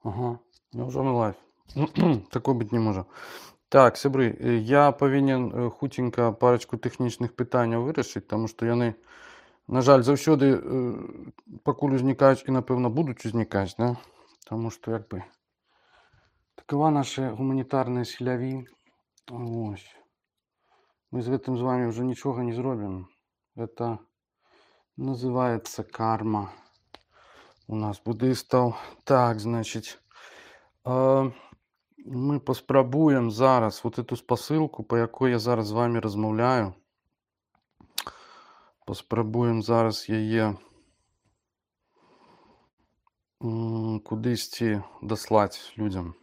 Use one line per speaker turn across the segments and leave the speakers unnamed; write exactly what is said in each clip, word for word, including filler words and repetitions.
Ага, няўжо мы лайв? Такое быць не можа. Так, сябры, э, я павінен э, хуценька парачку тэхнічных пытанняў вырашыць, таму што яны, на жаль, заўсёды э, пакуль узнікаюць і, напэўна, будуць узнікаць, да? Таму што як бы такова наша гуманітарная схіляві. Вось. Мы з гэтым з вами ўжо нічога не зробім. Это называецца карма у нас буддыстаў. Так, значыць, э, мы паспрабуем зараз вот эту спасылку, па якой я зараз з вами размаўляю. Паспрабуем зараз яе м, кудысьці даслаць людзям.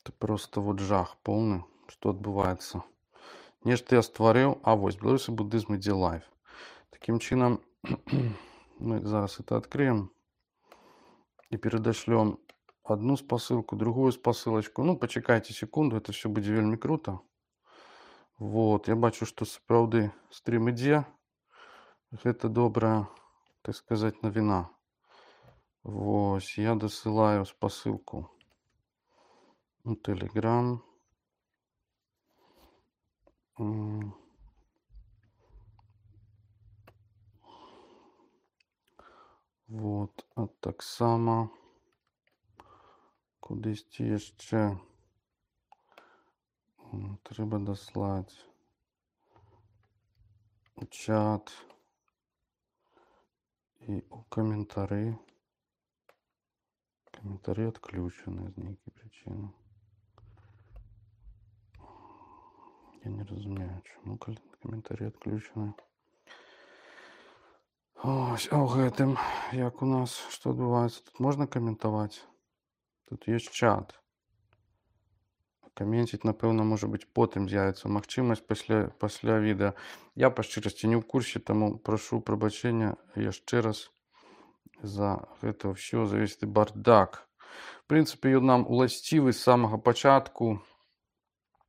Это просто вот жах поўны, што адбываецца. Нешта я стварыў, а вось беларусі буддызм ідзе лайв. Такім чынам мы зараз это открыем и передашлем одну спасылку, другую спасылочку. Ну, почекайте секунду, это все будзе вельмі круто. Вот, я бачу, што сапраўды стрим ідзе. Гэта добрая, так сказать, навіна. Вось, я дасылаю спасылку у Telegram. Вот, а таксама кудысьці яшчэ трэба даслаць у чат і у каментары. Каментары адключаны з нейкай прычыны. Я не разумею, чаму каментары адключаны. Ось, а ў гэтым, як у нас, што адбываецца? Тут можна каментаваць? Тут ёсць чат. Каменціць, напэўна, можа быць, потым з'явіцца магчымасць пасля, пасля відэа. Я, па шчырасці, не ў курсе, таму прашу прабачэння яшчэ раз за гэта ўсё, за весь бардак. В прынцыпе, ён нам уласцівы з самага пачатку.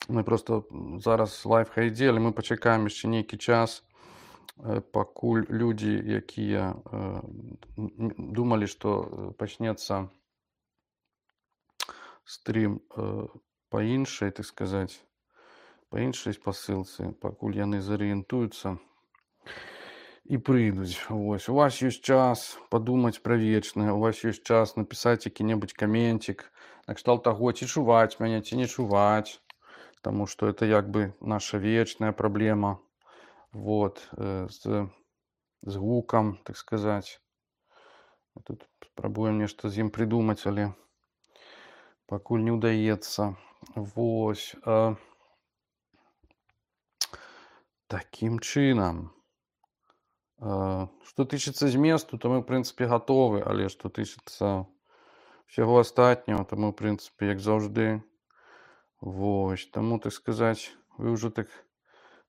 Мы просто зараз лайв хайдзе, але мы пачакаем яшчэ нейкі час, пакуль людзі, якія э, думалі, што пачнецца стрим э, па іншай, так сказаць, па іншай спасылцы, пакуль яны зарыентуюцца і прыйдуць. Вось. У вас ёсць час падумаць пра вечнае, у вас ёсць час напісаць які-небудзь каменцік, накшталт таго, ці чуваць мяне, ці не чуваць, таму што это як бы наша вечная праблема. Вот, э, з, з гукам, так сказаць. Тут спрабуем нешта з ім прыдумаць, але пакуль не ўдаецца. Вось. Э, такім чынам. Э, што тычыцца зместу, то мы, ў прынцыпе, гатовы, але што тычыцца ўсяго астатняго, то мы, ў прынцыпе, як заўжды. Вось. Таму, так сказаць, вы ўжо так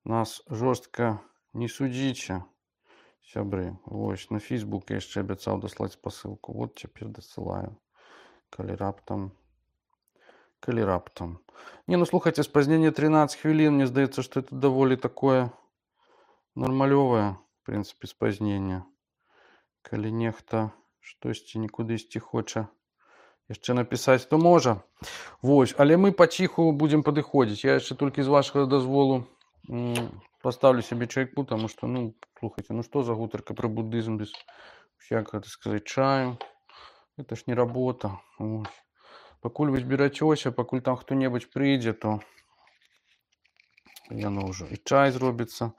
нас жорстка не судзіце, сябры. Вось, на Facebook я яшчэ абяцаў даслаць спасылку. Вот цяпер дасылаю. Калі раптам. Калі раптам. Не, ну слухайце, спазненне трынаццаць хвілін, мне здаецца, што это даволі такое нармалёвае, в прынцыпе, спазненне. Калі нехта штосьці нікудысьці хоча яшчэ напісаць, то можа. Вось, але мы паціху будзем падыходзіць. Я яшчэ толькі з вашага дазволу поставлю себе чайку, потому что, ну, слухайте, ну что за гутарка про буддизм без всякого, так сказать, чаю. Это ж не работа. Ось. Пакуль вы зберацёся, пакуль там хто-небудзь прыйдзе, то яно ўжо і чай зробіцца.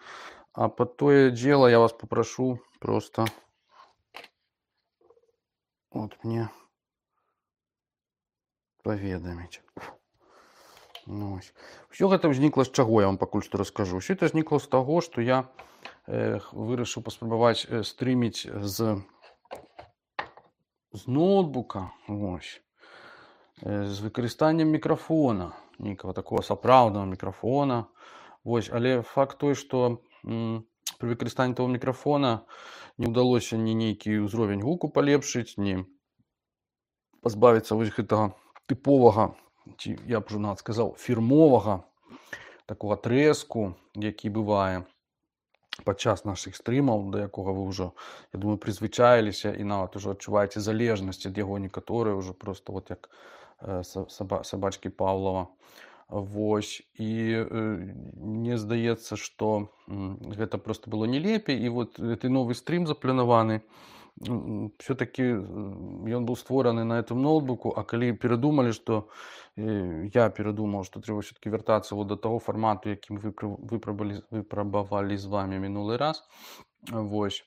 А под тое дело я вас попрошу просто вот мне паведаміць. Ну, все гэта ўзнікла з чаго, я вам пакуль што раскажу. Все это ўзнікла з таго, што я э, вырашыў паспрабаваць э, стрыміць з, з ноутбука, ось, э, з выкарыстаннем мікрафона, нейкага такого сапраўднага мікрафона. Вось, але факт той, што м, пры выкарыстанні того мікрафона не ўдалося ні нейкі ўзровень гуку палепшыць, ні пазбавіцца вось гэтага тыповага, ці я б уже нават сказаў, фірмовага такого трэску, які бывае. падчас нашых стрымаў, да якога вы ўжо, я думаю, прызвычаіліся і нават ужо адчуваеце залежнасць ад яго некаторыя ўжо проста вот як э, са- саба, сабачкі Паўлава. Вось і э, мне здаецца, што м, гэта просто было не лепей і вот гэты новы стрым запланаваны все-таки ён быў створаны на этом ноутбуку, а калі перадумалі, што э, я перадумаў, што трэба все-таки вяртацца вот до таго фармату, якім выпрабавалі выпрабавалі з вами мінулы раз, вось,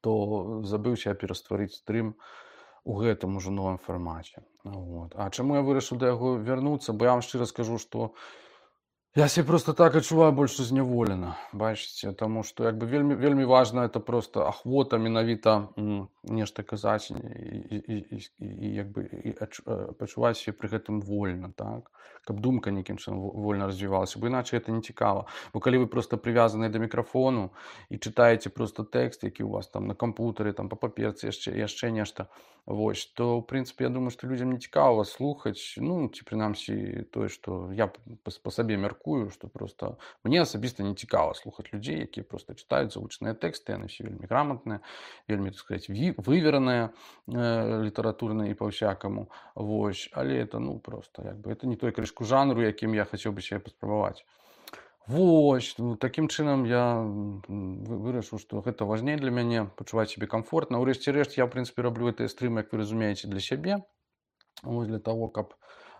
то забыўся я перастварыць стрым у гэтым ужо новым фармаце. Вот. А чаму я вырашыў да яго вярнуцца, бо я вам шчыра скажу, што я себе просто так адчуваю больш зняволена, бачыце, таму што як бы вельмі вельмі важна это просто ахвота менавіта м, нешта казаць і, і, і, і, і як бы і адч- э, пачуваць себе пры гэтым вольна, так, каб думка нейкім чынам во- вольна развівалася, бо іначай это не цікава. Бо калі вы просто прывязаны да мікрафону і чытаеце просто тэкст, які у вас там на кампутары, там па паперцы яшчэ яшчэ нешта, вось, то ў прынцыпе я думаю, што людзям не цікава слухаць, ну ці прынамсі тое, што я па, па сабе мяркую, што просто мне асабіста не цікава слухаць людзей, якія просто чытаюць завучныя тэксты, яны все вельмі грамотныя, вельмі, так сказать, вывераныя э, літаратурна і па-ўсякаму. Вось, але это ну просто як бы это не той крышку жанру, якім я хацеў бы себе паспрабаваць. Вось, ну, такім чынам я м, вы- вырашыў, што гэта важней для мяне пачуваць сябе комфортна. Урэшце рэшт я ў прынцыпе раблю гэтыя стрымы, як вы разумееце, для сябе. Вось для того, каб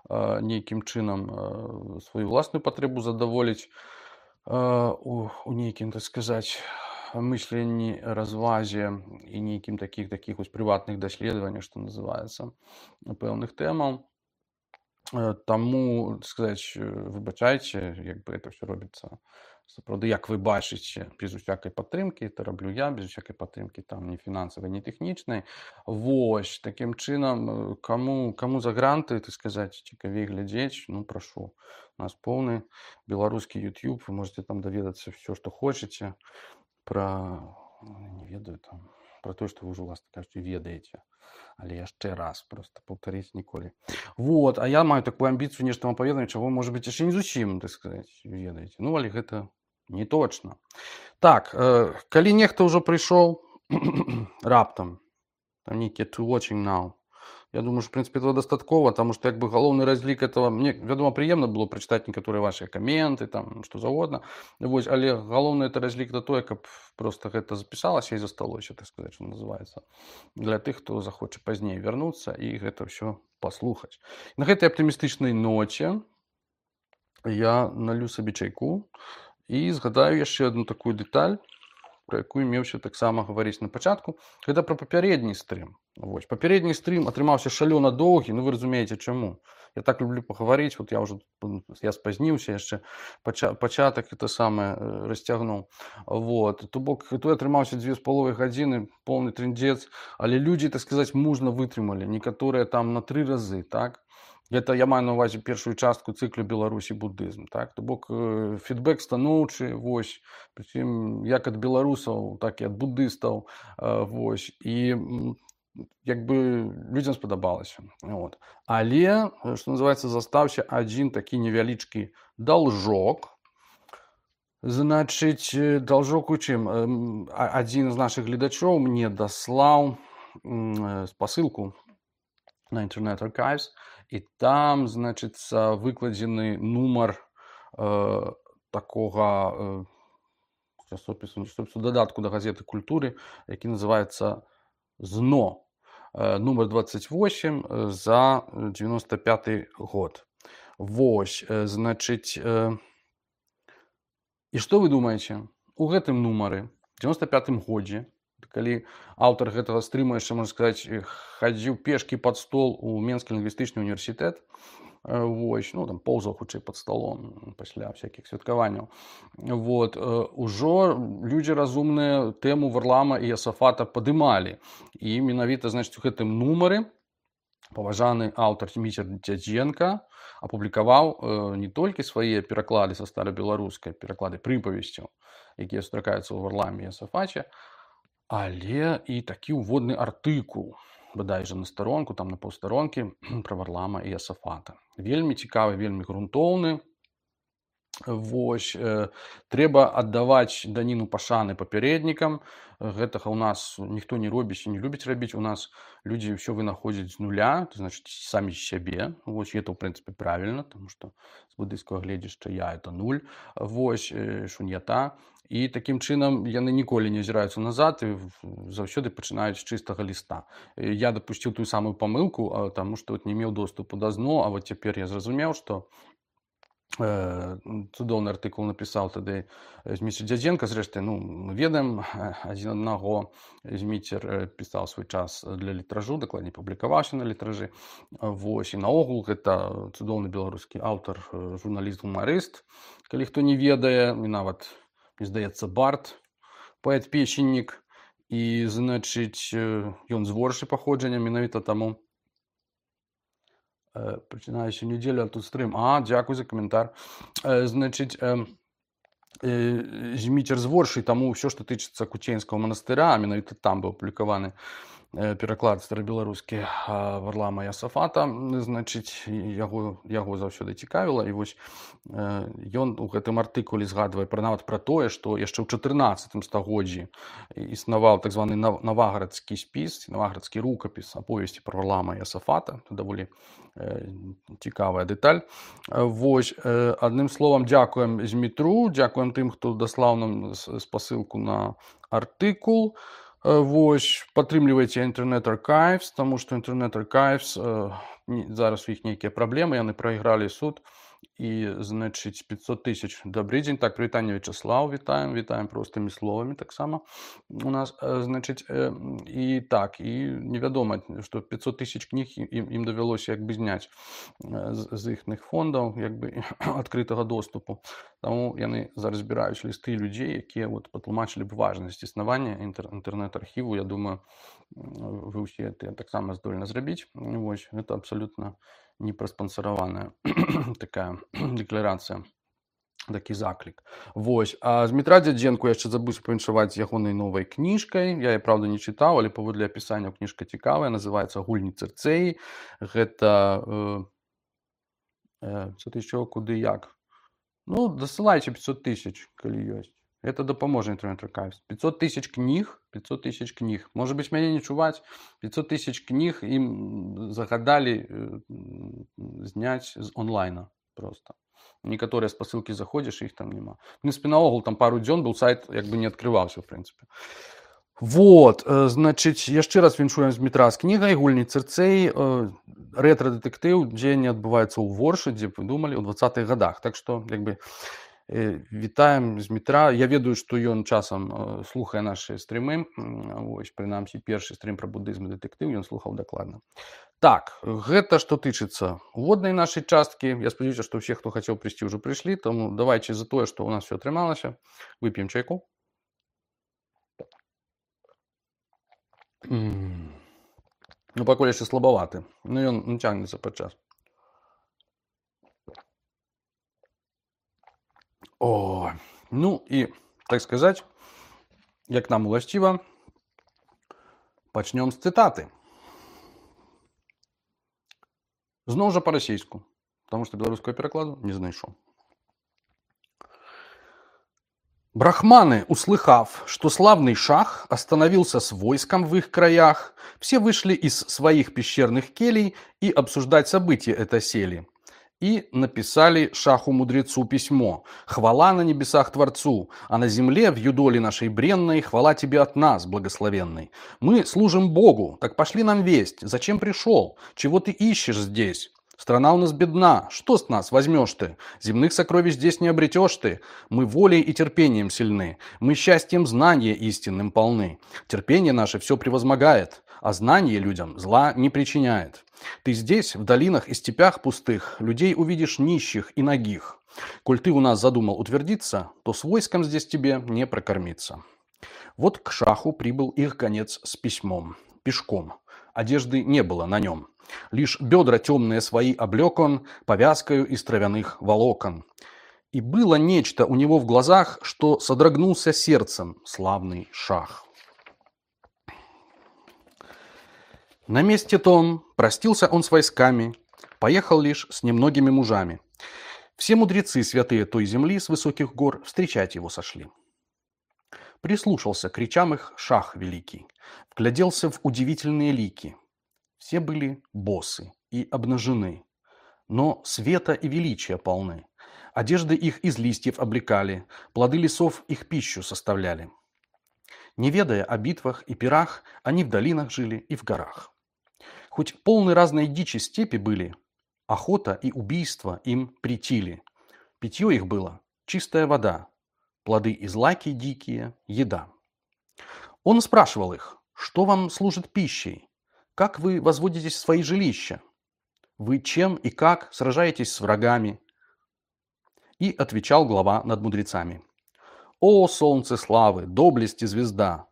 э, нейкім чынам э, сваю ўласную патрэбу задаволіць э, у, у нейкім, так сказаць, мысленні, развазе і нейкім такіх такіх вось прыватных даследаваннях, што называецца, пэўных тэмаў. Э, Таму, так сказаць, э, выбачайце, як бы это все робіцца сапраўды, як вы бачыце, без усякай падтрымкі, это раблю я, без усякай падтрымкі там ні фінансавай, ні тэхнічнай. Вось, такім чынам, э, каму, каму за гранты, так сказаць, цікавей глядзець, ну прашу. У нас поўны беларускі YouTube, вы можете там даведацца все, што хочаце пра, не ведаю, там, пра тое, што вы ўжо, власна кажучы, ведаеце. Але яшчэ раз просто паўтарыць ніколі. Вот, а я маю такую амбіцыю нешта вам паведаміць, чаго можа быць яшчэ не зусім, так сказаць, ведаеце. Ну, але гэта не точно. Так, э, калі нехта ўжо прыйшоў раптам, там нейкія to watching now, я думаю, што, в прынцыпе, этого дастаткова, таму што як бы галоўны разлік этого, мне, вядома, прыемна было прачытаць некаторыя вашыя каменты, там, што заўгодна, вось, але галоўны это разлік да тое, каб просто гэта запісалася і засталося, так сказаць, што называецца, для тых, хто захоча пазней вярнуцца і гэта ўсё паслухаць. На гэтай аптымістычнай ноце я налью сабе чайку і згадаю яшчэ одну такую дэталь, про якую меўся таксама гаварыць на пачатку. Гэта пра папярэдні стрым. Вось, папярэдні стрым атрымаўся шалёна доўгі, ну вы разумееце чаму. Я так люблю пагаварыць, вот я ўжо я спазніўся яшчэ, пача, пачатак это самае э, расцягнуў. Вот, то бок той атрымаўся дзве з паловай гадзіны, поўны трындзец, але людзі, так сказаць, мужна вытрымалі, некаторыя там на тры разы, так? Гэта я маю на ўвазе першую частку цыклю Беларусі будызм, так? То бок э, фідбэк станоўчы, вось, прычым як ад беларусаў, так і ад будыстаў, э, вось, і м, як бы людзям спадабалася. Вот. Але, э, што называецца, застаўся адзін такі невялічкі должок. Значыць, э, должок у чым? Э, м, а- Адзін з нашых гледачоў мне даслаў м, э, спасылку на Internet Archives, і там, значыцца, выкладзены нумар э, такога э, часопісу, не часопісу, дадатку да газеты культуры, які называецца ЗНО, э, нумар двадцать восемь э, за девяносто пятый год. Вось, э, значыць, э, і што вы думаеце? У гэтым нумары, девяносто пятым годзе, калі аўтар гэтага стрыма яшчэ, можна сказаць, э, хадзіў пешкі пад стол у Менскі лінгвістычны універсітэт, э, вось, ну там поўзаў хутчэй пад сталом пасля всякіх святкаванняў. Вот, э, ужо людзі разумныя тэму Варлама і Ясафата падымалі. І менавіта, значыць, у гэтым нумары паважаны аўтар Міцер Дзядзенка апублікаваў э, не толькі свае пераклады са старабеларускай, пераклады прыпавесцяў, якія сустракаюцца ў Варламе і Ясафаце, але і такі ўводны артыкул, бадай жа на старонку, там на паўстаронкі, пра Варлама і Ясафата. Вельмі цікавы, вельмі грунтоўны. Вось, э, трэба аддаваць даніну пашаны папярэднікам. Гэтага ў нас ніхто не робіць і не любіць рабіць. У нас людзі ўсё вынаходзяць з нуля, то значыць самі з сябе. Вось это ў прынцыпе правільна, таму што з будыйскага гледзяшча я это нуль. Вось, э, шун'ята. І такім чынам яны ніколі не азіраюцца назад і заўсёды пачынаюць з чыстага ліста. Э, Я дапусціў тую самую памылку, а, таму што от не меў доступу да ЗНО, а вот цяпер я зразумеў, што Э, цудоўны артыкул напісаў тады Зміцер Дзядзенка. Зрэшты, ну, мы ведаем э, адзін аднаго. Зміцер э, пісаў свой час для літражу, дакладней публікаваўся на літражы. Вось, і наогул гэта цудоўны беларускі аўтар, э, журналіст, гумарыст. Калі хто не ведае, і нават, мне здаецца, бард, паэт-песеннік. І, значыць, э, ён з Воршы паходжання, менавіта таму Э, пачынаюся нядзелю, а тут стрым. А, дзякуй за каментар. Э, Значыць, э, э, Зміцер з Воршы, таму ўсё, што тычыцца Куценьскага манастыра, а менавіта там быў апублікаваны э, пераклад старабеларускі а, Варлама Ясафата, значыць, яго, яго заўсёды цікавіла. І вось э, ён у гэтым артыкуле згадвае пра нават пра тое, што яшчэ ў чатырнаццатым стагоддзі існаваў так званы нав- наваградскі спіс, наваградскі рукапіс аповесці пра Варлама Ясафата. Це даволі э, цікавая дэталь. Э, Вось, э, адным словам, дзякуем Змітру, дзякуем тым, хто даслаў нам с- спасылку на артыкул. Э, Вось, падтрымлівайце Internet Archives, таму што Internet Archives, э, не- зараз у іх нейкія праблемы, яны прайгралі суд. І, значыць, пятьсот тысяч. Добрый дзень. Так, прывітанне, Вячеслав, вітаем, вітаем простымі словамі таксама у нас. Э, Значыць, э, і так, і невядома, што пятьсот тысяч кніг ім, ім давялося як бы зняць э, з, з іхных фондаў, як бы адкрытага доступу. Таму яны зараз збіраюць лісты людзей, якія вот патлумачылі б важнасць існавання інтэр, інтэрнэт-архіву. Я думаю, м, вы ўсе гэта таксама здольны зрабіць. Вось, гэта абсалютна не праспансараваная такая дэкларацыя, такі заклік. Вось, а Змітра Дзядзенку яшчэ забыўся павіншаваць з ягонай новай кніжкай. Я, правда, не чытаў, але паводле апісання кніжка цікавая, называецца «Гульні Цырцэі». Гэта э, э, пятьсот тысяч чаго, куды, як. Ну, дасылайце пятьсот тысяч, калі ёсць. Это дапаможа Internet Archives. пятьсот тысяч кніг, пятьсот тысяч кніг. Можа быць, мяне не чуваць. пятьсот тысяч кніг ім загадалі э, зняць з онлайна просто. Некаторыя спасылкі заходзіш, іх там няма. В прынцыпе, наогул там пару дзён быў сайт, як бы не адкрываўся, в прынцыпе. Вот, э, значыць, яшчэ раз віншуем Змітра з кнігай «Гульні Цырцэі». Э, рэтра-дэтэктыў, дзеянне адбываецца ў Воршы, дзе вы думалі, у двадцатых гадах. Так што, як бы, э, вітаем Змітра. Я ведаю, што ён часам э, слухае нашы стрымы. М, Вось, прынамсі, першы стрым пра будызм і дэтэктыў ён слухаў дакладна. Так, гэта што тычыцца уводнай нашай часткі. Я спадзяюся, што ўсе, хто хацеў прыйсці, ўжо прыйшлі. Таму давайце за тое, што ў нас все атрымалася. Вып'ем чайку. М. Ну, пакуль яшчэ слабаваты. Ну, ён ну, цягнецца падчас. О, ну і, так сказаць, як нам уласціва, пачнём з цытаты. Зноў жа па-расейску, таму што беларускага перакладу не знайшоў. Брахманы, услыхав, что славный шах остановился с войском в их краях, все вышли из своих пещерных келей и обсуждать события это сели. И написали шаху-мудрецу письмо: «Хвала на небесах Творцу, а на земле, в юдоле нашей бренной, хвала тебе от нас, благословенной. Мы служим Богу, так пошли нам весть, зачем пришел, чего ты ищешь здесь? Страна у нас бедна, что с нас возьмешь ты? Земных сокровищ здесь не обретешь ты. Мы волей и терпением сильны, мы счастьем знания истинным полны. Терпение наше все превозмогает, а знание людям зла не причиняет. Ты здесь, в долинах и степях пустых, людей увидишь нищих и нагих. Коль ты у нас задумал утвердиться, то с войском здесь тебе не прокормиться». Вот к шаху прибыл их гонец с письмом, пешком. Одежды не было на нем. Лишь бедра темные свои облек он повязкою из травяных волокон. И было нечто у него в глазах, что содрогнулся сердцем славный шах. На месте том простился он с войсками, поехал лишь с немногими мужами.
Все мудрецы святые той земли с высоких гор встречать его сошли. Прислушался к речам их шах великий, вгляделся в удивительные лики. Все были босы и обнажены, но света и величия полны. Одежды их из листьев облекали, плоды лесов их пищу составляли. Не ведая о битвах и пирах, они в долинах жили и в горах. Хоть полны разной дичи степи были, охота и убийство им претили. Питье их было чистая вода, плоды из лаки дикие, еда. Он спрашивал их, что вам служит пищей, как вы возводитесь в свои жилища, вы чем и как сражаетесь с врагами. И отвечал глава над мудрецами. О, солнце славы, доблести звезда,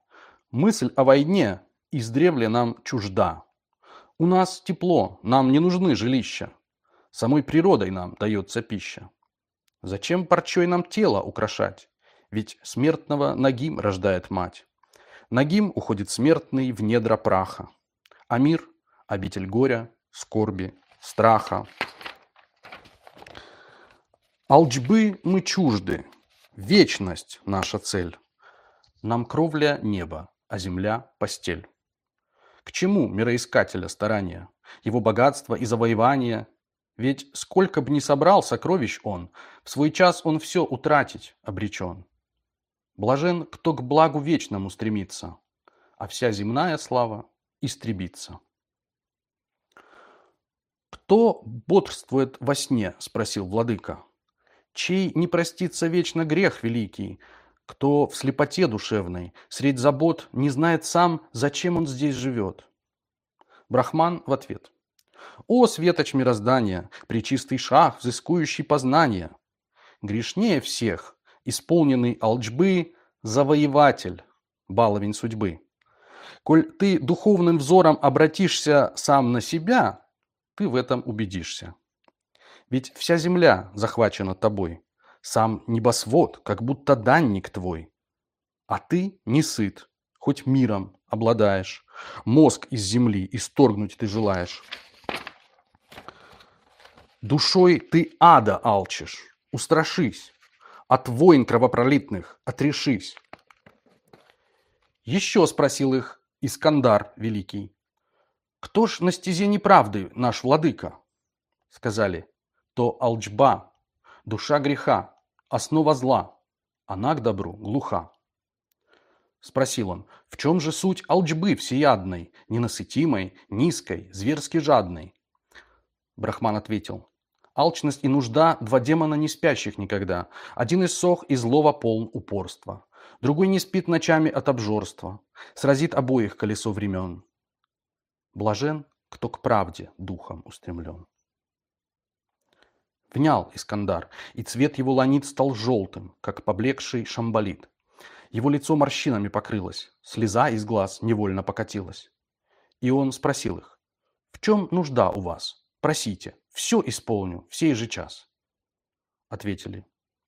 мысль о войне издревле нам чужда. У нас тепло, нам не нужны жилища, самой природой нам дается пища. Зачем парчой нам тело украшать? Ведь смертного Нагим рождает мать. Нагим уходит смертный в недра праха, а мир – обитель горя, скорби, страха. Алчбы мы чужды, вечность наша цель. Нам кровля небо, а земля – постель. К чему мироискателя старания, его богатство и завоевания? Ведь сколько б ни собрал сокровищ он, в свой час он все утратить обречен. Блажен, кто к благу вечному стремится, а вся земная слава истребится. «Кто бодрствует во сне?» – спросил владыка. «Чей не простится вечно грех великий, кто в слепоте душевной, средь забот, не знает сам, зачем он здесь живет?» Брахман в ответ. «О, светоч мироздания, пречистый шах, взыскующий познания! Грешнее всех, исполненный алчбы, завоеватель, баловень судьбы. Коль ты духовным взором обратишься сам на себя, ты в этом убедишься. Ведь вся земля захвачена тобой, сам небосвод, как будто данник твой. А ты не сыт, хоть миром обладаешь, мозг из земли исторгнуть ты желаешь. Душой ты ада алчишь, устрашись, от войн кровопролитных отрешись». Еще спросил их Искандар Великий. «Кто ж на стезе неправды наш владыка?» Сказали, то алчба, душа греха, основа зла, она к добру глуха. Спросил он, в чем же суть алчбы всеядной, ненасытимой, низкой, зверски жадной? Брахман ответил, алчность и нужда – два демона не спящих никогда. Один иссох и злого полн упорства. Другой не спит ночами от обжорства. Сразит обоих колесо времен. Блажен, кто к правде духом устремлен. Внял Искандар, и цвет его ланит стал желтым, как поблекший шамбалит. Его лицо морщинами покрылось, слеза из глаз невольно покатилась. И он спросил их, в чем нужда у вас? Просите, все исполню в сей же час. Ответили,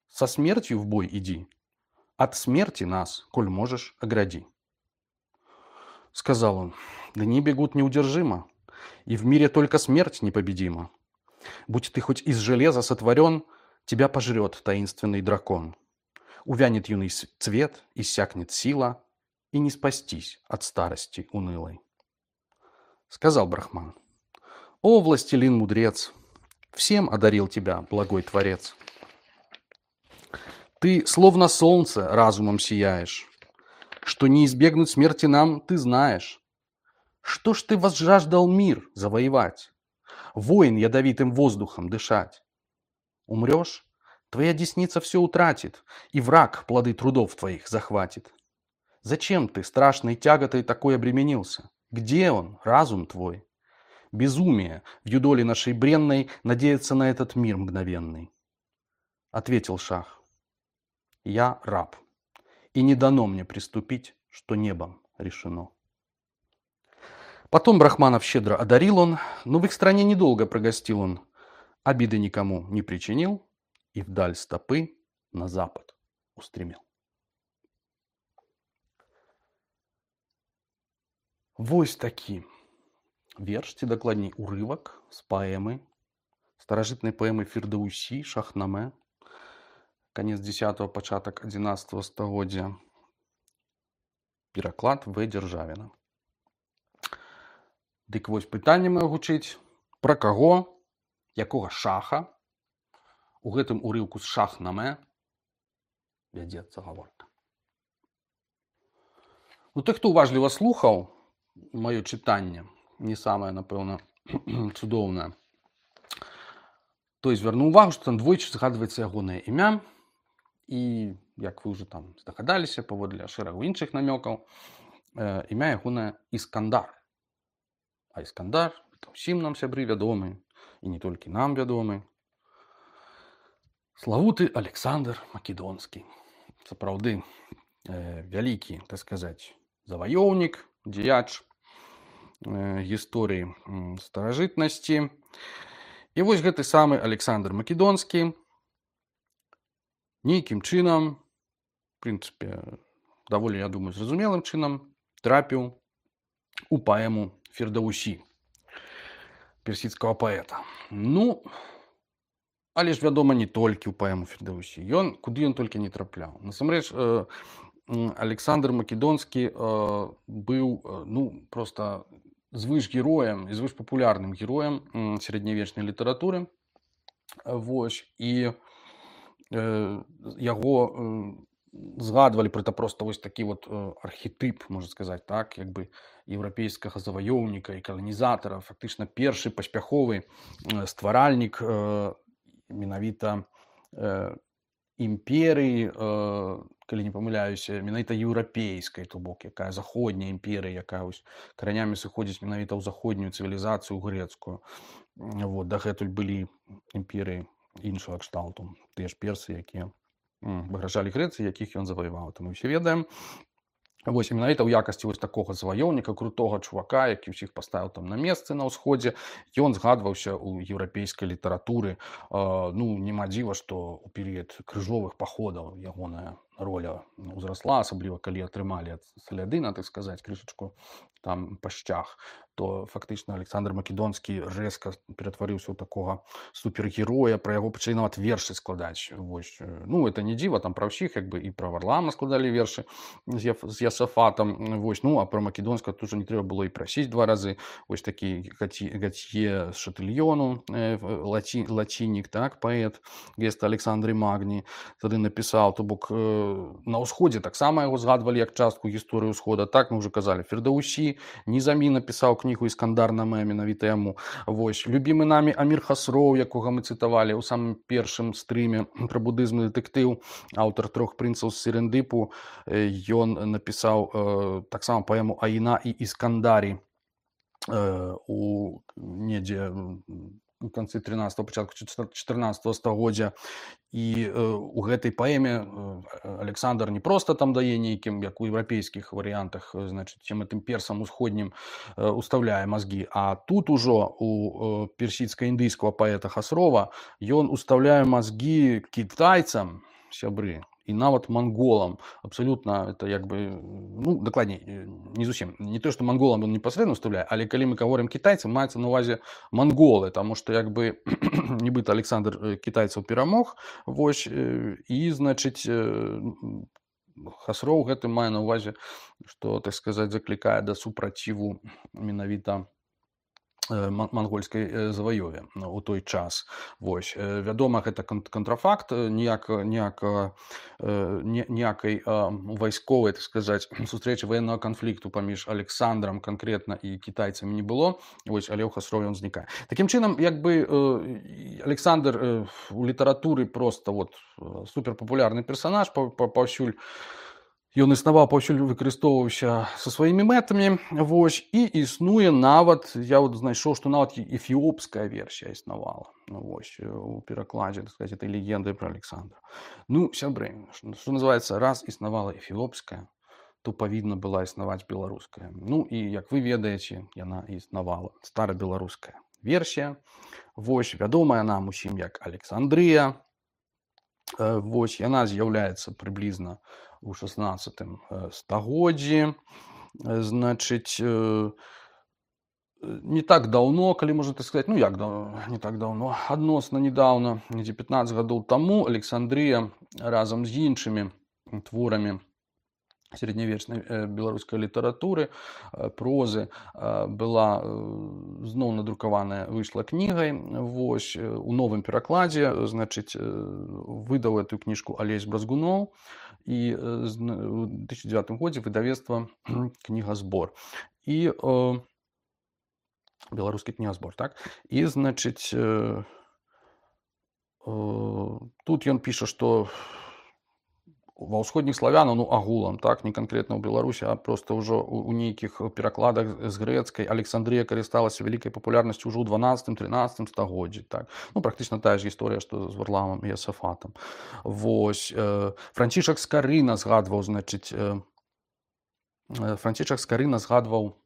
со смертью в бой иди, от смерти нас, коль можешь, огради. Сказал он, дни бегут неудержимо, и в мире только смерть непобедима. Будь ты хоть из железа сотворен, тебя пожрет таинственный дракон. Увянет юный цвет, иссякнет сила, и не спастись от старости унылой. Сказал Брахман, о, властелин мудрец, всем одарил тебя благой Творец. Ты словно солнце разумом сияешь, что не избегнуть смерти нам ты знаешь. Что ж ты возжаждал мир завоевать, войн ядовитым воздухом дышать? Умрешь, твоя десница все утратит, и враг плоды трудов твоих захватит. Зачем ты страшной тяготой такой обременился? Где он, разум твой? Безумие в юдоле нашей бренной надеяться на этот мир мгновенный. Ответил шах, я раб, и не дано мне приступить, что небом решено. Потом Брахманов щедро одарил он, но в их стране недолго прогостил он, обиды никому не причинил и вдаль стопы на запад устремил. Вось такі верш ці дакладней урывак з паэмы старажытнай паэмы Фірдаўсі, Шахнаме, канец дзесятого, пачатак адзінаццатага стагоддзя. Пераклад В. Дзяржавіна. Дык вось пытанне маё гучыць, пра каго, якога шаха у гэтым урыўку з Шахнаме вядзецца гаворка. Ну, той, хто уважліва слухаў маё чытанне, не самае, напэўна, цудоўнае, той звярнуў увагу, што там двойчы згадваецца ягонае імя, і, як вы ўжо там здагадаліся, паводле шэрагу іншых намёкаў, імя ягонае Іскандар. А Іскандар, усім нам, сябры, вядомы, і не толькі нам вядомы, славуты Александр Македонскі. Сапраўды, вялікі, так сказаць, заваёўнік, дзеяч гісторыі старажытнасці. І вось гэты самы Александр Македонскі нейкім чынам, в прынцыпе, даволі, я думаю, зразумелым чынам, трапіў у паэму Фірдаўсі, персідскага паэта. Ну, але ж, вядома, не толькі ў паэму Фірдаўсі. Ён, куды ён толькі не трапляў. Насамрэч, Александр Македонскі быў, ну, проста звышгероем і звышпапулярным героем сярэднявечнай літаратуры. Вось, і яго згадвалі пры проста вось такі вот архетып, можна сказаць, так, як бы еўрапейскага заваёўніка і каланізатара, фактычна першы паспяховы стваральнік менавіта імперыі, калі не памыляюся, менавіта еўрапейскай, то бок, якая заходняя імперыя, якая каранямі сыходзіць менавіта ў заходнюю цывілізацыю грэцкую. Вот, дагэтуль былі імперыі іншага кшталту, тыя ж персы, якія пагражалі Грэцыі, якіх ён заваяваў, то мы ўсе ведаем. Вось, менавіта ў якасці вось такога заваёўніка, крутога чувака, які ўсіх паставіў там на месцы на ўсходзе, ён згадваўся ў еўрапейскай літаратуры. Ну, нема дзіва, што ў перыяд крыжовых паходаў ягоная роля ўзрасла, асабліва калі атрымалі ад Салядына, так сказаць, крышачку там пашчах, то фактычна Александр Македонскі рэзка ператварыўся ў такога супергероя, пра яго пачалі нават вершы складаць. Вось. Ну, это не дзіва, там пра ўсіх, як бы і пра Варлама складалі вершы з Ясафатам. Вось. Ну, а пра Македонска тут ужо не трэба было і прасіць два разы. Вось такі Гатье з Шатыльёну, лаці, лацінік, так, паэт, геста Александры Магні, тады напісаў, то бок на ўсходзе таксама яго згадвалі як частку гісторыі ўсхода, так, мы ўжо казалі, Фірдаўсі, Нізамі напісаў кнігу Іскандар-Наме, менавіта яму. Вось, любімы намі Амір Хасроў, якога мы цытавалі ў самым першым стрыме пра будызм і дэтэктыў, аўтар трох прынцаў з Серендыпу, ён напісаў таксама паэму Аіна і Іскандарі у недзе у канцы трынаццатага, пачатку чатырнаццатага стагоддзя. І у гэтай паэме Александр не проста там дае нейкім, як у еўрапейскіх варыянтах, значыць, цем гэтым персам усходнім устаўляе мазгі, а тут ужо у персідска-індыйскага паэта Хасрова ён устаўляе мазгі кітайцам, сябры, і нават манголам. Абсалютна, это як бы, ну, дакладней, не зусім. Не то, што манголам ён непасрэдна устаўляе, але калі мы гаворым кітайцам, маецца на ўвазе манголы, таму што як бы нібыта Александр кітайцаў перамог, вось, і, значыць, Хасроў гэтым мае на ўвазе, што, так сказаць, заклікае да супраціву менавіта мангольскай заваёве у той час. Вось. Вядома, гэта кантрафакт, ніякай вайсковай, так сказаць, сустрэчы ваеннага канфлікту паміж Александрам канкрэтна і кітайцамі не было, вось, але ў Хасрове ён знікае. Такім чынам, як бы Александр у літаратуры проста вот суперпапулярны персанаж, паўсюль ён існаваў, паўсюль выкарыстоўваўся са сваімі мэтамі, вось, і існуе нават, я вот знайшоў, што нават эфіопская версія існавала, вось, у перакладзе, так сказаць, этой легенды пра Александра. Ну, сябры, што называецца, раз існавала эфіопская, то павінна была існаваць беларуская. Ну, і, як вы ведаеце, яна існавала, старабеларуская версія, вось, вядомая нам усім як Александрыя, вось, яна з'яўляецца прыблізна у шаснаццатым стагоддзі, значыць,
не так даўно, калі можна так сказаць, ну як даўно, не так даўно, адносна недаўна, недзе пятнаццаць гадоў таму Александрыя разам з іншымі творамі сярэднявечнай э, беларускай літаратуры, э, прозы э, была э, зноў надрукаваная, выйшла кнігай, вось, э, у новым перакладзе, значыць, э, выдаў эту кніжку Алесь Бразгуноў, і э, з- у две тысячи девятым годзе выдавецтва кнігазбор. І э, беларускі кнігазбор, так? І, значыць, э, э, тут ён піша, што ва ўсходніх славянаў, ну агулам, так, не канкрэтна ў Беларусі, а проста ўжо у, у нейкіх перакладах з грэцкай Александрія карысталася вялікай папулярнасцю ўжо ў дванаццатым-трынаццатым стагоддзі, так. Ну, практычна тая ж гісторыя, што з Варламам і Асафатам. Вось, э, Францішак Скарына згадваў, значыць, э, э, Францішак Скарына згадваў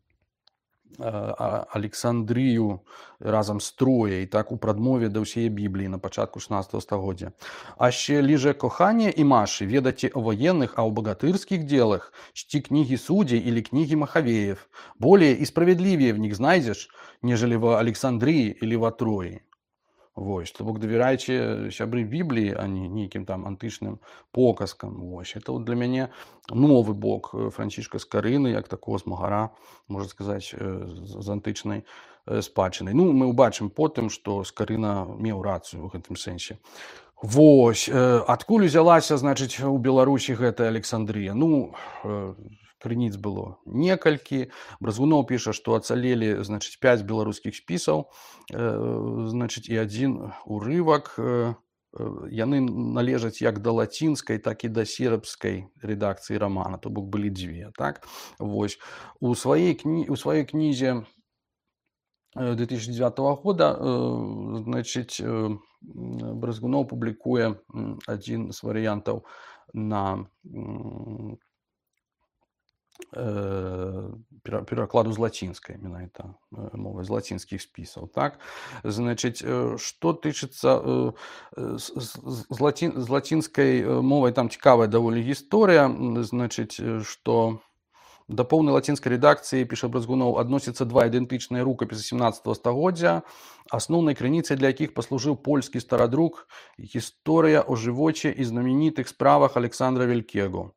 э, а- Александрію разам з Трояй, так, у прадмове да ўсяе Бібліі на пачатку шестнадцатого стагоддзя. А ще ліже кохання і Маші, ведаце о военных, а о богатырских делах, чти книги судей или книги Махавеев. Более и справедливее в них знайдзеш, нежели в Александрии или в Трої. Вось, то бок давярайце сябры Бібліі, а не нейкім там антычным показкам. Вось, это вот для мяне новы бок э, Францішка Скарыны, як такого змагара, можна сказаць, э, з з антычнай э, спадчынай. Ну, мы ўбачым потым, што Скарына меў рацыю ў гэтым сэнсе. Вось, э, адкуль узялася, значыць, у Беларусі гэтая Александрія? Ну, э, крыніц было некалькі. Бразгуноў піша, што ацалелі, значыць, пяць беларускіх спісаў, э, значыць, і адзін урывак. Э, э, яны належаць як да лацінскай, так і да сербскай рэдакцыі рамана, то бок былі дзве, так? Вось, у сваёй кні... у сваёй кнізе э, две тысячи девятого года, э, значыць, э, м, Бразгуноў публікуе м, адзін з варыянтаў на м, э, пера- перакладу з лацінскай, менавіта э, мовай, з лацінскіх спісаў, так? Значыць, э, што тычыцца э, э, з, з, з, лацін, з лацінскай э, мовай, там цікавая даволі гісторыя, м, значыць, э, што да поўнай лацінскай рэдакцыі, піша Бразгуноў, адносяцца два ідэнтычныя рукапісы семнадцатого стагоддзя, асноўнай крыніцай для якіх паслужыў польскі старадрук «Гісторыя о жывоце і знаменітых справах Александра Велькего».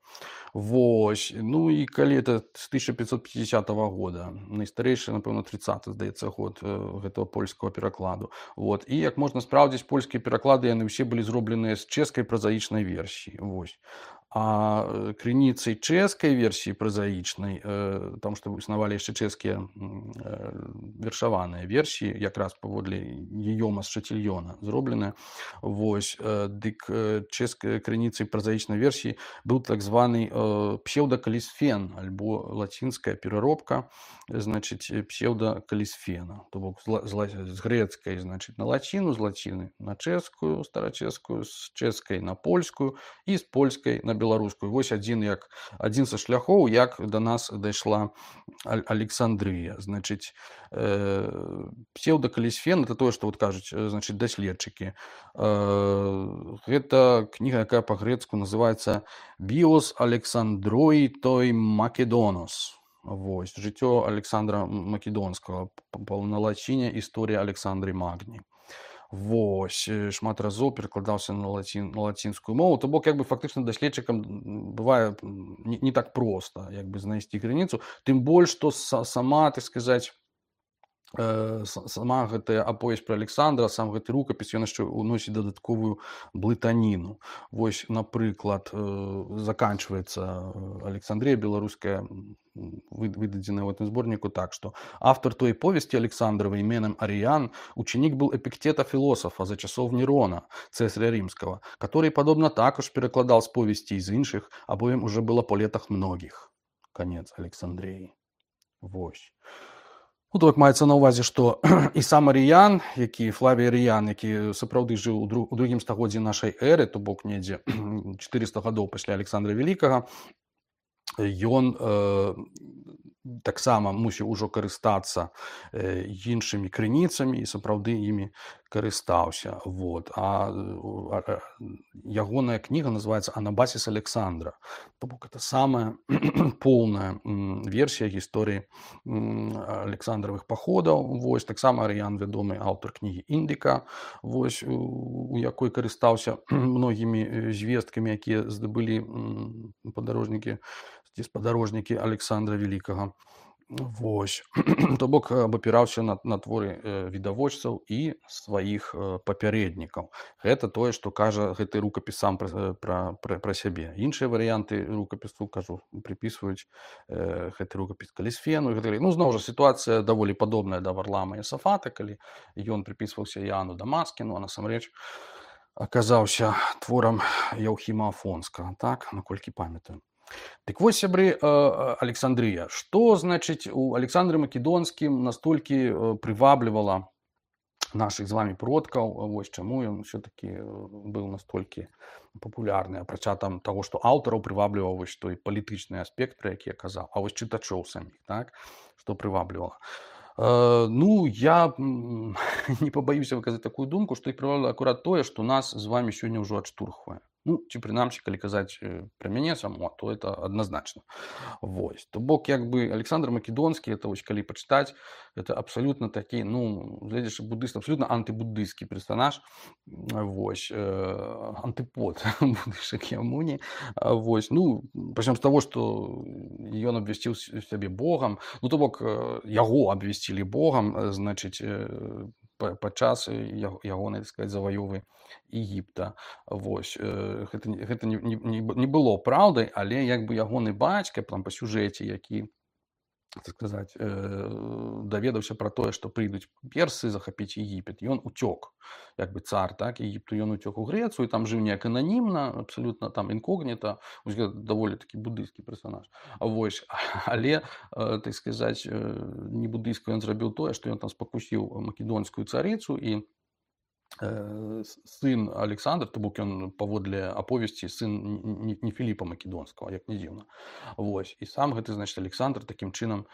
Вось, ну і калі это з тысяча пятьсот пятидесятого года, найстарэйшы, напэўна, тридцаты, здаецца, год э, гэтага польскага перакладу. Вот. І як можна спраўдзіць, польскія пераклады, яны ўсе былі зробленыя з чэшскай празаічнай версіі. Вось. А э, крыніцай чэшскай версіі празаічнай, э, там што існавалі яшчэ чэшскія м, э, вершаваныя версіі, якраз паводле Гійома з Шатильёна зробленыя. Вось, э, дык э, чэшскай крыніцай празаічнай версіі быў так званы э, псеўдакалісфен, альбо лацінская пераробка, значыць, э, псеўдакалісфена. То бок з, ла- з, ла- з грэцкай, значыць, на лаціну, з лаціны на чэшскую, старачэшскую, з чэшскай на польскую і з польскай на беларускую. Вось адзін як адзін са шляхоў, як да нас дайшла Аль- Александрыя. Значыць, э, псеўдакалісфен — это тое, што вот кажуць, э, значыць, даследчыкі. Э, гэта кніга, якая па-грэцку называецца «Bios Александрой той Македонос». Вось, жыццё Александра Македонскага, п- п- на лаціне «Історыя Александры Магні». Вось, э, шмат разоў перакладаўся на лацін, на лацінскую мову. То бок, як бы фактычна даследчыкам м, бывае м, не, не так проста, як бы знайсці крыніцу, тым больш, што са, сама, так сказаць, э, с- сама гэтая аповесць пра Александра, сам гэты рукапіс, ён яшчэ уносіць дадатковую блытаніну. Вось, напрыклад, э, заканчваецца э, Александрія беларуская, м, вы- выдадзеная ў гэтым зборніку так, што автор той повести Александровой именем Ариан ученик был Эпиктета-философа за часов Нерона, цесаря римского, который, подобно також, перекладал с повести из інших, обоим уже было по летах многих. Конец Александрии. Вось. Ну, так маецца на ўвазе, што і сам Арыян, які Флавій Арыян, які сапраўды жыў у дру- у другім стагоддзі нашай эры, то бок недзе четыреста гадоў пасля Александра Вялікага, ён э,
таксама мусіў ужо карыстацца э, іншымі крыніцамі і сапраўды імі карыстаўся. Вот. А, а, а ягоная кніга называецца «Анабасіс Александра». То бок это самая поўная м, версія гісторыі м, Александровых паходаў. Вось таксама Арыян вядомы аўтар кнігі «Індыка», вось у, у якой карыстаўся многімі э, звесткамі, якія здабылі м, падарожнікі ці спадарожнікі Александра Великага. Вось. То бок абапіраўся на, на творы э, відавочцаў і сваіх э, папярэднікаў. Гэта тое, што кажа гэты рукапіс сам пра, пра, пра, пра сябе. Іншыя варыянты рукапісу, кажу, прыпісваюць э, гэты рукапіс Калісфену. Гэты... Ну, зноў жа, сітуацыя даволі падобная да Варлама і Асафата, калі ён прыпісваўся Іану Дамаскіну, а насамрэч аказаўся творам Яўхіма Афонскага, так, наколькі памятаю. Дык вось, сябры, Александрыя, што, значыць, у Александры Македонскім настолькі прываблівала нашых з вамі продкаў, вось чаму ён ўсё-такі быў настолькі папулярны, апрача там таго, што аўтараў прывабліваў вось той палітычны аспект, пра які я казаў, а вось чытачоў саміх, так, што прываблівала. Ну, я не пабаюся выказаць такую думку, што іх прываблівала акурат тое, што нас з вамі сёння ўжо адштурхвае. Ну, ці прынамсі, калі казаць пра мяне самого, то это адназначна. Вось. То бок, як бы, Александр Македонскі, это вось, калі пачытаць, это абсалютна такі, ну, гледзячы буддыст, абсалютна антыбуддысцкі персанаж, вось, э, антыпод буддыйскай Шакьямуні, вось, ну, пачнём з таго, што ён абвясціў сябе Богам, ну, то бок, яго абвясцілі Богам, значыць, падчас ягонай, так сказаць, заваёвы Егіпта. Вось. Гэта, гэта не, не, не было праўдай, але як бы ягоны бацька там па сюжэце, які, так сказаць, даведаўся пра тое, што прыйдуць персы захапіць Егіпет, ён уцёк, як бы цар, так, Егіпту, ён уцёк у Грэцыю, там жыў неяк ананімна, абсалютна там інкогніта, даволі такі буддыйскі персанаж. Вось. Але, так сказаць, не буддыйска ён зрабіў тое, што ён там спакусіў македонскую царыцу, і сын Александр, то бок ён паводле аповесці сын не, не Філіпа Македонскага, як не дзіўна. Вось. І сам гэты, значыць, Александр такім чынам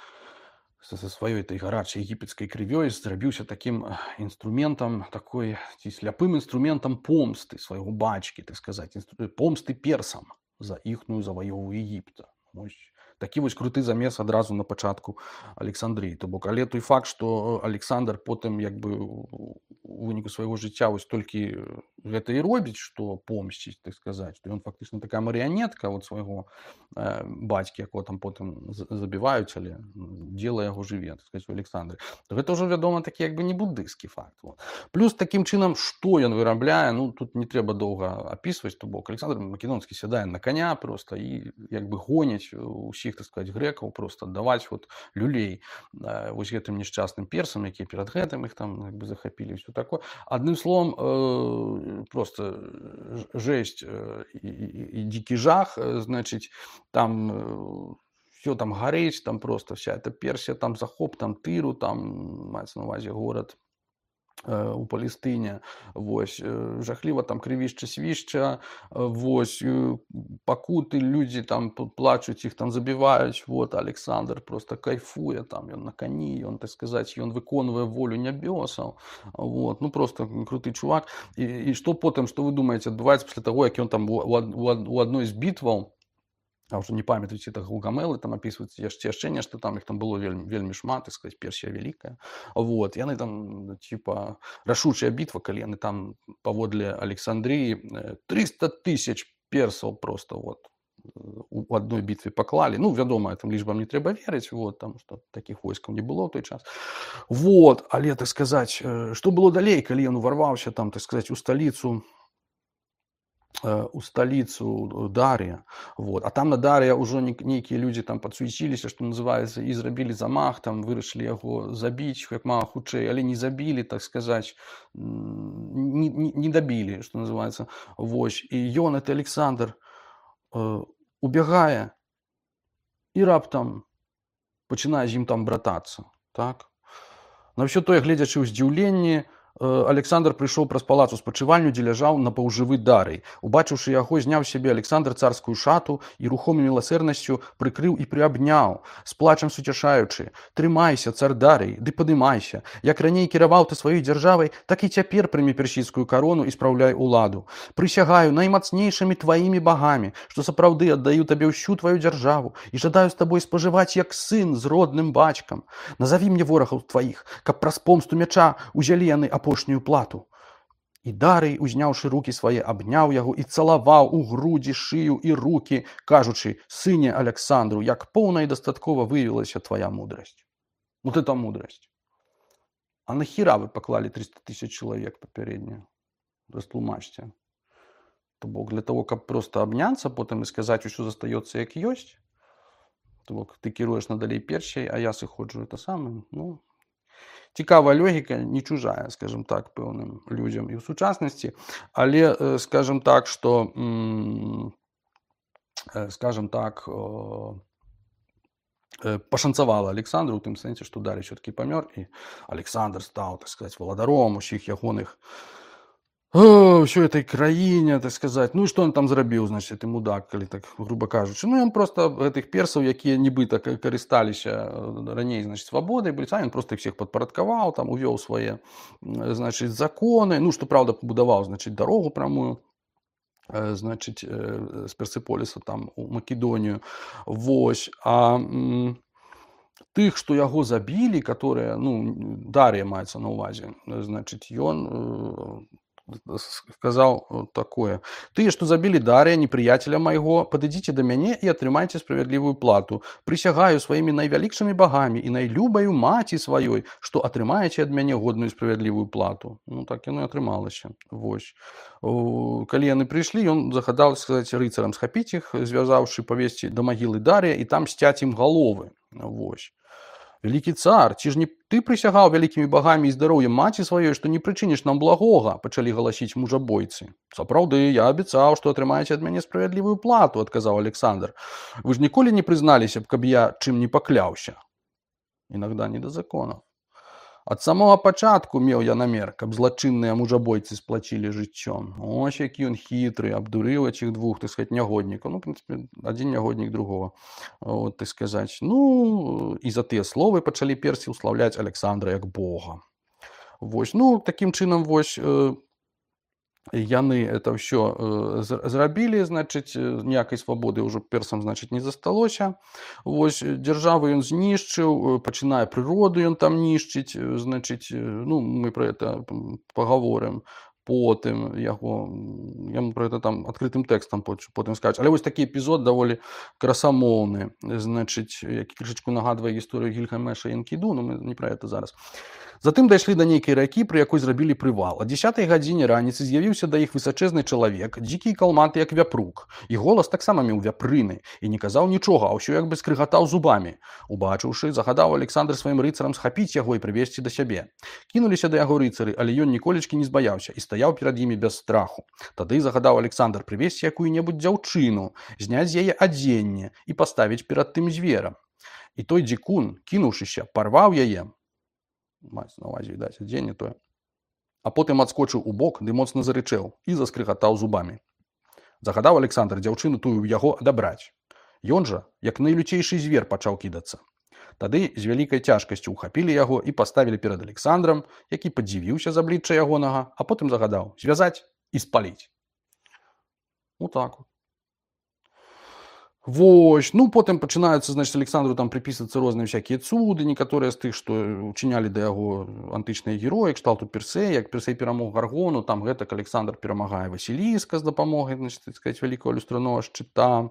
са сваёй этой гарачай егіпецкай крывёй зрабіўся такім інструментам, такой ці сляпым інструментам помсты свайго бацькі, так сказаць, помсты персам за іхную заваёву Егіпта. Вось. Такі вось круты замес адразу на пачатку Александрыі. То бок, але той факт, што Александр потым як бы у выніку свайго жыцця вось толькі гэта і робіць, што помсціць, так сказаць, што ён фактычна такая марыянетка от свайго э, бацькі, якого там потым забіваюць, але дзела яго жыве, так сказаць, у Александры. То гэта ўжо, вядома, такі як бы не буддыйскі факт. Вот. Плюс такім чынам, што ён вырабляе, ну тут не трэба доўга апісваць, то бок Александр Македонскі сядае на коня просто і як бы гоняць усіх, так сказать, грэкаў, просто аддаваць вот люлей э, вось гэтым несчастным персам, якія перад гэтым іх там як бы захапілі, ўсё такое. Адным словом, э, просто жесть э, і, і, і дзікі жах, э, значыць, там э, все там гарыць, там просто вся эта Персія, там захоп, там Тыру, там маецца на увазе горад у Палестыне, вось, жахліва там крывішча, свішча, вось, пакуты, людзі там плачуць, іх там забіваюць, вот, Александр просто кайфуе, там, ён на кані, ён, так сказаць, ён выконвае волю нябёсаў, вот, ну, просто круты чувак, і, і што потым, што вы думаеце, адбываецца пасля таго, як ён там у, у, у адной з бітваў, а ўжо не памятаюць, это Гулгамелы, там апісваюцца яшчэ яшчэ нешта, там іх там было вельмі, вельмі шмат, так сказаць, Персія вялікая. Вот, яны там, типа, рашучая бітва, калі яны там паводле Александрыі трыста тысяч персаў просто вот у адной бітве паклалі. Ну, вядома, гэтым лічбам не трэба верыць, вот, там, што такіх войскаў не было ў той час. Вот, але, так сказаць, што было далей, калі ён уварваўся там, так сказаць, у сталіцу, у сталіцу Дар'я, вот. А там на Дар'я ўжо нейкія людзі там падсуеціліся, што называецца, і зрабілі замах, там вырашылі яго забіць як мага хутчэй, але не забілі, так сказаць, не, не, не дабілі, што называецца. Вось. І ён, это Александр, э, убягае і раптам пачынае з ім там братацца, так? На ўсё тое, гледзячы ў здзіўленні, Александр прыйшоў праз палац у спачывальню, дзе ляжаў напаўжывы Дарый. Убачыўшы яго, зняў з сябе Александр царскую шату і рухомай міласэрнасцю прыкрыў і прыабняў, з плачам суцяшаючы: «Трымайся, цар Дарый, ды падымайся. Як раней кіраваў ты сваёй дзяржавай, так і цяпер прымі персідскую карону і спраўляй уладу. Прысягаю наймацнейшымі тваімі багамі, што сапраўды аддаю табе ўсю тваю дзяржаву і жадаю з табой спажываць як сын з родным бацькам. Назаві мне ворагаў тваіх, каб праз помсту мяча узялі яны апошнюю плату». І Дарый, узняўшы рукі свае, абняў яго і цалаваў у грудзі, шыю і рукі, кажучы: «Сыне Александру, як поўна і дастаткова выявілася твая мудрасць». Вот это мудрость. А нахера вы поклали триста тысяч человек попереднее? Растлумачьте. То бок для того, каб просто абняцца, потым і сказаць, усё застаецца як ёсць. То бок ты кіруеш надалей першай, а я сыходжу это самае. Ну, цікавая логіка, не чужая, скажем так, пэўным людзям і ў сучаснасці, але, скажем так, што, скажем так, пашанцавала Александру ў тым сэнсе, што Дарый ўсё-такі памёр, і Александр стаў, так сказаць, валадаром усіх ягоных ўсёй этой краіне, так сказаць. Ну і што ён там зрабіў, значит, і мудак, калі так груба кажучы. Ну ён просто гэтых персаў, якія нібыта карысталіся раней, значит, свабодай, былі, ён просто іх всіх падпарадкаваў, там увёў свае, значит, законы, ну што праўда пабудаваў, значит, дарогу прамую, значит, з Персеполіса там у Македонію. Вось. А м, тых, што яго забілі, которые, ну, Дар'я маецца на ўвазе, значит, ён сказаў такое: «Тыя, што забілі Дар'я, непрыяцеля майго, падыдзіце да мяне і атрымайце справядлівую плату. Прысягаю сваімі найвялікшымі багамі і найлюбаю маці сваёй, што атрымаеце ад мяне годную справядлівую плату». Ну, так яно і атрымалася. Вось. Калі яны прыйшлі, ён загадаў, сказаць, рыцарам схапіць іх, звязаўшы, павесці да магілы Дар'я і там сцяць ім галовы. Вось. «Вялікі цар, ці ж не ты прысягаў вялікімі багамі і здароўем маці сваёй, што не прычыніш нам благога?» – пачалі галасіць мужабойцы. «Сапраўды, я абяцаў, што атрымаеце ад мяне справядлівую плату», – адказаў Александр. «Вы ж ніколі не прызналіся б, каб я чым не пакляўся?» Иногда не до законов. Ад самого пачатку меў я намер, каб злачынныя мужабойцы сплачілі жыццём. Ось які ён хітры, абдурыў этих двух, так сказать, нягоднікаў. Ну, в принципе, адзін нягоднік другого, вот, так сказать. Ну, і за тыя словы пачалі персі ўслаўляць Александра як бога. Вось, ну, такім чынам, вось, яны это ўсё зрабілі, значыць, ніякай свабоды ўжо персам, значыць, не засталося. Вось, дзяржаву ён знішчыў, пачынае прыроду ён там нішчыць, значыць, ну, мы пра это пагаворым потым, яго, яму пра это там адкрытым тэкстам потым скажуць. Але вось такі эпізод даволі красамоўны, значыць, які крышачку нагадвае гісторыю Гільгамеша і Энкіду, но мы не пра это зараз. Затым дайшлі да нейкай ракі, пры якой зрабілі прывал. О дзесятай гадзіне раніцы з'явіўся да іх высачэзны чалавек, дзікі і калматы, як вяпрук. І голас таксама меў вяпрыны, і не казаў нічога, а ўсё як бы скрыгатаў зубамі. Убачыўшы, загадаў Александр сваім рыцарам схапіць яго і прывесці да сябе. Кінуліся да яго рыцары, але ён ніколечкі не збаяўся і стаяў перад імі без страху. Тады загадаў Александр прывесці якую-небудзь дзяўчыну, зняць з яе адзенне і паставіць перад тым зверам. І той дзікун, кінуўшыся, парваў яе, маецца на ўвазе, відаць, адзенне тое, а потым адскочыў у бок ды моцна зарычэў і заскрыгатаў зубамі. Загадаў Александр дзяўчыну тую ў яго адабраць. Ён жа, як найлюцейшы звер, пачаў кідацца. Тады з вялікай цяжкасцю ўхапілі яго і паставілі перад Александрам, які падзівіўся з аблічча ягонага, а потым загадаў звязаць і спаліць. Вот так вот. Вось, ну, потым пачынаюцца, значит, Александру там приписываться розныя всякие цуды, некаторыя з тых, што учынялі да яго антычныя героі, кшталту Персей, як Персей перамог Гаргону, там гэтак Александр перамагае Васіліска з дапамогай, значит, так сказать, вялікага люстранога шчыта.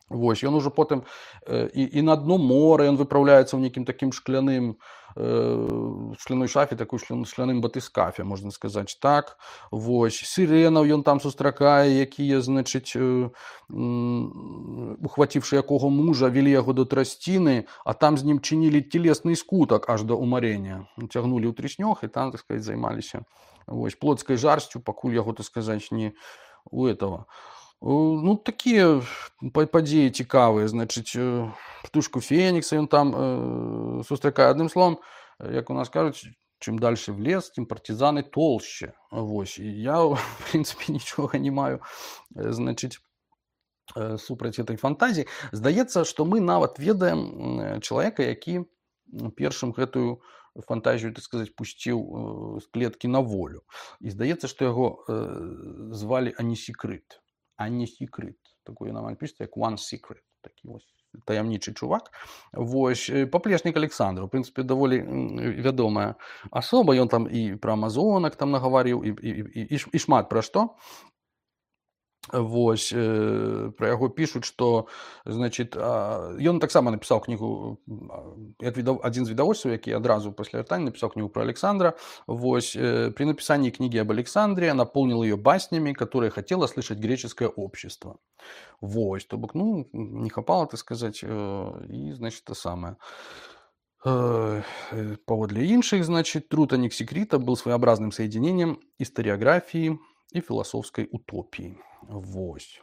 Вось, ён ужо потым і, і на дно мора, ён выпраўляецца ў нейкім такім шкляным, в шкляной шафе, такой шкляным батыскафе, можна сказаць так. Вось, сіренаў ён там сустракае, якія, значыць, ухваціўшы якого мужа, вели яго до трасціны, а там з ім чынілі телесны скутак аж да умарення. Цягнулі ў трыснёг і там, так сказать, займаліся, вось, плотскай жарсцю, пакуль яго, так сказаць, не у этого. Ну, такія падзеі цікавыя, значыць, птушку Фенікса ён там э, сустракае. Адным словам, як у нас кажуць,
чым дальше в лес, тым партизаны толще. Вось. І я, в прынцыпе, нічога не маю, значыць, супраць этой фантазіі. Здаецца, што мы нават ведаем чалавека, які першым гэтую фантазію, так сказаць, пусціў з клеткі на волю. І здаецца, што яго звалі Анісікрыт. Анісікрыт. Такое нам пішецца, як One Secret. Такі вось таямнічы чувак. Вось. Паплечнік Александр. У прынцыпе, даволі вядомая асоба. Ён там і пра амазонак там нагаварыў, і, і, і, і шмат пра што. Вось, э, пра яго пішуць, што, значит, ён таксама напісаў кнігу, як відав, адзін з відавочцаў, які адразу пасля вяртання напісаў кнігу пра Александра. Вось, э, при написании книги об Александре наполнил ее баснями, которые хотело слышать греческое общество. Вось, то бок, ну, не хапало, так сказать, э, и, значит, то самое. Паводле іншых, значит, труд Анісікрыта был своеобразным соединением историографии и философской утопии. Вось.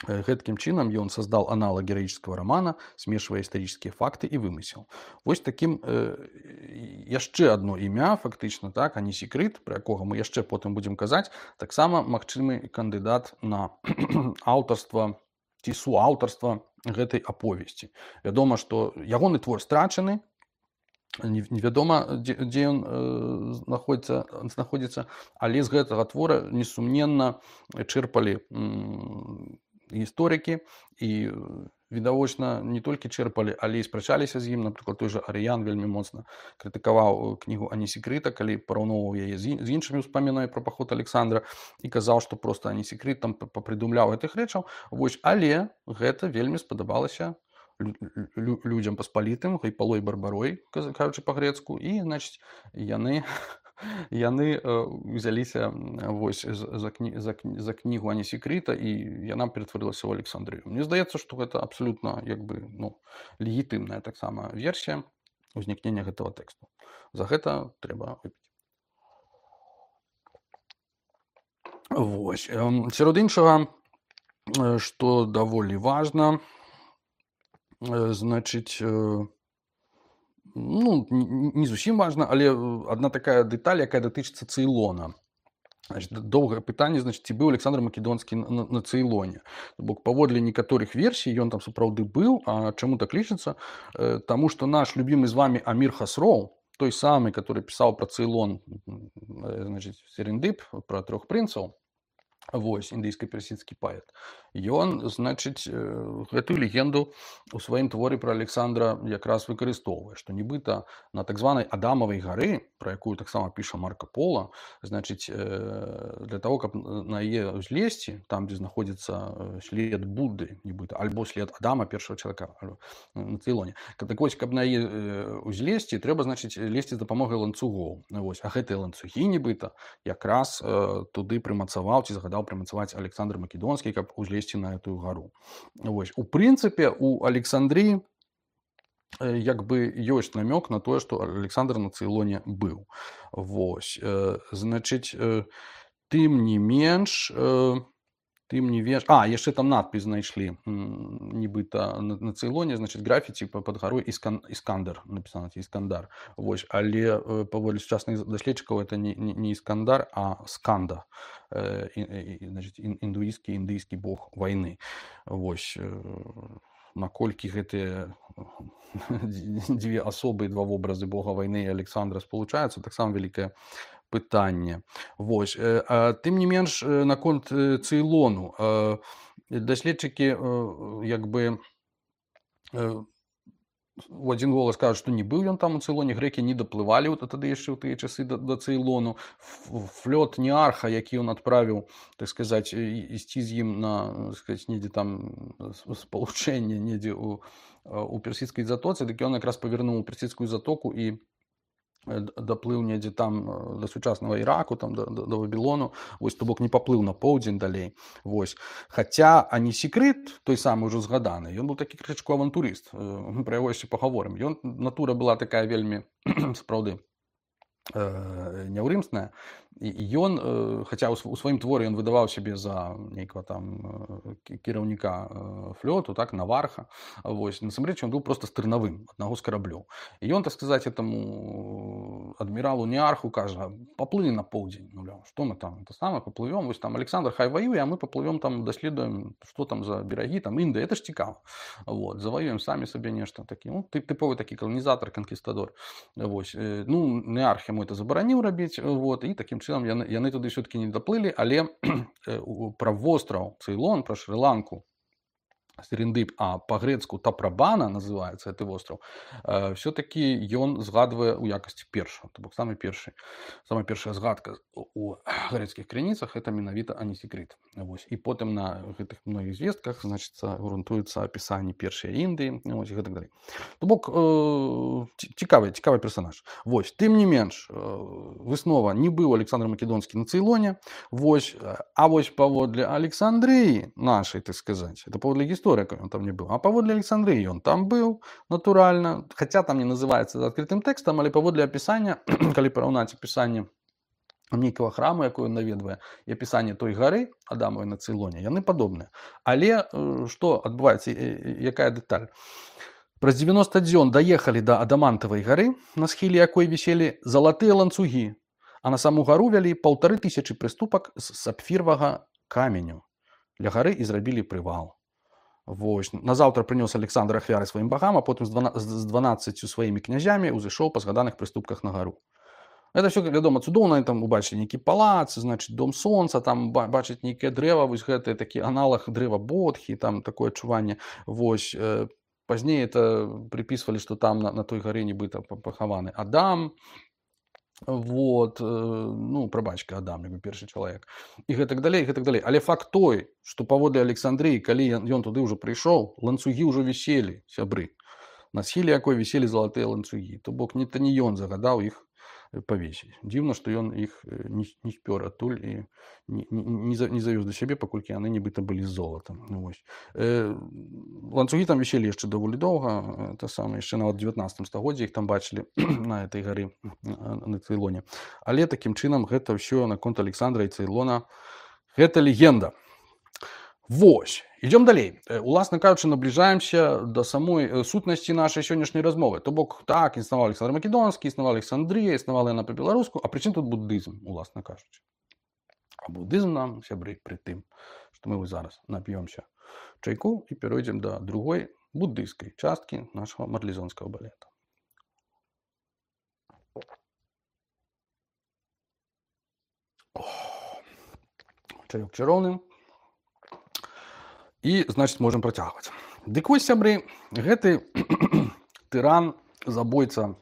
Гэткім чынам ён создал аналог героического романа, смешивая исторические факты и вымысел. Вось таким э, яшчэ одно імя, фактычна, так, Анісікрыт, про якога мы яшчэ потым будем казаць, таксама магчымы кандыдат на аўтарства ці суаўтарства гэтай аповесці. Вядома, што ягоны твор страчаны, невядома, дзе, дзе ён э, знаходзіцца, знаходзіцца, але з гэтага твора несумненна чэрпалі м, гісторыкі і відавочна не толькі чэрпалі, але і спрачаліся з ім. Напрыклад, той жа Арыян вельмі моцна крытыкаваў кнігу Анісікрыта, калі параўноўваў яе з, з іншымі ўспамінамі пра паход Александра і казаў, што проста Анісікрыт там папрыдумляў гэтых рэчаў. Вось, але гэта вельмі спадабалася людзям паспалітым, Гайпалой Барбарой, кажучы па-грэцку, і, значыць, яны яны узяліся вось за, кні, за, за кнігу Анісікрыта, і яна ператварылася ў Александрыю. Мне здаецца, што гэта абсалютна, як бы, ну, легітымная таксама версія ўзнікнення гэтага тэксту. За гэта трэба выпіць. Вось. Сярод іншага, што даволі важна, значыць, ну, не зусім важна, але одна такая дэталь, якая датычыцца Цейлона. Значит, доўгае пытанне, значит, ці быў Александр Македонскі на, на Цейлоне. Бок паводле некаторых версій ён там сапраўды быў. А чаму так лічыцца? Таму што наш любімы з вами Амір Хасроў, той самы, который пісаў пра Цейлон, значит, Серендып, пра трох прынцаў, вось, індыйска-персідскі паэт, ён, значыць, гэтую легенду у сваім творы пра Александра якраз выкарыстоўвае, што нібыта на так званай Адамавай гары, пра якую таксама піша Марка Пола, значыць, для того, каб на яе ўзлезці, там, дзе знаходзіцца след Будды, нібыта, альбо след Адама, першага чалавека на Цейлоне. Так вось, каб на яе ўзлезці, трэба, значыць, лезці з дапамогай ланцугоў. Вось, а гэтыя ланцугі, нібыта, якраз туды прымацаваў ці загадаў прымацаваць Александр Македонскі, каб узлезці на эту гару. Вось. У прынцыпе, у Александрыі як бы ёсць намёк на тое, што Александр на Цейлоне быў. Вось. Значыць, тым не менш, тым не менш... А, яшчэ там надпіс знайшлі, нібыта на, на Цейлоне, значыць, графіці пад гарой Іскан... Іскандар, напісана, Іскандар. Вось. Але паводле сучасных даследчыкаў это не, не, не Іскандар, а Сканда. І, і, значыць, індуісцкі, індыйскі бог вайны. Вось. Наколькі гэтыя дзве асобы, два вобразы бога вайны і Александра спалучаюцца, таксама вялікае пытанне. Вось. Тым не менш, наконт Цейлону, даследчыкі, як бы, у адзін голас кажуць, што не быў ён там у Цейлоне, грэкі не даплывалі вот тады яшчэ ў тыя часы да, да Цейлону. Флёт Неарха, які ён адправіў, так сказаць, ісці з ім на, так сказаць, недзе там спалучэнне, недзе у, у персідскай затоцы, дык ён якраз павярнуў у персідскую затоку і даплыў недзе там да сучаснага Іраку, там да, да, да Вавілону, вось, то бок не паплыў на поўдзень далей. Вось. Хаця Анісікрыт, той самы ўжо згаданы, ён быў такі крышачку авантурыст, мы пра яго яшчэ пагаворым. Ён, натура была такая вельмі, сапраўды, няўрымсная, і ён, хаця ў сваім творы ён выдаваў сябе за нейкага там кіраўніка флёту, так, наварха, вось, насамрэч ён быў проста стырнавым аднаго з караблёў. І ён, так сказаць, этому
адміралу Неарху кажа: паплыні на поўдзень, маўляў, што мы там это самае паплывём, вось там Александр хай ваюе, а мы паплывём там, даследуем, што там за берагі, там Індыя, это ж цікава. Вот, заваюем самі сабе нешта такі, ну, ты- тыповы такі каланізатар, канкістадор. Вось, э, ну, Неарх яму это забараніў рабіць, вот, і такім чынам яны, яны туды ўсё-такі не даплылі, але э, у- пра востраў Цейлон, пра Шры-Ланку, Серендып, а по-грецку Тапрабана называецца гэты востраў, э, все-таки ён згадвае ў якасці першага, то бок самы першы, самая першая згадка у у грэцкіх крыніцах это менавіта Анісікрыт. Вось. І потым на гэтых многіх звестках, значыцца, грунтуецца апісанне першай Індыі, вось, і гэтак далей. То бок э, ці- цікавы, цікавы персонаж. Вось, тым не менш, э, выснова, не быў Александр Македонскі на Цейлоне, вось, э, а вось паводле Александрыі нашай, так сказаць, это паводле гісторыі, ён там не быў, а паводле Александрыі ён там быў, натуральна, хаця там не называецца адкрытым тэкстам, але паводле апісання, калі параўнаць апісанне нейкага храму, якое ён наведвае, і апісанне той гары Адамавай на Цейлоне, яны падобныя. Але э, што адбываецца, э, э, якая дэталь? Праз дзевяноста дзён даехалі да Адамантавай гары, на схіле якой віселі залатыя ланцугі, а на саму гару вялі паўтары тысячы прыступак з сапфіровага каменю. Ля гары і зрабілі прывал. Вось. Назаўтра прынёс Александр ахвяры сваім багам, а потым з двана- з дванаццаццю сваімі князямі ўзышоў па згаданых прыступках на гару. Это все, вядома, цудоўна, там убачылі нейкі палац, значыць, дом сонца, там ба- бачыць нейкае дрэва, вось гэта такі аналаг дрэва Бодхі, там такое адчуванне. Вось, э, пазней это припісвалі, што там на, на той гары нібыта па- пахаваны Адам, вот, э, ну, прабачка Адам, як бы першы чалавек. І гэтак далей, гэтак далей. Але факт той, што паводле Александрыі, калі ён, ён туды ўжо прыйшоў, ланцугі ўжо віселі, сябры. На схіле якой віселі залатыя ланцугі. То бок, не, то не ён загадаў іх э, павесіць. Дзіўна, што ён іх э, не, с- не спёр адтуль і не, не, не за- не завёз да сябе, паколькі яны нібыта былі з золатам. Ну, вось. Э, ланцугі там віселі яшчэ даволі доўга, это самае, яшчэ нават у дзевятнаццатым стагоддзі іх там бачылі на этой гары э, на Цейлоне. Але такім чынам гэта ўсё наконт Александра і Цейлона, гэта легенда. Вось, ідём далей. Э, Уласна кажучы, набліжаемся да самой э, сутнасці нашай сённяшняй размовы. То бок, так, існаваў Александр Македонскі, існавала Александрія, існавала яна па-беларуску, а прычым тут буддызм, уласна кажучы. А буддызм нам, сябры, пры тым, што мы вось зараз нап'ёмся чайку і перайдзем да другой буддыйскай часткі нашага марлезонскага балета. Чаёк чароўны. І, значыць, можам працягваць. Дык вось, сябры, гэты тыран, забойца,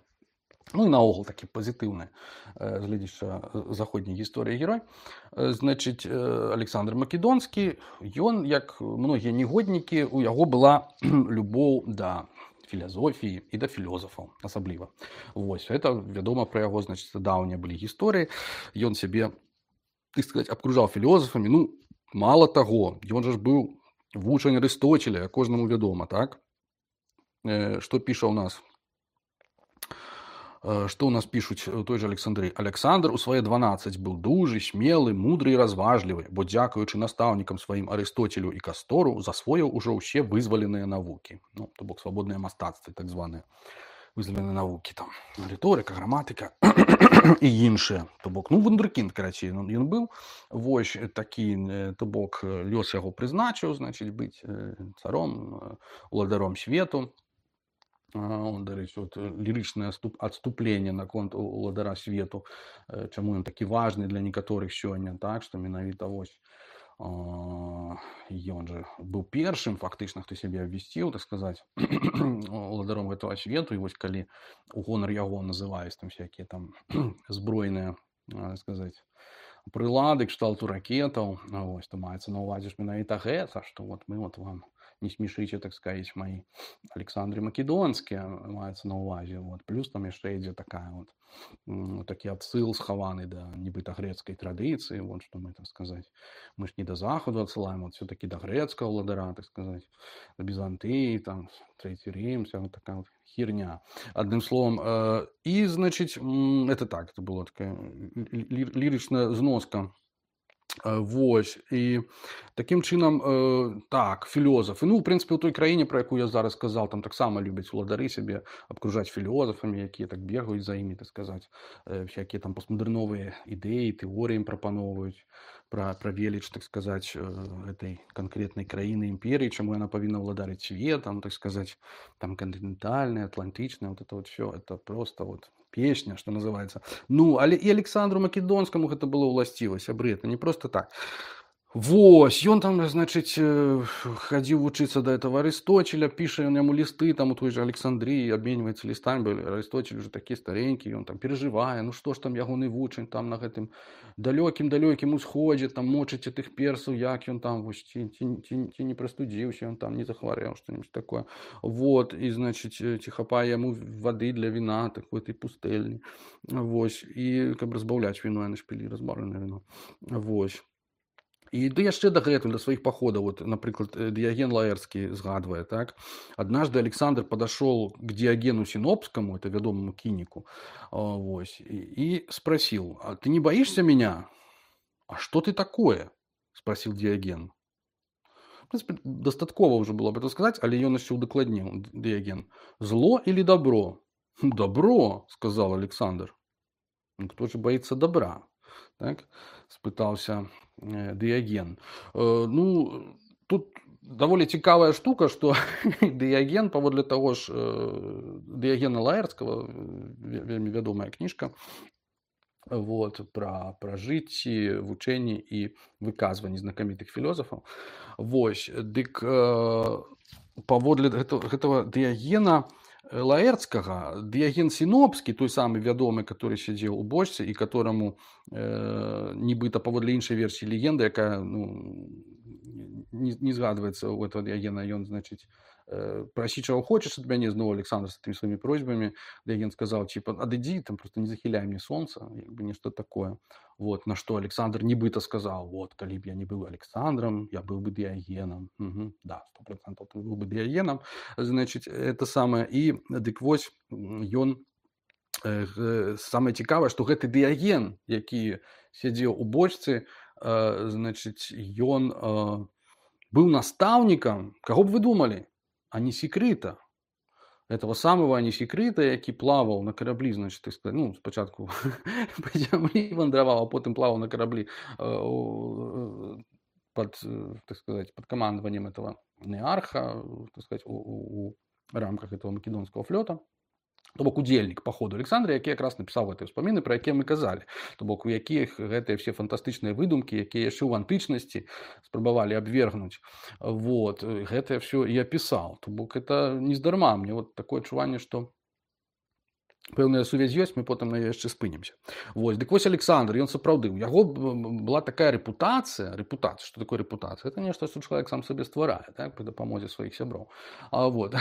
ну і наогул такі пазітыўны э, з гледзяча э, заходняй гісторыі герой, э, значыць, э, Александр Македонскі, ён, як многія негоднікі, у яго была любоў да філазофіі і да філёзафаў асабліва. Вось, гэта вядома пра яго, значыць, даўнія былі гісторыі. Ён сябе, так сказаць, абкружаў філёзафамі. Ну, мала таго, ён жа ж быў вучань Арыстотеля, кожнаму вядома, так? Э, Што піша ў нас? Э, Што ў нас пішуць у той жа Александрыі? Александр у свае дванаццаць быў дужы, смелы, мудры і разважлівы, бо дзякуючы настаўнікам сваім Арыстотелю і Кастору засвоіў ужо ўсе вызваленыя навукі. Ну, то бок свабодныя мастацтвы, так званыя вызваленыя навукі, там, рыторыка, граматыка і іншыя. То бок, ну, вундеркінд, карацей, ён, ён быў. Вось такі, э, то бок, э, лёс яго прызначыў, значыць, быць э, царом, э, уладаром свету. А, он, дарэчы, от, э, лірычнае адступ- адступленне наконт у- уладара свету, э, чаму ён такі важны для некаторых сёння, так, што менавіта вось а, ён жа быў першым фактычна, хто сябе абвясціў, так сказаць, уладаром гэтага свету, і вось калі у гонар яго называюць там всякія там збройныя, а, сказаць, прылады кшталту ракетаў, а, вось, то маецца на ўвазе ж менавіта гэта, што вот мы вот вам не смешыце, так сказаць, мои Александры Македонскія, маецца на ўвазе. Вот. Плюс там яшчэ ідзе такая вот, м, такі адсыл схаваны да нібыта грэцкай традыцыі, вот што мы, так сказаць, мы ж не да захаду адсылаем, вот все-таки да грэцкага ўладара, так сказаць, да Бізантыі, там, Трэці Рім, вся вот такая вот херня. Адным словом, э, і, значыць, м, это так, это было такая лі- лі- лірычная зноска Э, Вось і такім чынам э, так філёзафы, ну ў прынцыпе ў той краіне, пра якую я зараз сказаў, там таксама любяць уладары сябе абкружаць філёзафамі, якія так бегаюць за імі, так сказаць, э, всякія там постмадэрновыя ідэі, тэорыі ім прапаноўваюць пра пра веліч, так сказаць, э, гэтай канкрэтнай краіны імперыі, чаму яна павінна ўладарыць светам, так сказаць, там кантынентальная, атлантычная, вот это вот всё, это просто вот песня, что называется. Ну, але і Александру Македонскаму гэта было ўласціва, сябры, это не просто так. Вось, ён там, значыць, э, хадзіў вучыцца да этого Арысточеля, піша ён яму лісты, там у той же Александрыі абменьваецца лістамі, бо Арысточель уже такі старенькі, ён там перажывае, ну што ж там ягоны вучань там на гэтым далёкім-далёкім усходзе, там мочыце тых персаў, як ён там, вось, ці, ці, ці, ці не прастудзіўся, ён там не захварэў, што-нибудь такое. Вот, і, значыць, ці хапае яму вады для віна, так в этой пустэльні. Вось, і каб разбаўляць віно, яны ж пілі разбаўленае віно. Вось. І ды яшчэ дагэтуль да сваіх паходаў, вот, напрыклад, Дыяген Лаэрскі згадвае, так? Однажды Александр подошел к Диогену Синопскому, это вядомому кініку, вось, и, и спросил: а ты не боишься меня? А что ты такое? Спросил Диоген. В принципе, дастаткова уже было бы это сказать, але ён яшчэ удакладніў Диоген. Зло или добро? Добро, сказал Александр. Кто же боится добра? Так, спытаўся э, Дыяген. Э, ну, тут даволі цікавая штука, што Дыяген, паводле таго ж э, Дыягена Лаэрскага, вельмі вядомая кніжка, вот, пра, пра жыцці, вучэнні і выказванні знакамітых філёзафаў. Вось, дык э, паводле гэтага, гэтага Дыягена Лаэрцкага, Дыяген Сінопскі, той самы вядомы, который сядзеў у бочцы і которому э, нібыта паводле іншай версіі легенды, якая ну, не, не згадваецца у этого Дыягена, ён, значыць, э, прасі чаго хочаш ад мяне, зноў Александр з тымі сваімі просьбамі. Дыяген сказаў, типа, адыдзі, там просто не захіляй мне сонца, як бы нешта такое. Вот, на што Александр нібыта сказаў, вот, калі б я не быў Александром, я быў бы Дыягеном. Угу, да, сто процентов ты быў бы Дыягеном. Значыць, это самае. І дык вось ён э, самае цікавае, што гэты Дыяген, які сядзеў у бочцы, э, значыць, ён э, быў настаўнікам, каго б вы думалі? Анісікрыта. Этого самого Анісікрыта, які плаваў на караблі, значит, так сказать, ну, спачатку па зямлі вандраваў, а потым плаваў на караблі э, под, так сказать, под командованием этого Неарха, так сказать, у, у, у рамках этого македонского флота. То бок удзельнік паходу Александра, які якраз напісаў гэтыя ўспаміны, пра якія мы казалі. То бок у якіх гэтыя все фантастычныя выдумкі, якія яшчэ ў антычнасці спрабавалі абвергнуць, вот, гэтае все і апісаў. То бок это нездарма. Мне вот такое адчуванне, што пэўная сувязь ёсць, мы потым на яе яшчэ спынемся. Вось, дык вось Александр, ён сапраўды, у яго была такая рэпутацыя, рэпутацыя, што такое рэпутацыя? Это нешта, што чалавек сам сабе стварае, так, пры дапамозе сваіх сяброў. А вот,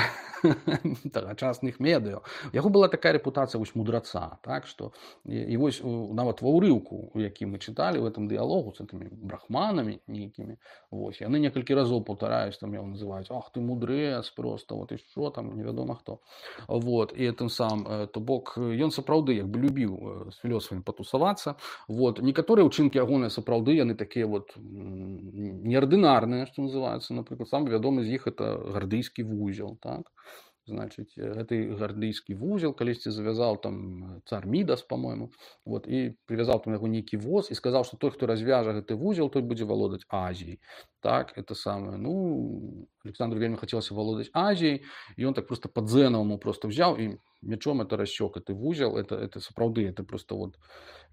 тагачасных медыа. У яго была такая рэпутацыя вось мудраца, так, што і, і вось нават ва ўрыўку, у якім мы чыталі в этом дыялогу з гэтымі брахманамі нейкімі, вось, яны некалькі разоў паўтараюць, там яго называюць, ах ты мудрэц просто, вот і што там, невядома хто. Вот, і тым сам, то бок ён сапраўды як бы любіў з філёсафамі патусавацца. Вот. Некаторыя ўчынкі ягоныя сапраўды, яны такія вот неардынарныя, што называецца. Напрыклад, самы вядомы з іх это гардыйскі вузел, так? Значыць, гэты гардыйскі вузел калісьці завязаў там цар Мідас, по-моему, вот, і привязаў там яго нейкі воз і сказаў, што той, хто развяжа гэты вузел, той будзе валодаць Азіяй. Так, это самае. Ну, Александру вельмі хацелася валодаць Азіяй, і ён так просто па-дзэнаваму просто взяў і мечом это рассек гэты вузел. Это, это сапраўды, это просто вот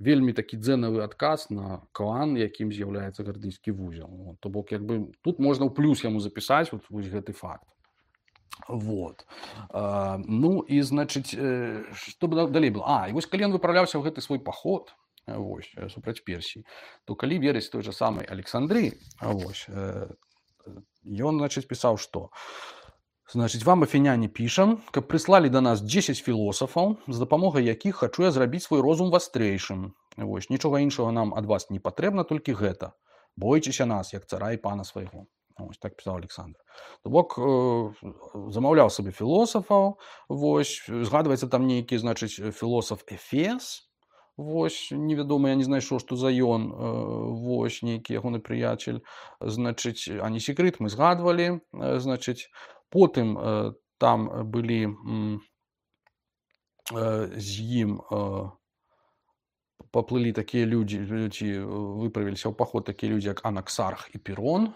вельмі такі дзэнавы адказ на клан, якім з'яўляецца гардыйскі вузел. Вот, то бок, як бы, тут можна ў плюс яму запісаць вот, вось гэты факт. Вот. А, ну і значыць, што б далей было? А, і вось калі ён выпраўляўся ў гэты свой паход, вось, супраць Персіі, то калі верыць той жа самай Александры, вось, ён, значыць, пісаў, што значыць, вам, афіняне, пішам, каб прыслалі да нас дзесяць філосафаў, з дапамогай якіх хачу я зрабіць свой розум вастрэйшым. Вось, нічога іншага нам ад вас не патрэбна, толькі гэта. Бойцеся нас, як цара і пана свайго. Вось, так пісаў Александр. То бок, э, замаўляў сабе філосафаў, вось, згадваецца там нейкі, значыць, філосаф Эфес,
Вось, невядома, я не знайшоў, што за ён, э, вось, нейкі ягоны прыяцель. Значыць, Анісікрыт мы згадвалі, э, значыць, потым э, там былі м, э, з ім э, паплылі такія людзі, ці выправіліся ў паход такія людзі, як Анаксарх і Пірон.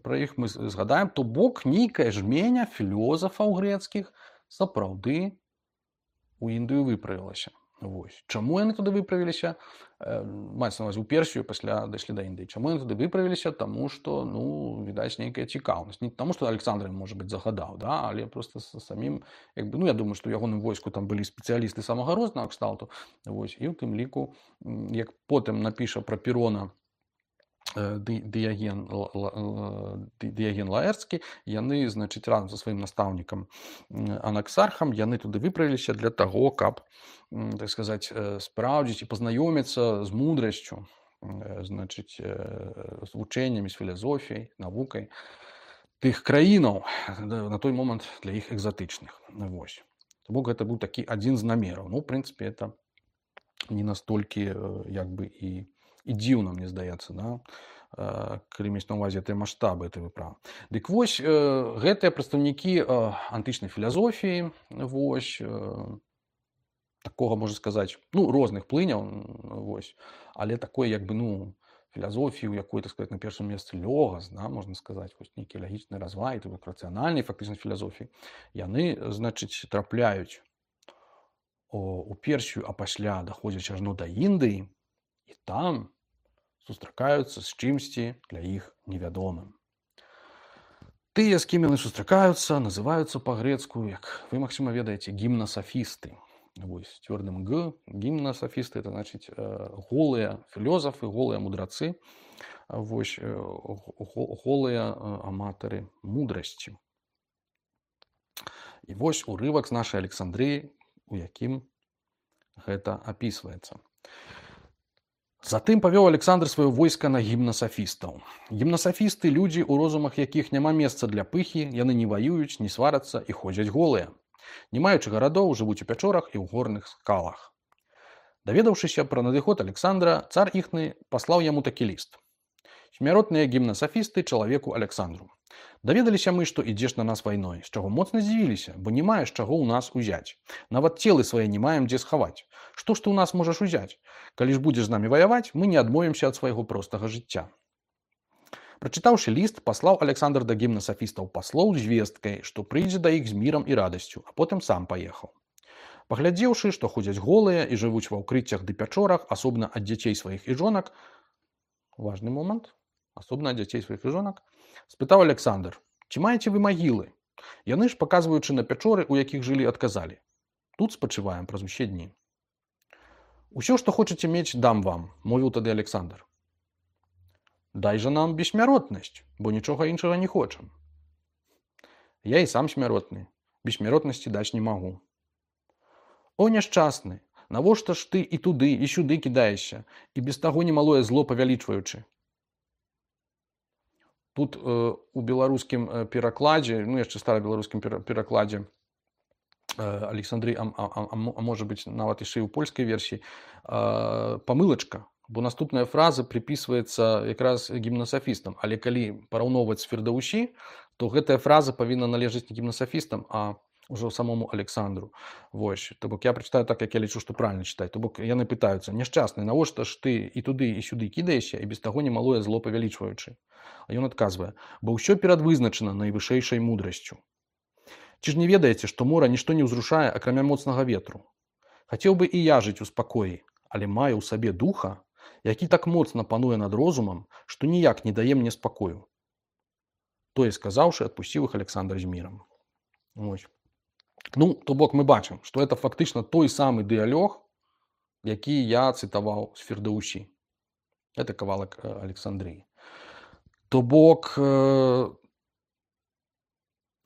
Пра іх мы з- згадаем. То бок нейкая жменя філёзафаў грэцкіх сапраўды у Індыю выправілася. Вось. Чаму яны туды выправіліся? Э, Маецца на ўвазе ў Персію, пасля дайшлі да Індыі. Чаму яны туды выправіліся? Таму што, ну, відаць, нейкая цікаўнасць. Не таму, што Александр ім, можа быць, загадаў, да? Але проста са самім, як бы, ну, я думаю, што ў ягоным войску там былі спецыялісты самага рознага кшталту. Вось. І ў тым ліку, м, як потым напіша пра Пірона э, Ды- Дыяген, Ла- Ла- Ла- Ды- Дыяген Лаэрцкі, яны, значыць, разам са сваім настаўнікам м, Анаксархам, яны туды выправіліся для таго, каб, м, так сказаць, э, спраўдзіць і пазнаёміцца з мудрасцю, э, значыць, э, з вучэннямі, з філазофіяй, навукай тых краінаў, да, на той момант для іх экзатычных. Вось. То бок гэта быў такі адзін з намераў. Ну, ў прынцыпе, это не настолькі, э, як бы, і, і дзіўна, мне здаецца, да? Э, калі мець на ўвазе тыя маштабы этой выправы. Дык вось, э, гэтыя прадстаўнікі э, антычнай філазофіі, вось, э, такога, можна сказаць, ну, розных плыняў, м, вось, але такой, як бы, ну, філазофіі, у якой, так сказаць, на першым месцы лёгас, да, можна сказаць, вось нейкі лагічны развай, то бок рацыянальнай фактычна філазофіі, яны, значыць, трапляюць о, у Персію, а пасля даходзяць ажно да Індыі, і там сустракаюцца з чымсьці для іх невядомым. Тыя, з кім яны сустракаюцца, называюцца па-грецку, як вы, магчыма, ведаеце, гімнасафісты. Вось, цвёрдым г, гімнасафісты, это значыць э, голыя філёзафы, голыя мудрацы, вось, э, го- голыя э, аматары мудрасці. І вось урывак з нашай Александрыі, у якім гэта апісваецца. Затым павёў Александр сваё войска на гімнасафістаў. Гімнасафісты – людзі, у розумах якіх няма месца для пыхі, яны не ваююць, не сварацца і ходзяць голыя. Не маючы гарадоў, жывуць у пячорах і ў горных скалах. Даведаўшыся пра надыход Александра, цар іхны паслаў яму такі ліст. Смяротныя гімнасафісты чалавеку Александру. Даведаліся мы, што ідзеш на нас вайной, з чаго моцна здзівіліся, бо не маеш чаго ў нас узяць. Нават целы свае не маем дзе схаваць. Што ж ты ў нас можаш узяць? Калі ж будзеш з намі ваяваць, мы не адмовімся ад свайго простага жыцця. Прачытаўшы ліст, паслаў Александр да гімнасафістаў паслоў з звесткай, што прыйдзе да іх з мірам і радасцю, а потым сам паехаў. Паглядзеўшы, што ходзяць голыя і жывуць ва ўкрыццях ды пячорах, асобна ад дзяцей сваіх і жонак, важны момант, асобна ад дзяцей сваіх і жонак, спытаў Александр: ці маеце вы магілы? Яны ж, паказваючы на пячоры, у якіх жылі, адказалі: тут спачываем праз усе дні. Усё, што хочаце мець, дам вам, мовіў тады Александр. Дай жа нам бессмяротнасць, бо нічога іншага не хочам. Я і сам смяротны, бессмяротнасці даць не магу. О, няшчасны, навошта ж ты і туды, і сюды кідаешся, і без таго немалое зло павялічваючы? Тут э, у беларускім э, перакладзе, ну яшчэ старабеларускім пера- перакладзе э, Александры, а, а, а, а можа быць нават яшчэ і ў польскай версіі, э, памылачка, бо наступная фраза припісваецца якраз гімнасафістам, але калі параўноўваць з Фірдаусі, то гэтая фраза павінна належаць не гімнасафістам, а ўжо самому Александру. Вось, то бок я прачытаю так, як я лічу, што правільна чытаць. То бок яны пытаюцца: няшчасны, навошта ж ты і туды, і сюды кідаешся, і без таго немалое зло павялічваючы? А ён адказвае: бо ўсё перадвызначана найвышэйшай мудрасцю. Ці ж не ведаеце, што мора нішто не ўзрушае, акрамя моцнага ветру? Хацеў бы і я жыць у спакоі, але маю ў сабе духа, які так моцна пануе над розумам, што ніяк не дае мне спакою. Тое сказаўшы, адпусціў іх Александр з мірам. Вось. Ну, то бок мы бачым, што это фактычна той самы дыялог, які я цытаваў з Фірдаусі. Это кавалак э, Александрыі. То бок э,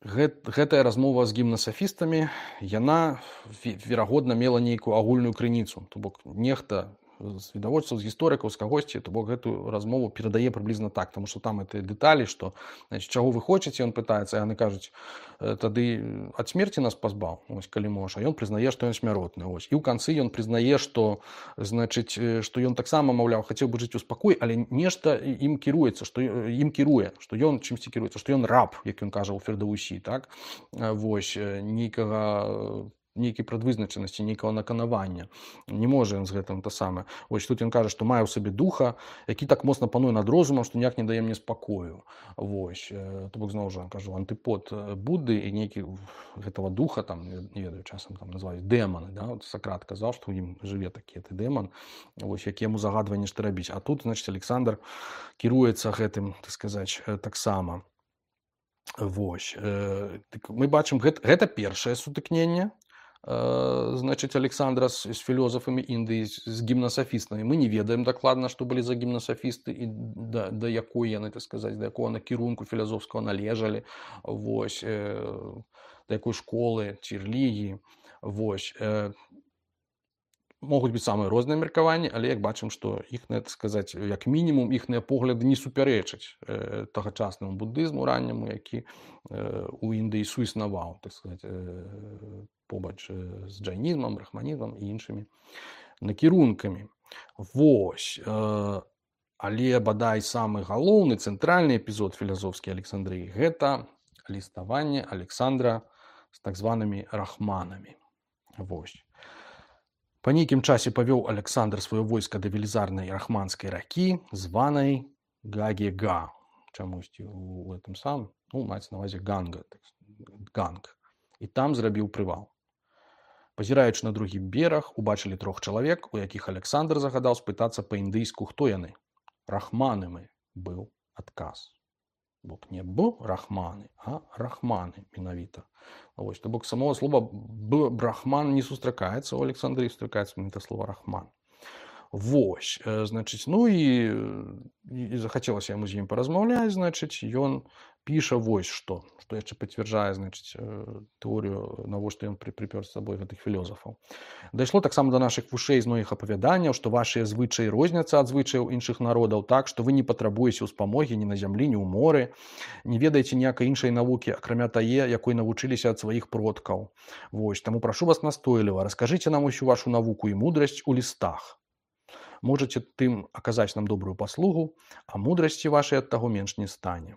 гэт, гэтая размова з гімнасафістамі, яна, ве- верагодна, мела нейкую агульную крыніцу. То бок нехта
з відавочцаў, з гісторыкаў, з кагосьці, то бок гэтую размову перадае прыблізна так, таму што там гэтыя дэталі, што значит, чаго вы хочаце, ён пытаецца, яны кажуць, тады ад смерці нас пазбаў, ось, калі можа, а ён прызнае, што ён смяротны, ось. І ў канцы ён прызнае, што значыць, што ён таксама, маўляў, хацеў бы жыць у спакой, але нешта ім кіруецца, што ім кіруе, што ён чымсьці кіруецца, што ён раб, як ён кажа ў Фердаўсі, так? Вось, нейкага нейкай прадвызначанасці, нейкага наканавання. Не можа ён з гэтым то самае. Вось тут ён кажа, што мае ў сабе духа, які так моцна пануе над розумам, што ніяк не дае мне спакою. Вось. То бок зноў жа кажу, антыпод Будды і нейкі гэтага духа, там, не ведаю, часам там называюць дэманы, да? Вот Сакрат казаў, што ў ім жыве такі ты дэман, вось, які яму загадвае нешта рабіць. А тут, значыць, Александр кіруецца гэтым, так сказаць, таксама. Вось. Мы бачым, гэта, гэта першае сутыкненне, значыць, Александра з, з філёзафамі Індыі, з гімнасафістамі. Мы не ведаем дакладна, што былі за гімнасафісты і да, да якой яны, так сказаць, да якога накірунку філазофскага належалі, вось, э, да якой школы ці рэлігіі. Вось. Э, могуць быць самыя розныя меркаванні, але як бачым, што іхныя, так сказаць, як мінімум, іхныя погляды не супярэчаць э, тагачаснаму буддызму ранняму, які э, у Індыі суіснаваў, так сказаць, э, побач з джайнізмам, брахманізмам і іншымі накірункамі. Вось. Але бадай самы галоўны цэнтральны эпізод філазофскай Александрыі – гэта ліставанне Александра з так званымі рахманамі. Вось. Па нейкім часе павёў Александр сваё войска да велізарнай рахманскай ракі, званай Гагега. Чамусьці у гэтым самым, ну, маецца на ўвазе Ганга, так, Ганг. І там зрабіў прывал. Пазіраючы на другі бераг, убачылі трох чалавек, у якіх Александр загадаў спытацца па-індыйску, хто яны. Рахманамі быў адказ. Бок не б рахманы, а рахманы менавіта. Вось, то бок самого слова б брахман не сустракаецца, у Александрыі сустракаецца менавіта слова рахман. Вось, значыць, ну і, і захацелася яму з ім паразмаўляць, значыць, ён піша вось што, што яшчэ пацвярджае, значыць, тэорыю, навошта ён прыпёр з сабой гэтых філёзафаў. Дайшло таксама да нашых вушэй з многіх апавяданняў, што вашыя звычаі розняцца ад звычаяў іншых народаў так, што вы не патрабуеце ўспамогі ні на зямлі, ні ў моры, не ведаеце ніякай іншай навукі, акрамя тае, якой навучыліся ад сваіх продкаў. Вось, таму прашу вас настойліва, раскажыце нам усю вашу навуку і мудрасць у лістах. Можаце тым аказаць нам добрую паслугу, а мудрасці вашай ад таго менш не стане.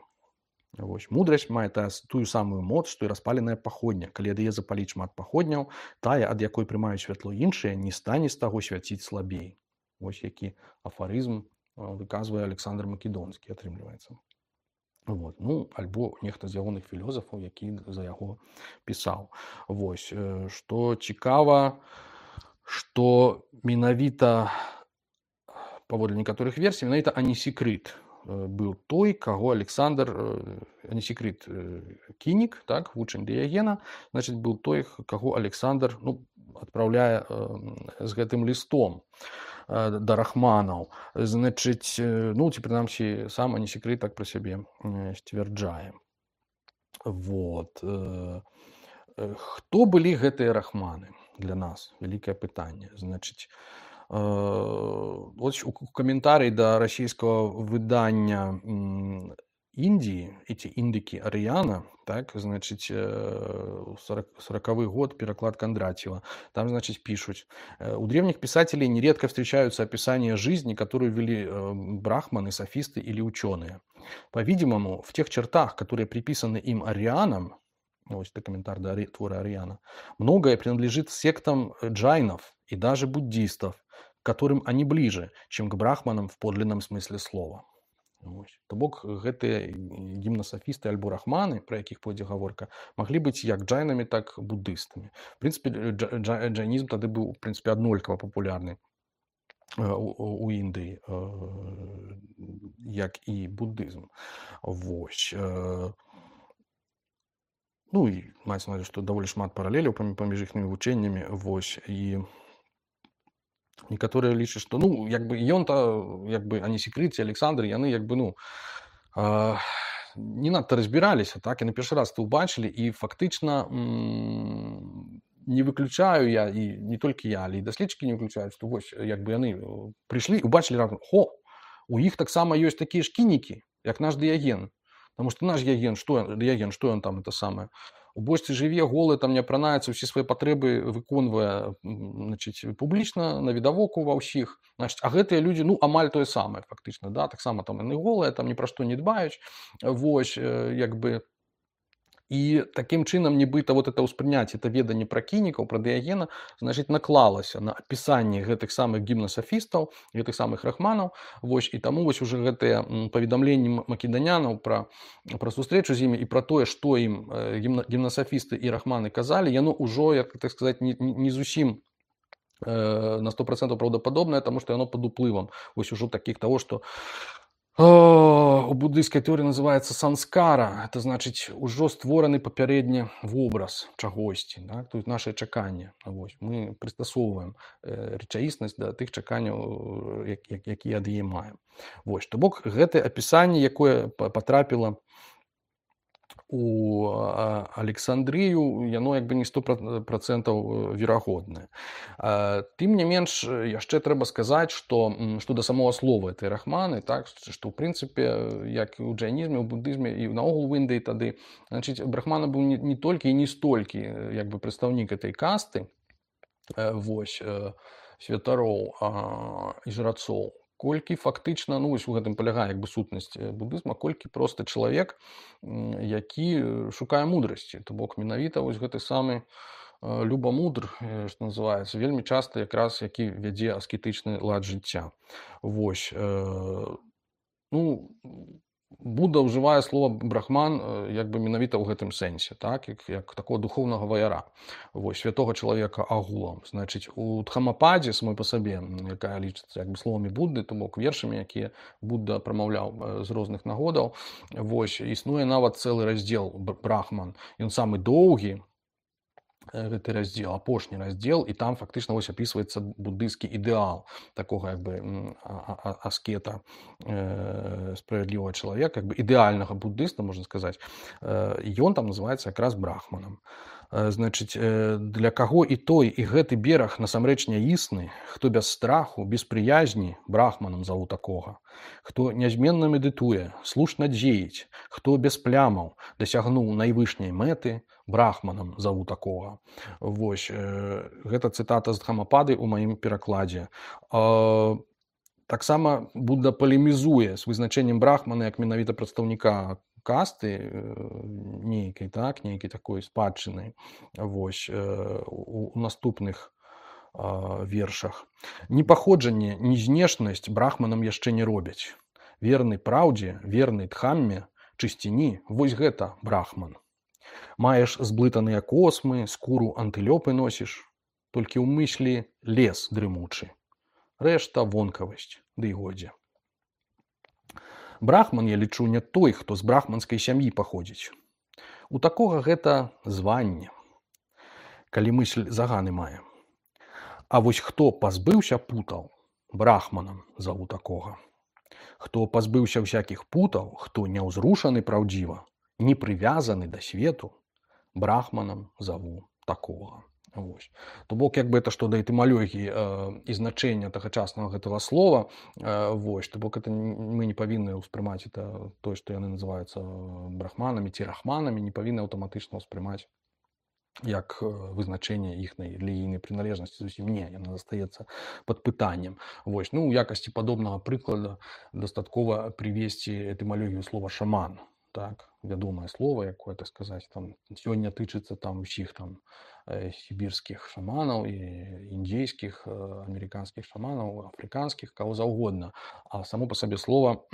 Вось. Мудрасць мае тую самую моц, што і распаленая паходня. Калі ад яе запаліць шмат паходняў, тая, ад якой прымаюць святло іншыя, не стане з таго свяціць слабей. Вось які афарызм выказвае Александр Македонскі, атрымліваецца. Вот. Ну, альбо нехта з ягоных філёзафаў, які за яго пісаў. Вось. Што цікава, што менавіта паводле некаторых версій, менавіта Анісікрыт быў той, каго Александр, Анісікрыт Кінік, так, вучань Дыягена, значыць, быў той, каго Александр, ну, адпраўляе з гэтым лістом да рахманаў. Значыць, ну, ці прынамсі, сам Анісікрыт так пра сябе сцвярджае. Вот. Хто былі гэтыя рахманы для нас? Вялікае пытанне. Значыць, вот у каментарыі да расійскага выдання Індіі, эти індыкі Арыяна, так, значыць, сороковый год, переклад Кондратьева, там, значит, пишут: у древних писателей нередко встречаются описания жизни, которую вели брахманы, софисты или ученые. По-видимому, в тех чертах, которые приписаны им арианам, вот это комментарий до твора Ариана, многое принадлежит сектам джайнов и даже буддистов, к которым они ближе, чем к брахманам в подлинном смысле слова. То бок гэтыя гімнасафісты альбо рахманы, пра якіх пойдзе гаворка, маглі быць як джайнамі, так буддыстамі. В прынцыпе, джайнізм тады быў, в прынцыпе, аднолькава папулярны у Індыі, як і буддызм. Вось. Ну і маецца на ўвазе, што даволі шмат паралеляў паміж іхнымі вучэннямі. Вось. І некаторыя лічаць, што, ну, як бы ён-то, як бы Анісікрыт ці Александр, яны, як бы, ну, э, не надта разбіраліся, так, і на першы раз то ўбачылі, і фактычна м- не выключаю я, і не толькі я, але і даследчыкі не выключаюць, што вось як бы яны прыйшлі і убачылі раптам, хо, у іх таксама ёсць такія ж кінікі, як наш дыяген. Потому што наш дыяген, што дыяген, што ён там это самае? У бочцы жыве, голы, там не апранаецца, ўсе свае патрэбы выконвае, значыць, публічна, на відавоку ва ўсіх. Значыць, а гэтыя людзі, ну, амаль тое самае, фактычна, да, таксама там яны голыя, там ні пра што не дбаюць, вось, як бы. І такім чынам нібыта вот это ўспрыняцце, это веданне пра кінікаў, пра дыягена, значыць, наклалася на апісанне гэтых самых гімнасафістаў, гэтых самых рахманаў, вось, і таму вось уже гэтыя паведамленні македонянаў пра, пра сустрэчу з імі і пра тое, што ім гімна, гімнасафісты і рахманы казалі, яно ўжо, як так сказаць, не, не зусім э, на сто процентаў праўдападобнае, таму што яно пад уплывам вось ужо такіх таго, што О, у буддыйскай тэорыі называецца санскара, это значыць ужо створаны папярэдні вобраз чагосьці, да? Тут наше чаканне, вось, мы прыстасоўваем э, рэчаіснасць да тых чаканняў, як, як, якія ад яе маем. Вось, то бок гэтае апісанне, якое патрапіла у Александрыю, яно як бы не сто процентаў верагоднае. Тым не менш, яшчэ трэба сказаць, што, што да самого слова этой рахманы, так, што ў прынцыпе, як і ў джайнізме, у буддызме і наогул в Індыі тады, значыць, брахмана быў не, не толькі і не столькі як бы прадстаўнік этой касты, вось, святароў і жрацоў, колькі фактычна, ну, вось у гэтым палягае як бы сутнасць буддызма, колькі проста чалавек, які шукае мудрасці. То бок менавіта вось гэты самы любамудр, што называецца, вельмі часта якраз які вядзе аскетычны лад жыцця. Вось, ну, Будда ўжывае слова брахман як бы менавіта ў гэтым сэнсе, так, як, як такого духоўнага ваяра, вось, святога чалавека агулам. Значыць, у Дхамападзе самой па сабе, якая лічыцца як бы словамі Будды, то бок вершамі, якія Будда прамаўляў з розных нагодаў, вось, існуе нават цэлы раздзел брахман, ён самы доўгі, гэты раздзел, апошні раздзел, і там фактычна вось апісваецца буддыйскі ідэал такога як бы аскета, э, справядлівага чалавека, як бы ідэальнага буддыста, можна сказаць. Ён там называецца якраз брахманам. Значыць, для каго і той, і гэты бераг насамрэч няісны, хто без страху, без прыязні, брахманам заву такога, хто нязменна медытуе, слушна дзеяць, хто без плямаў дасягнуў найвышняй мэты, брахманам заву такога. Вось, э, гэта цытата з Дхамапады ў маім перакладзе. Э, таксама Будда палемізуе з вызначэннем брахмана як менавіта прадстаўніка касты, э, нейкай, так, нейкай такой спадчыны. Вось, э, у, у наступных э, вершах. Ні паходжанне, ні знешнасць брахманам яшчэ не робяць. Верны праўдзе, верны дхамме, чысціні, вось гэта брахман. Маеш зблытаныя космы, скуру антылёпы носіш, толькі ў мыслі лес дрымучы. Рэшта вонкавасць, ды і годзе. Брахман, я лічу, не той, хто з брахманскай сям'і паходзіць. У такога гэта званне, калі мысль заганы мае. А вось хто пазбыўся путаў, брахманам заву такога. Хто пазбыўся ўсякіх путаў, хто няўзрушаны праўдзіва, не прывязаны да свету, брахманам заву такога. Вось. То бок, як бы это што да этымалогіі э, і значэння тагачаснага гэтага слова, э, вось, то бок это мы не павінны ўспрымаць это тое, што яны называюцца брахманамі ці рахманамі, не павінны аўтаматычна ўспрымаць як вызначэнне іхнай рэлігійнай прыналежнасці, зусім не, яна застаецца пад пытаннем. Вось, ну, у якасці падобнага прыклада дастаткова прывесці этымалогію слова шаман. Так, вядомае слово, якое, так сказаць, там сёння тычыцца там усіх там э, сібірскіх шаманаў і індзейскіх, э, амерыканскіх шаманаў, афрыканскіх, каго заўгодна. А само па сабе слова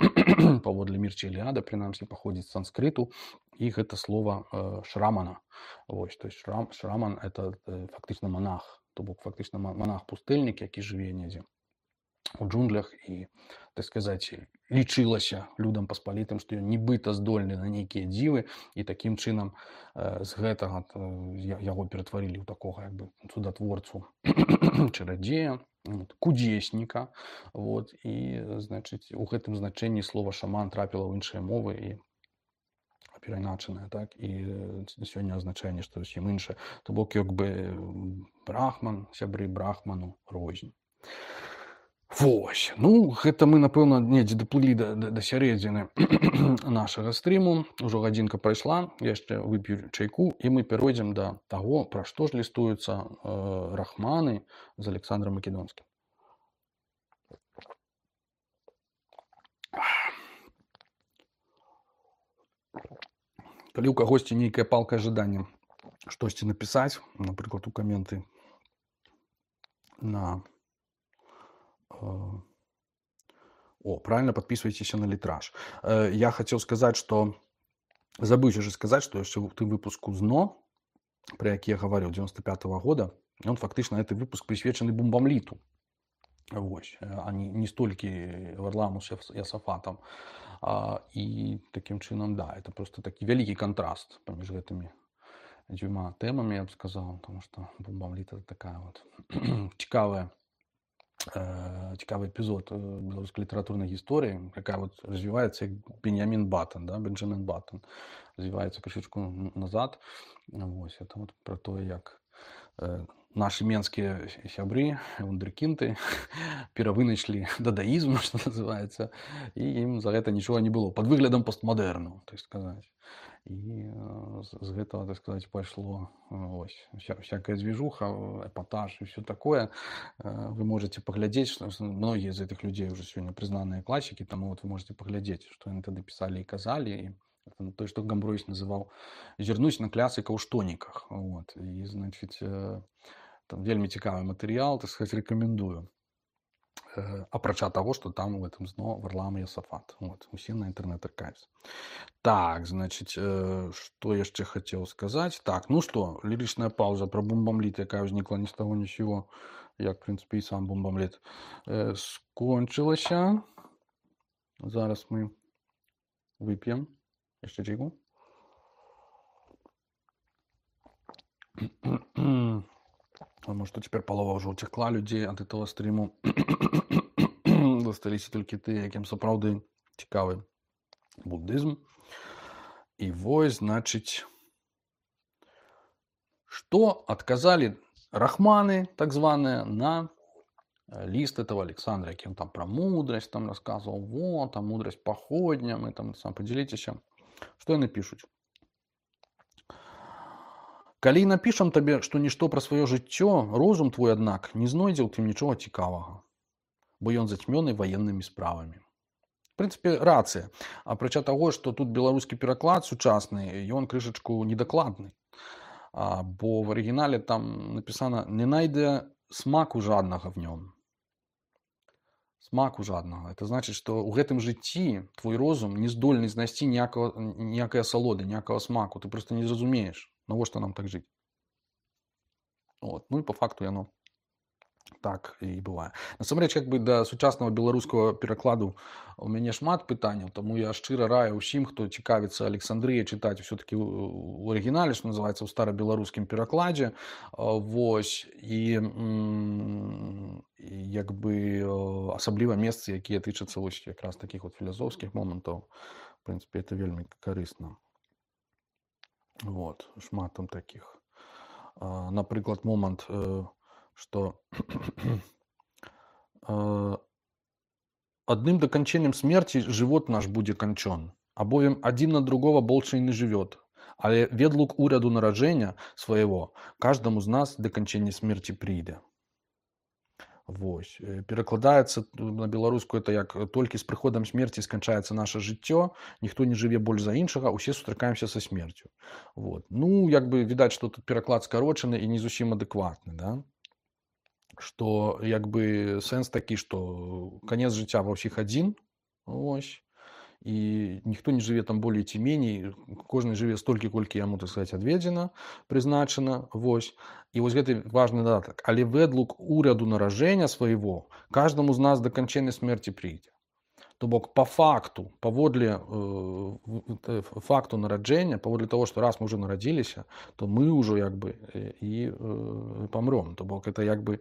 паводле Мірчы Іліада, прынамсі, паходзіць з санскрыту, і гэта слова э, шрамана. Вось, то есть шрам, шраман это э, фактычна монах, то бок фактычна монах-пустэльнік, які жыве недзе у джунглях і, так сказаць, лічылася людам паспалітым, што ён нібыта здольны на нейкія дзівы, і такім чынам э, з гэтага э, яго ператварылі ў такога як бы цудатворцу чарадзея, вот, кудзесніка, вот, і, значыць, у гэтым значэнні слова шаман трапіла ў іншыя мовы і перайначанае, так, і э, сёння азначэнне што зусім іншае. То бок як бы м, брахман, сябры брахману рознь. Вось. Ну, гэта мы, напэўна, недзе даплылі да, да, да сярэдзіны нашага стрыму. Ужо гадзінка прайшла, яшчэ вып'ю чайку, і мы перайдзем да таго, пра што ж лістуюцца э, рахманы з Александром Македонскім. Калі ў кагосьці нейкае палкае жаданне штосьці напісаць, напрыклад, у каменты на э, о, правильно, подписывайтесь на литраж. Э, я хотел сказать, что забыўся же сказать, что яшчэ ў тым выпуску ЗНО, про які я гаварыў девяносто пятого года, он фактычна гэты выпуск прысвечаны бомбамліту. Вось, а не, не столькі Варламу з Ясафатам. А, і таким чынам, да, это просто такі вялікі кантраст паміж гэтымі дзвюма тэмамі, я б сказаў, потому что бомбамліт это такая вот цікавая э, цікавы эпізод беларускай літаратурнай гісторыі, якая вот развіваецца як Беньямін Баттон, да, Бенджамін Баттон, развіваецца крышачку назад. Вось, это вот про тое, як э, наши менскія сябры, вундеркінды, перавыначлі дадаізм, што называецца, і ім за гэта нічога не было, пад выглядам постмадэрну, так сказаць. І э, з гэтага, так сказаць, пайшло ось, вся, всякая движуха, эпатаж і все такое. Э, вы можете паглядзець, што многія з гэтых людзей уже сёння прызнаныя класікі, таму вот вы можете паглядзець, што яны тады пісалі і казалі, і то, что Гамбройс называл «зернусь на клясика у штониках». Вот. И, значит, там вельми цікавый материал, так сказать, рекомендую. Апрача того, что там в этом ЗНО Варлам и Ясафат. Вот. Усе на интернет аркайвс. Так, значит, что я еще хотел сказать? Так, ну что, лиричная пауза про бомбамліт, якая возникла ни с того ни с сего, як, в принципе, и сам бомбамліт, скончилася. Зараз мы выпьем. Jeszcze czego? А может, теперь полова уже утекла людей от этого стриму. Засталіся толькі тыя, якім сапраўды цікавы буддызм. І вось, значыць, што адказалі рахманы, так званыя, на лист этого Александра, які он там про мудрость там рассказывал. Вот, там мудрость походня, мы там сам поделитесь. Што яны пішуць? Калі напішам табе, што нішто пра сваё жыццё, розум твой, аднак, не знойдзе ў тым нічога цікавага, бо ён зацьмёны ваеннымі справамі. В прынцыпе, рацыя. Апрача таго, што тут беларускі пераклад сучасны, ён крышачку недакладны. А, бо в арыгінале там напісана «не найдзе смаку жаднага в нём». Смаку жаднага. Это значит, што ў гэтым жыцці твой розум не здольны знайсці ніякай асалоды, ніякага смаку. Ты просто не зразумееш, навошта нам так жыць. Вот. Ну і по факту яно так і бывае. Насамрэч, як бы да сучаснага беларускага перакладу у мяне шмат пытанняў, таму я шчыра раю ўсім, хто цікавіцца Александрыяй, чытаць усё-такі у арыгінале, што называецца, ў старабеларускім перакладзе. Вось. І як бы асабліва месцы, якія тычацца вось якраз такіх вот філасофскіх момантаў. В прынцыпе, это вельмі карысна. Вот. Шмат там такіх. Напрыклад, момант, што адным даканчэннем смерти жывот наш будзе канчон, абовем адзін на другого больше не жывёт, але ведлук уряду нараджэння свайго каждаму з нас даканчэнне смерти прыйдзе. Вось. Перакладаецца на беларускую это як толькі з прыходам смерти сканчаецца наше жыццё, ніхто не жыве больш за іншага, усе сустракаемся са смерцю. Вот. Ну, як бы відаць, што тут пераклад скарочаны і не зусім адэкватны, да? Што як бы сэнс такі, што канец жыцця ва ўсіх адзін, ось, і ніхто не жыве там болей ці меней, кожны жыве столькі, колькі яму, так сказаць, адведзена, прызначана, вось. І вось гэты важны дадатак. Але ведлук уряду наражэння свайго каждаму з нас да канчэннай смерці прыйдзе. То бок, по факту, паводле э, факту нараджэння, паводле того, што раз мы ўжо нарадзіліся, то мы ўжо як бы і э, памром. То бок, это як бы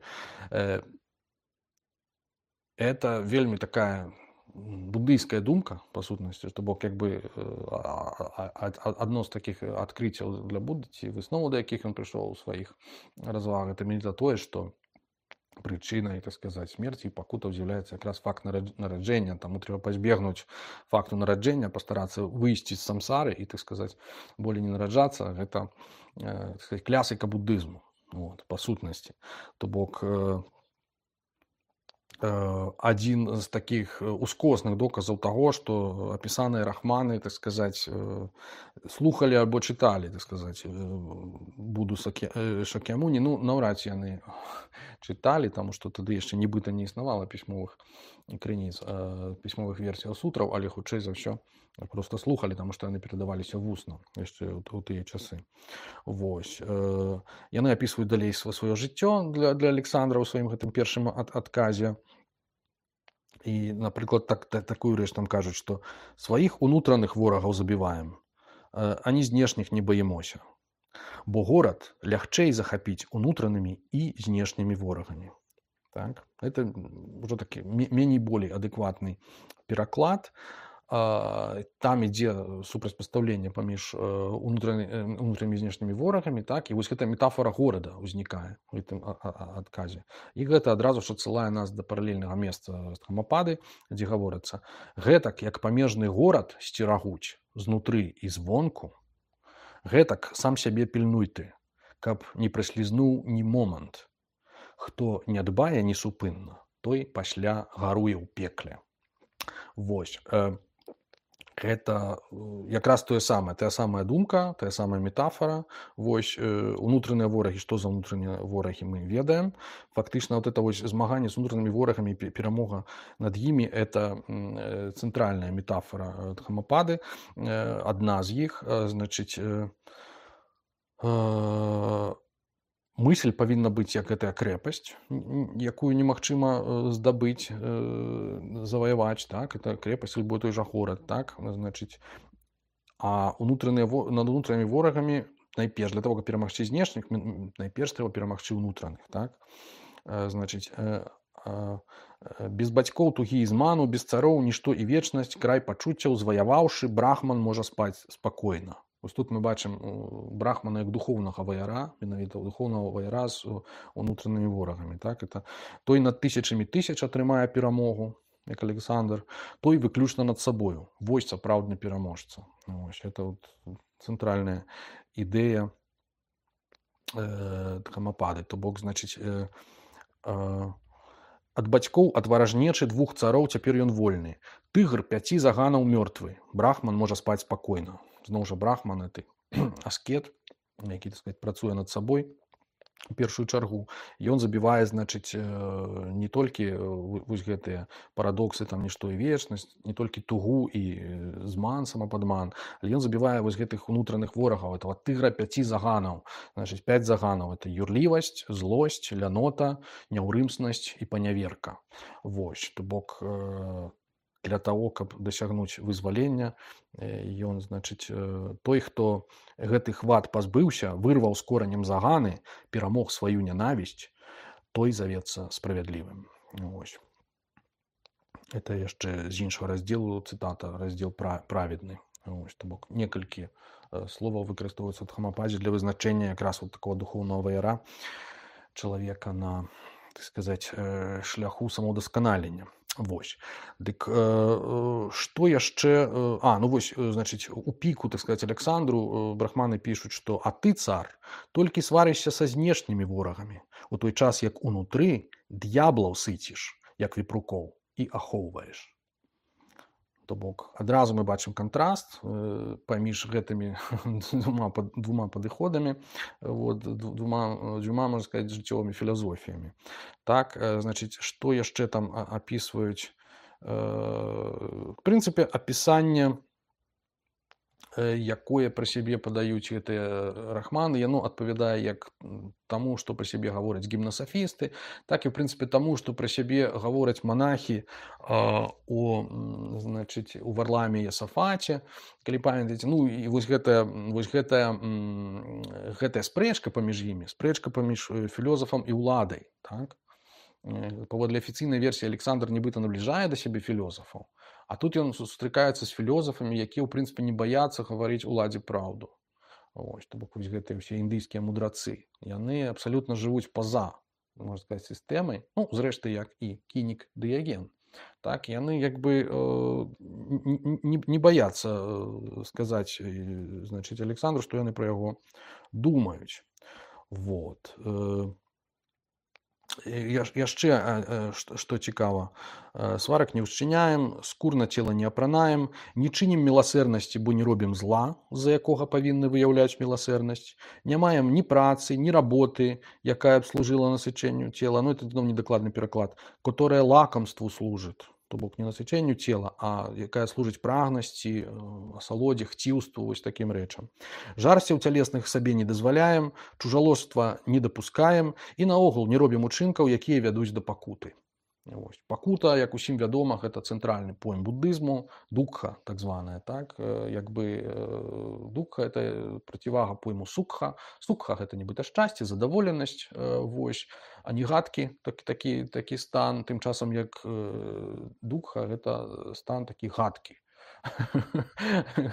э, это вельмі такая буддыйская думка, па сутнасці, што бок як бы адно з такіх адкрыццяў для Будды ці высноваў, да якіх ён прыйшоў у сваіх развагах, это менавіта тое, што прычынай, так сказаць, смерці і пакутаў з'яўляецца якраз факт нараджэння. Таму трэба пазбегнуць факту нараджэння, пастарацца выйсці з самсары і, так сказаць, болей не нараджацца. Гэта, так сказаць, клясіка буддызму, вот, па сутнасці. То бок адзін з такіх ускосных доказаў таго, што апісаныя рахманы, так сказаць, слухалі альбо чыталі, так сказаць, Будду Шакьямуні. Ну, наўрад ці яны чыталі, таму што тады яшчэ нібыта не існавала пісьмовых крыніц, пісьмовых версіяў сутраў, але хутчэй за ўсё проста слухалі, таму што яны перадаваліся вусна яшчэ ў тыя часы. Вось. Яны апісваюць далей сваё жыццё для, для Александра ў сваім гэтым першым ад, адказе. І, напрыклад, так, так, такую рэч там кажуць, што сваіх унутраных ворагаў забіваем, ані знешніх не баімося. Бо горад лягчэй захапіць унутранымі і знешнімі ворагамі. Так? Это ўжо такі меней болей адэкватны пераклад. Там ідзе супрацьпастаўленне паміж унутранымі і знешнімі ворагамі, так? І вось гэта метафора горада ўзнікае у гэтым адказе. І гэта адразу ж адсылае нас да паралельнага месца Дхаммапады, дзе гаворыцца: гэтак, як памежны горад сцерагуць знутры і звонку, гэтак сам сябе пільнуй ты, каб не праслізнуў ні момант. Хто не дбае несупынна, той пасля гаруе ў пекле. Вось. Гэта якраз тое самае, тая самая думка, тая самая метафора. Вось, унутраныя ворагі, што за унутраныя ворагі, мы ведаем. Фактычна, вот это вось змаганне з унутранымі ворагамі, перамога над імі, это цэнтральная метафора Дхаммапады, адна з іх. Значыць, мысль павінна быць як гэтая крэпасць, якую немагчыма здабыць, заваяваць, так? Это крэпасць, альбо той жа горад, так? Значыць, а унутраныя, над унутранымі ворагамі найперш, для того, каб перамагчы знешніх, найперш трэба перамагчы унутраных, так? Значыць, без бацькоў тугі і зману, без цароў нішто і вечнасць, край пачуццяў зваяваўшы, брахман можа спаць спакойна. Вось тут мы бачым брахмана як духоўнага ваяра, менавіта духоўнага ваяра з унутранымі ворагамі. Так? Это той над тысячамі тысяч атрымае перамогу, як Александр, той выключна над сабою. Вось сапраўдны пераможца. Вось, это вот цэнтральная ідэя э, Дхаммапады. То бок, значыць, э, э, ад бацькоў, ад варажнечы двух цароў цяпер ён вольны. Тыгр пяці заганаў мёртвы. Брахман можа спаць спакойна. Зноў жа брахман — это аскет, які, так сказаць, працуе над сабой у першую чаргу. Ён забівае, значыць, не толькі вось гэтыя парадоксы, там нішто і вечнасць, не толькі тугу і зман, самападман, але ён забівае вось гэтых унутраных ворагаў, этого тыгра пяці заганаў. Значыць, пяць заганаў — это юрлівасць, злосць, лянота, няўрымснасць і паняверка. Вось, то бок, для того, каб дасягнуць вызвалення, ён, значыць, той, хто гэтых вад пазбыўся, вырваў з коранем заганы, перамог сваю нянавісць, той завецца справядлівым. Вось. Это яшчэ з іншага раздзелу цытата, раздзел праведны. Вось, то бок, некалькі словаў выкарыстоўваюцца ў Дхаммападзе для вызначэння якраз вот такого духоўнага ваяра чалавека на, так сказаць, шляху самаўдасканалення. Вось. Дык што яшчэ... А, ну вось, значыць, у піку, так сказаць, Александру брахманы пішуць, што «А ты, цар, толькі сварышся са знешнімі ворагамі, у той час, як унутры д'яблаў сыціш, як вепрукоў, і ахоўваеш». То бок, адразу мы бачым кантраст паміж гэтымі двума, двума падыходамі, вот, двума, двума, можна сказаць, жыццёвымі філазофіямі. Так, значыць, што яшчэ там апісваюць? В прынцыпе, апісанне, якое пра сябе падаюць гэтыя рахманы, яно адпавядае як таму, што пра сябе гавораць гімнасафісты, так і, в прынцыпе, таму, што пра сябе гавораць манахі у, значыць, у Варламе і Асафаце, калі памятаеце. Ну, і вось гэтая, вось гэтая, гэтая спрэчка паміж імі, спрэчка паміж філёзафам і ўладай, так? Э, Паводле афіцыйнай версіі Александр нібыта набліжае да сябе філёзафаў, а тут ён сустракаецца з філёзафамі, якія ў прынцыпе не баяцца гаварыць уладзе праўду. Ось, то бок вось гэтыя ўсе індыйскія мудрацы, яны абсалютна жывуць па-за, можна сказаць, сістэмай, ну, зрэшты, як і Кінік Дыяген. Так, яны як бы э, не, не баяцца э, сказаць, э, значыць, Александру, што яны пра яго думаюць. Вот. Э, яшчэ што цікава, сварак не ўчыняем, скур на цела не апранаем, не чынім міласэрнасці, бо не робім зла, з-за якога павінны выяўляць міласэрнасць, не маем ні працы, ні работы, якая б служыла насычэнню цела, ну это зноў недакладны пераклад, которая лакамству служыць, то бок не насычэнню цела, а якая служыць прагнасці, асалодзе, хціўству, вось такім рэчам. Жарсцяў цялесных сабе не дазваляем, чужалоства не дапускаем і наогул не робім учынкаў, якія вядуць да пакуты. Ось. Пакута, як усім вядома, гэта цэнтральны поем буддызму, дукха, так званая, так, як бы дукха это процівага пойму сукха. Сукха гэта нібыта шчасце, задаволенасць, вось, а не гадкі, такі, такі, такі стан, тым часам як дукха гэта стан такі гадкі.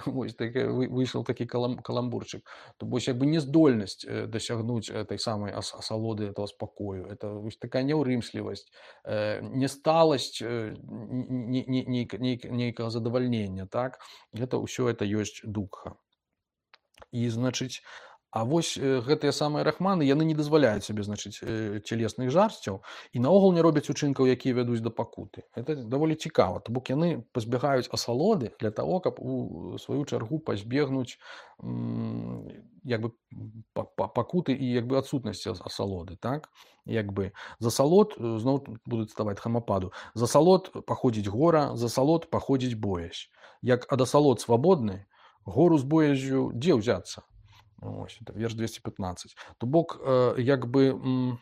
Вось выйшаў такі каламбурчык. То бок як бы нездольнасць дасягнуць этой самай асалоды, этого спакою. Это вось такая няўрымслівасць, несталасць нейкага задавальнення, так? Гэта ўсё это ёсць дукха. І, значыць, а вось гэтыя самыя рахманы, яны не дазваляюць сабе, значыць, цялесных жарсцяў і наогул не робяць учынкаў, якія вядуць да пакуты. Это даволі цікава, то бок яны пазбягаюць асалоды для таго, каб у сваю чаргу пазбегнуць як бы пакуты і як бы адсутнасці асалоды, так? Як бы за салод, зноў будуць ставаць хамападу, за салод паходзіць гора, за салод паходзіць боязь. Як ад асалод свабодны, гору з боязю дзе ўзяцца? Ось, это верш двести пятнадцать. То бок, э, як бы, м,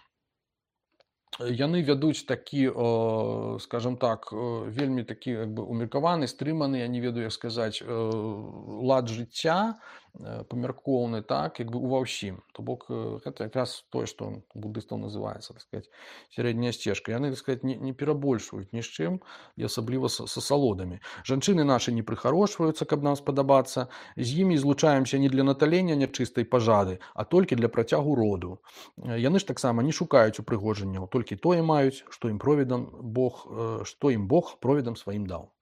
яны вядуць такі, э, скажем так, э, вельмі такі як бы умеркаваны, стрыманы, я не ведаю, як сказаць, э, лад жыцця, э, памяркоўны, так, як бы ува ўсім. То бок, э, гэта якраз тое, што у буддыстаў называецца, так сказаць, сярэдняя сцежка. Яны, так сказаць, не, не перабольшваюць ні з чым, і асабліва са, са салодамі. Жанчыны нашы не прыхарошваюцца, каб нам спадабацца, з імі злучаемся не для наталення нячыстай пажады, а толькі для працягу роду. Яны ж таксама не шукаюць упрыгожанняў, толькі тое маюць, што ім провідам Бог, што ім Бог провідам сваім даў.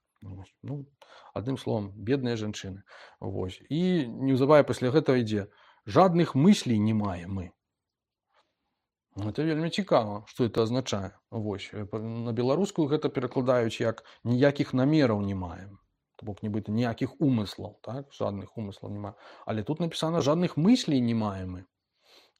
Ну, адным словам, бедныя жанчыны. Вось. І неўзабаве пасля гэтага ідзе: жадных мыслей не маем мы. Это вельмі цікава, што это азначае. Вось. На беларускую гэта перакладаюць як ніякіх намераў не маем. То бок нібыта ніякіх умыслаў, так? Жадных умыслаў не маем. Але тут напісана жадных мыслей не маем мы.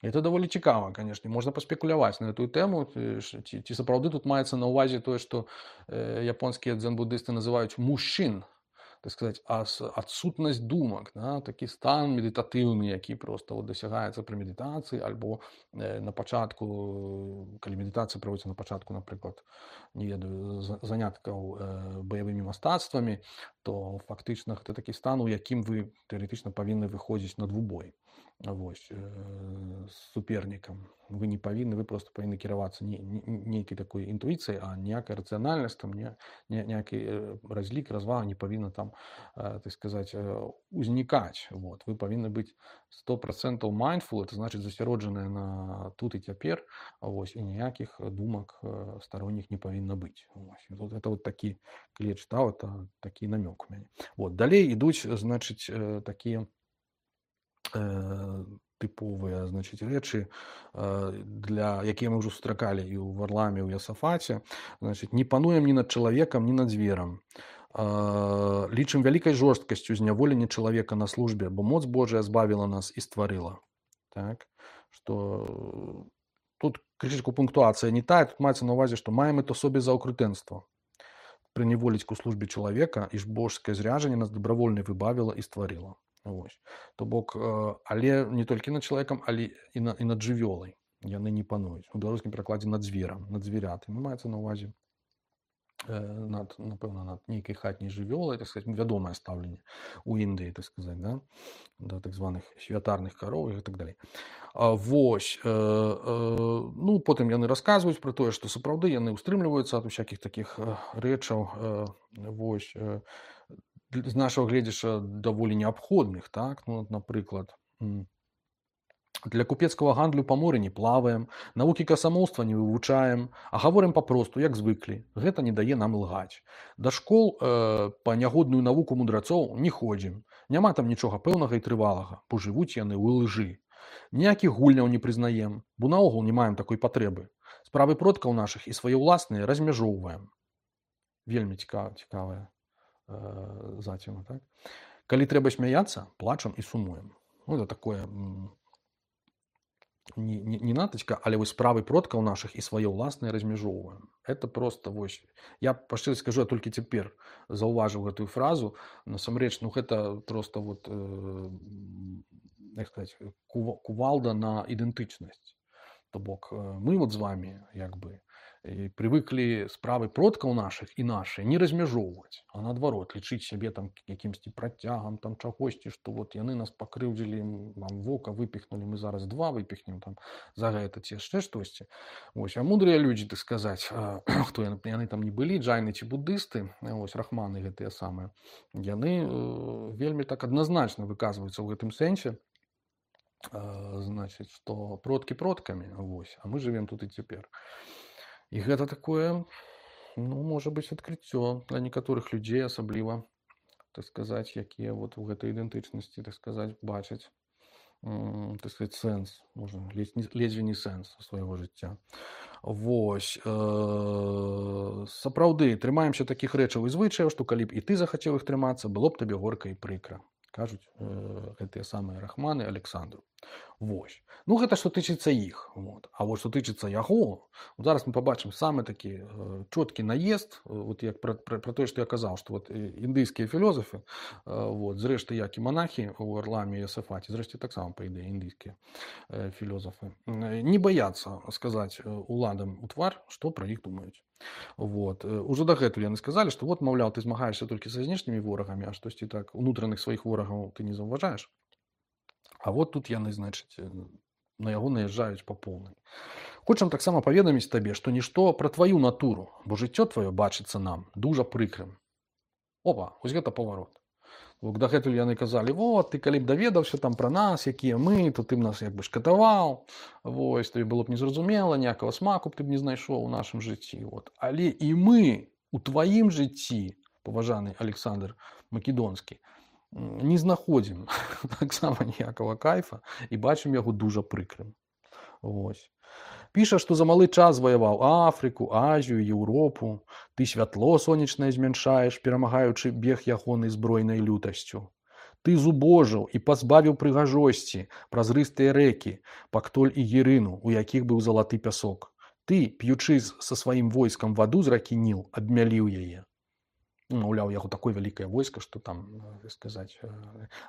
Это даволі цікава, канешне, можна паспекуляваць на эту тэму, ці, ці сапраўды тут маецца на ўвазе тое, што э, японскія дзен-буддысты называюць мужчын, так сказаць, адсутнасць думак, да? Такі стан медытатыўны, які проста вот, дасягаецца пры медытацыі, альбо э, на пачатку, калі медытацыя праводзіцца на пачатку, напрыклад, не ведаю, заняткаў э, баявымі мастацтвамі, то фактычна гэта такі стан, у якім вы тэарэтычна павінны выходзіць на двубой. Вось, э, з супернікам. Вы не павінны, вы просто павінны кіравацца не, не, нейкай такой інтуіцыяй, а ніякая рацыянальнасць, там, не, не, ніякі разлік, развага не павінна там, э, так сказаць, э, узнікаць. Вот. Вы павінны быць сто процентаў mindful, это значыць засяроджаныя на тут і цяпер, вось, і ніякіх думак э, старонніх не павінна быць. Вось. Вот, это вот такі, калі я чытаў, это такі намёк у мяне. Вот. Далей ідуць, значыць, э, такія тыповыя, значыць, рэчы, для якія мы ўжо сустракалі і ў Варламе, і ў Ясафаце. Значыць, не пануем ні над чалавекам, ні над зверам. Лічым вялікай жорсткасцю зняволенне чалавека на службе, бо моц Божая збавіла нас і стварыла. Так? Што тут крышачку пунктуацыя не тая, тут маецца на ўвазе, што маем это собе за аўкрытэнства. Прыняволіць ку службе чалавека, і ж божскае зряжанне нас дабравольна выбавіла і стварыла. Вось. То бок, але не толькі над чалавекам, але і, на, і над жывёлай яны не пануюць. У беларускім перакладзе над зверам, над звярятамі. Маецца на ўвазе над, напэўна, над нейкай хатняй жывёлай, так сказать, вядомае стаўленне ў Індыі, так сказать, да, да так званых святарных кароў і так далей. А, вось, э, э, ну, потым яны расказваюць пра тое, што сапраўды яны ўстрымліваюцца ад усякіх такіх э, рэчаў, э, вось, э, з нашага гледзяша даволі неабходных, так, ну, напрыклад, м, для купецкага гандлю па моры не плаваем, навукі касамоўства не вывучаем, а гаворым папросту, як звыклі. Гэта не дае нам лгаць. Да школ э, па нягодную навуку мудрацоў не ходзім. Няма там нічога пэўнага і трывалага, бо жывуць яны ў лжы. Ніякіх гульняў не прызнаем, бо наогул не маем такой патрэбы. Справы продкаў нашых і свае ўласныя размяжоўваем. Вельмі цікава, цікавая э, заціма, так? Калі трэба смяяцца, плачам і сумуем. Ну, это такое... М- Не, не, не натачка, але вось справы продкаў нашых і свае ўласныя размяжоўваем. Это просто вось. Я па шчырасці скажу, я толькі цяпер заўважыў гэтую фразу. Насамрэч, ну гэта просто вот, э, як сказаць, кувалда на ідэнтычнасць. То бок мы вот з вами як бы прывыклі справы продкаў нашых і нашыя не размяжоўваць, а наадварот лічыць сябе там якімсьці працягам там чагосьці, што вот яны нас пакрыўдзілі, нам вока выпіхнулі, мы зараз два выпіхнем там за гэта ці яшчэ штосьці. Вось, а мудрыя людзі, так сказаць, хто яны, яны там не былі, джайны ці буддысты, вось рахманы гэтыя самыя, яны э, вельмі так адназначна выказваюцца ў гэтым сэнсе. Значит, што продкі продкамі, вось, а мы жывем тут і цяпер. І гэта такое, ну, можа быць, адкрыццё для некаторых людзей, асабліва, так сказаць, якія вот у гэтай ідэнтычнасці, так сказаць, бачаць, м, так сказаць, сэнс, можа, ледзьве не сэнс свайго жыцця. Вось, э, сапраўды, трымаемся такіх рэчаў і звычаяў, што калі б і ты захацеў іх трымацца, было б табе горка і прыкра. Кажуць э, гэтыя самыя рахманы Александру. Вось. Ну, гэта што тычыцца іх. Вот. А вот што тычыцца яго, зараз мы пабачым самы такі э, чёткі наезд, вот як пра, пра, пра тое, што я казаў, што вот індыйскія філозафы, э, вот, зрэшты, як і манахі ў Арламе і Асафаце, зрэшты, таксама, па ідэі, індыйскія э, філозафы, э, не баяцца сказаць уладам у твар, што пра іх думаюць. Вот. Ужо дагэтуль яны сказалі, што вот, маўляў, ты змагаешся толькі са знешнімі ворагамі, а штосьці так унутраных сваіх ворагаў ты не заўважаеш. А вот тут яны, значыць, на яго наязджаюць па поўнай. Хочам таксама паведаміць табе, што нішто пра тваю натуру, бо жыццё тваё бачыцца нам дужа прыкрым. Опа, вось гэта паварот. Дагэтуль яны казалі, вот, ты калі б даведаўся там пра нас, якія мы, то ты б нас як бы шкатаваў, вось, тобі было б незразумела, ніякага смаку б ты б не знайшоў у нашым жыцці. Вот. Але і мы у тваім жыцці, паважаны Александр Македонскі, не знаходзім таксама ніякага кайфа і бачым яго дужа прыкрым. Вось. Піша, што за малы час заваяваў Афрыку, Азію, Еўропу. Ты святло сонечнае змяншаеш, перамагаючы бег ягонай збройнай лютасцю. Ты зубожыў і пазбавіў прыгажосці празрыстыя рэкі, Пактоль і Герыну, у якіх быў залаты пясок. Ты, п'ючы са сваім войскам ваду з ракі Ніл, абмяліў яе. Маўляў, яго такое вялікае войска, што там, так сказаць,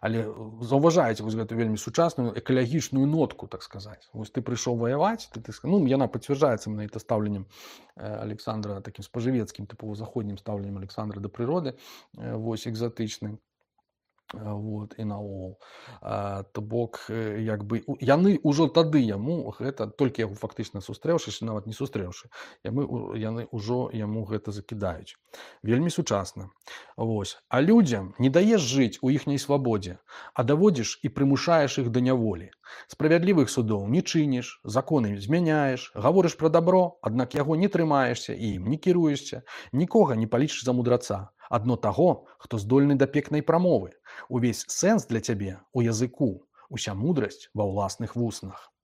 але заўважаеце вось гэту вельмі сучасную экалагічную нотку, так сказаць. Вось ты прыйшоў ваяваць, ты, ты, ну, яна пацвярджаецца на это стаўленнем Александра, такім спажывецкім, тыпова заходнім стаўленнем Александра да прыроды, вось, экзатычным. Вот, і наогул. То бок, як бы, яны ўжо тады яму гэта, толькі яго фактычна сустрэўшы, нават не сустрэўшы, яму, яны ўжо яму гэта закідаюць. Вельмі сучасна. Вось. А людзям не даеш жыць у іхняй свабодзе, а даводзіш і прымушаеш іх да няволі. Справядлівых судоў не чыніш, законы змяняеш, гаворыш пра дабро, аднак яго не трымаешся і ім не кіруешся, нікога не палічыш за мудраца. Адно таго, хто здольны да пекнай прамовы. Увесь сэнс для цябе у языку, уся мудрасць ва ўласных вуснах.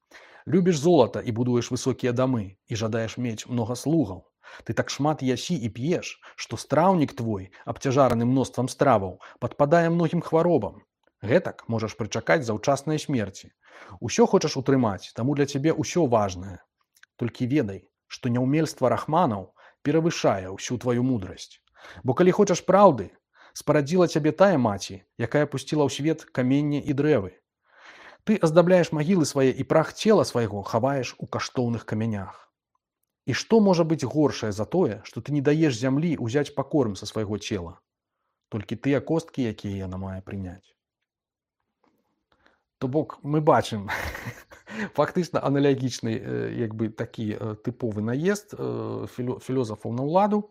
Любіш золата і будуеш высокія дамы, і жадаеш мець многа слугаў. Ты так шмат ясі і п'еш, што страўнік твой, абцяжараны мноствам страваў, падпадае многім хваробам. Гэтак можаш прычакаць заўчаснай смерці. Усё хочаш утрымаць, таму для цябе ўсё важнае. Толькі ведай, што няўмельства рахманаў перавышае ўсю тваю мудрасць. Бо калі хочаш праўды, спарадзіла цябе тая маці, якая пусціла ў свет каменне і дрэвы. Ты аздабляеш магілы свае і прах цела свайго хаваеш у каштоўных камянях. І што можа быць горшае за тое, што ты не даеш зямлі ўзяць пакорм са свайго цела, толькі тыя косткі, якія яна мае прыняць. То бок мы бачым фактычна аналагічны як бы такі тыповы наезд філёзафаў на ўладу.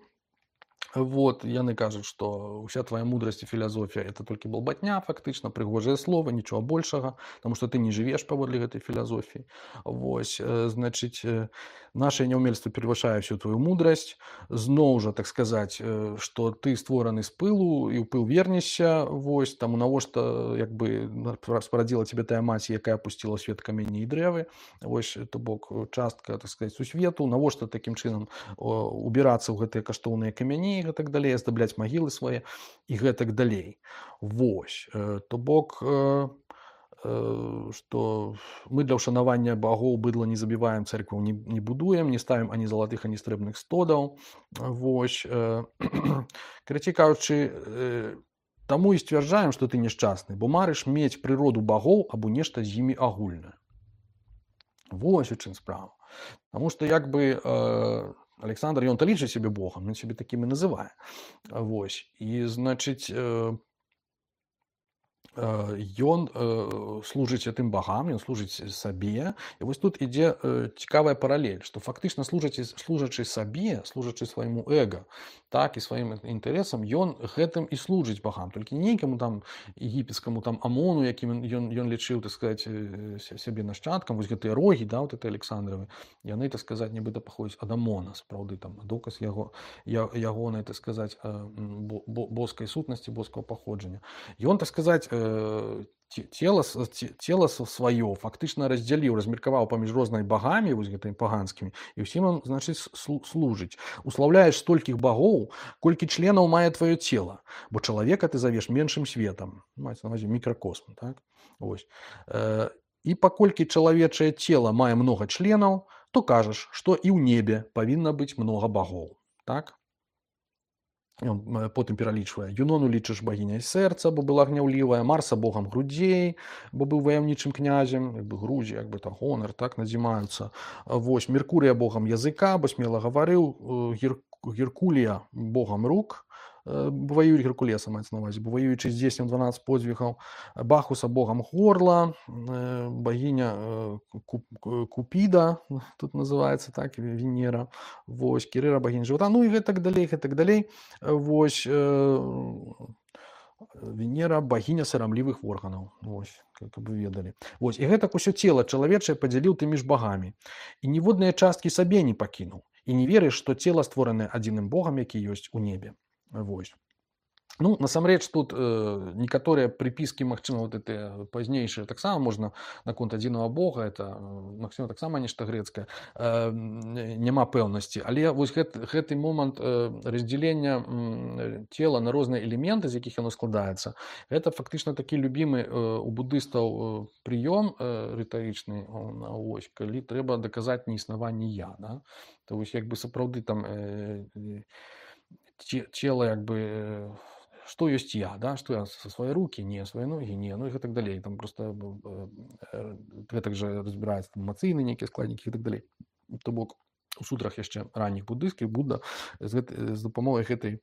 Вот, яны кажуць, што ўся твая мудрасць і філазофія это толькі балбатня, фактычна прыгожае слова, нічога большага, таму што ты не жывеш паводле гэтай філазофіі. Вось, значыць, наше няўмельства перавышае всю твою мудрасць. Зноў жа, так сказаць, што ты створаны з пылу і ў пыл вернешся, вось, таму навошта як бы спарадзіла цябе тая маці, якая пусціла ў свет камені і дрэвы, вось, то бок частка, так сказаць, сусвету, навошта такім чынам убірацца ў гэтыя каштоўныя камяні, і гэтак далей, аздабляць магілы свае і гэтак далей. Вось, то бок, што мы для ўшанавання багоў быдла не забіваем, цэркваў не, не будуем, не ставім ані залатых, ані срэбных стодаў. Вось, карацей кажучы, таму і сцвярджаем, што ты няшчасны, бо марыш мець прыроду багоў або нешта з імі агульнае. Вось у чым справа. Таму што як бы Александр, ён-то лічыць сябе Богам, ён сябе такім і называе. Вось. І, значыць, ён служыць тым багам, ён служыць сабе. І вось тут ідзе цікавая паралель, што фактычна служачы, служачы сабе, служачы свайму эго, так, і сваім інтарэсам, ён гэтым і служыць багам. Толькі не нейкаму там егіпецкаму там Амону, якім ён, ён лічыў, так сказаць, сябе нашчадкам, вось гэтыя рогі, да, вот это Александровы, яны, так сказаць, нібыта паходзяць ад Амона, сапраўды, там, доказ яго, ягонай, так сказаць, боскай сутнасці, боскага паходжання. Ён, так сказаць, цела, цела сваё фактычна раздзяліў, размеркаваў паміж рознымі багамі, вось гэтымі паганскімі, і ўсім он, значыць, служыць. Услаўляеш столькіх багоў, колькі членаў мае тваё цела, бо чалавека ты завеш меншым светам, маецца на ўвазе мікракосм, так? Вось. І паколькі чалавечае цела мае многа членаў, то кажаш, што і ў небе павінна быць многа багоў, так? Ён потым пералічвае. Юнону лічыш багіняй сэрца, бо была гняўлівая, Марса богам грудзей, бо быў ваяўнічым князем, як бы грудзі, як бы там гонар, так, надзімаюцца. Вось, Меркурыя богам языка, бо смела гаварыў, Гер... Геркулія богам рук, воюють Геркулеса, мається на увазі, бо воюючи здійснив дванадцять подвигів, Бахуса богом горла, богиня Купіда, тут називається так, Венера, вось, Кирира богиня живота, ну і так далі, і так далі, вось, Венера богиня сарамлівых органаў, вось, как бы ведалі. Вось, і гэтак усё цела чалавечае падзяліў ты між багамі, і ніводныя часткі сабе не пакінуў, і не верыш, што цела створанае адзіным богам, які ёсць у небе. Вось. Ну, насамрэч, тут э, некаторыя прыпіскі, магчыма, вот это пазнейшыя таксама можна наконт адзінага бога, это, магчыма, таксама нешта грэцкае, э, няма пэўнасці. Але вось гэт, гэты момант э, раздзялення э, цела на розныя элементы, з якіх яно складаецца, гэта фактычна такі любімы э, у будыстаў э, прыём э, рытарычны, ось, калі трэба даказаць неіснаванне я. Да? То вось, як бы сапраўды там э, цела, як бы, што ёсць я, да? Што я са свае рукі, не, свае ногі, не, ну і гэтак далей. Там проста гэтак жа разбіраецца эмацыйныя нейкія складнікі і так далей. То бок у сутрах яшчэ ранніх буддыйскіх Будда з, гэт, з дапамогай гэтай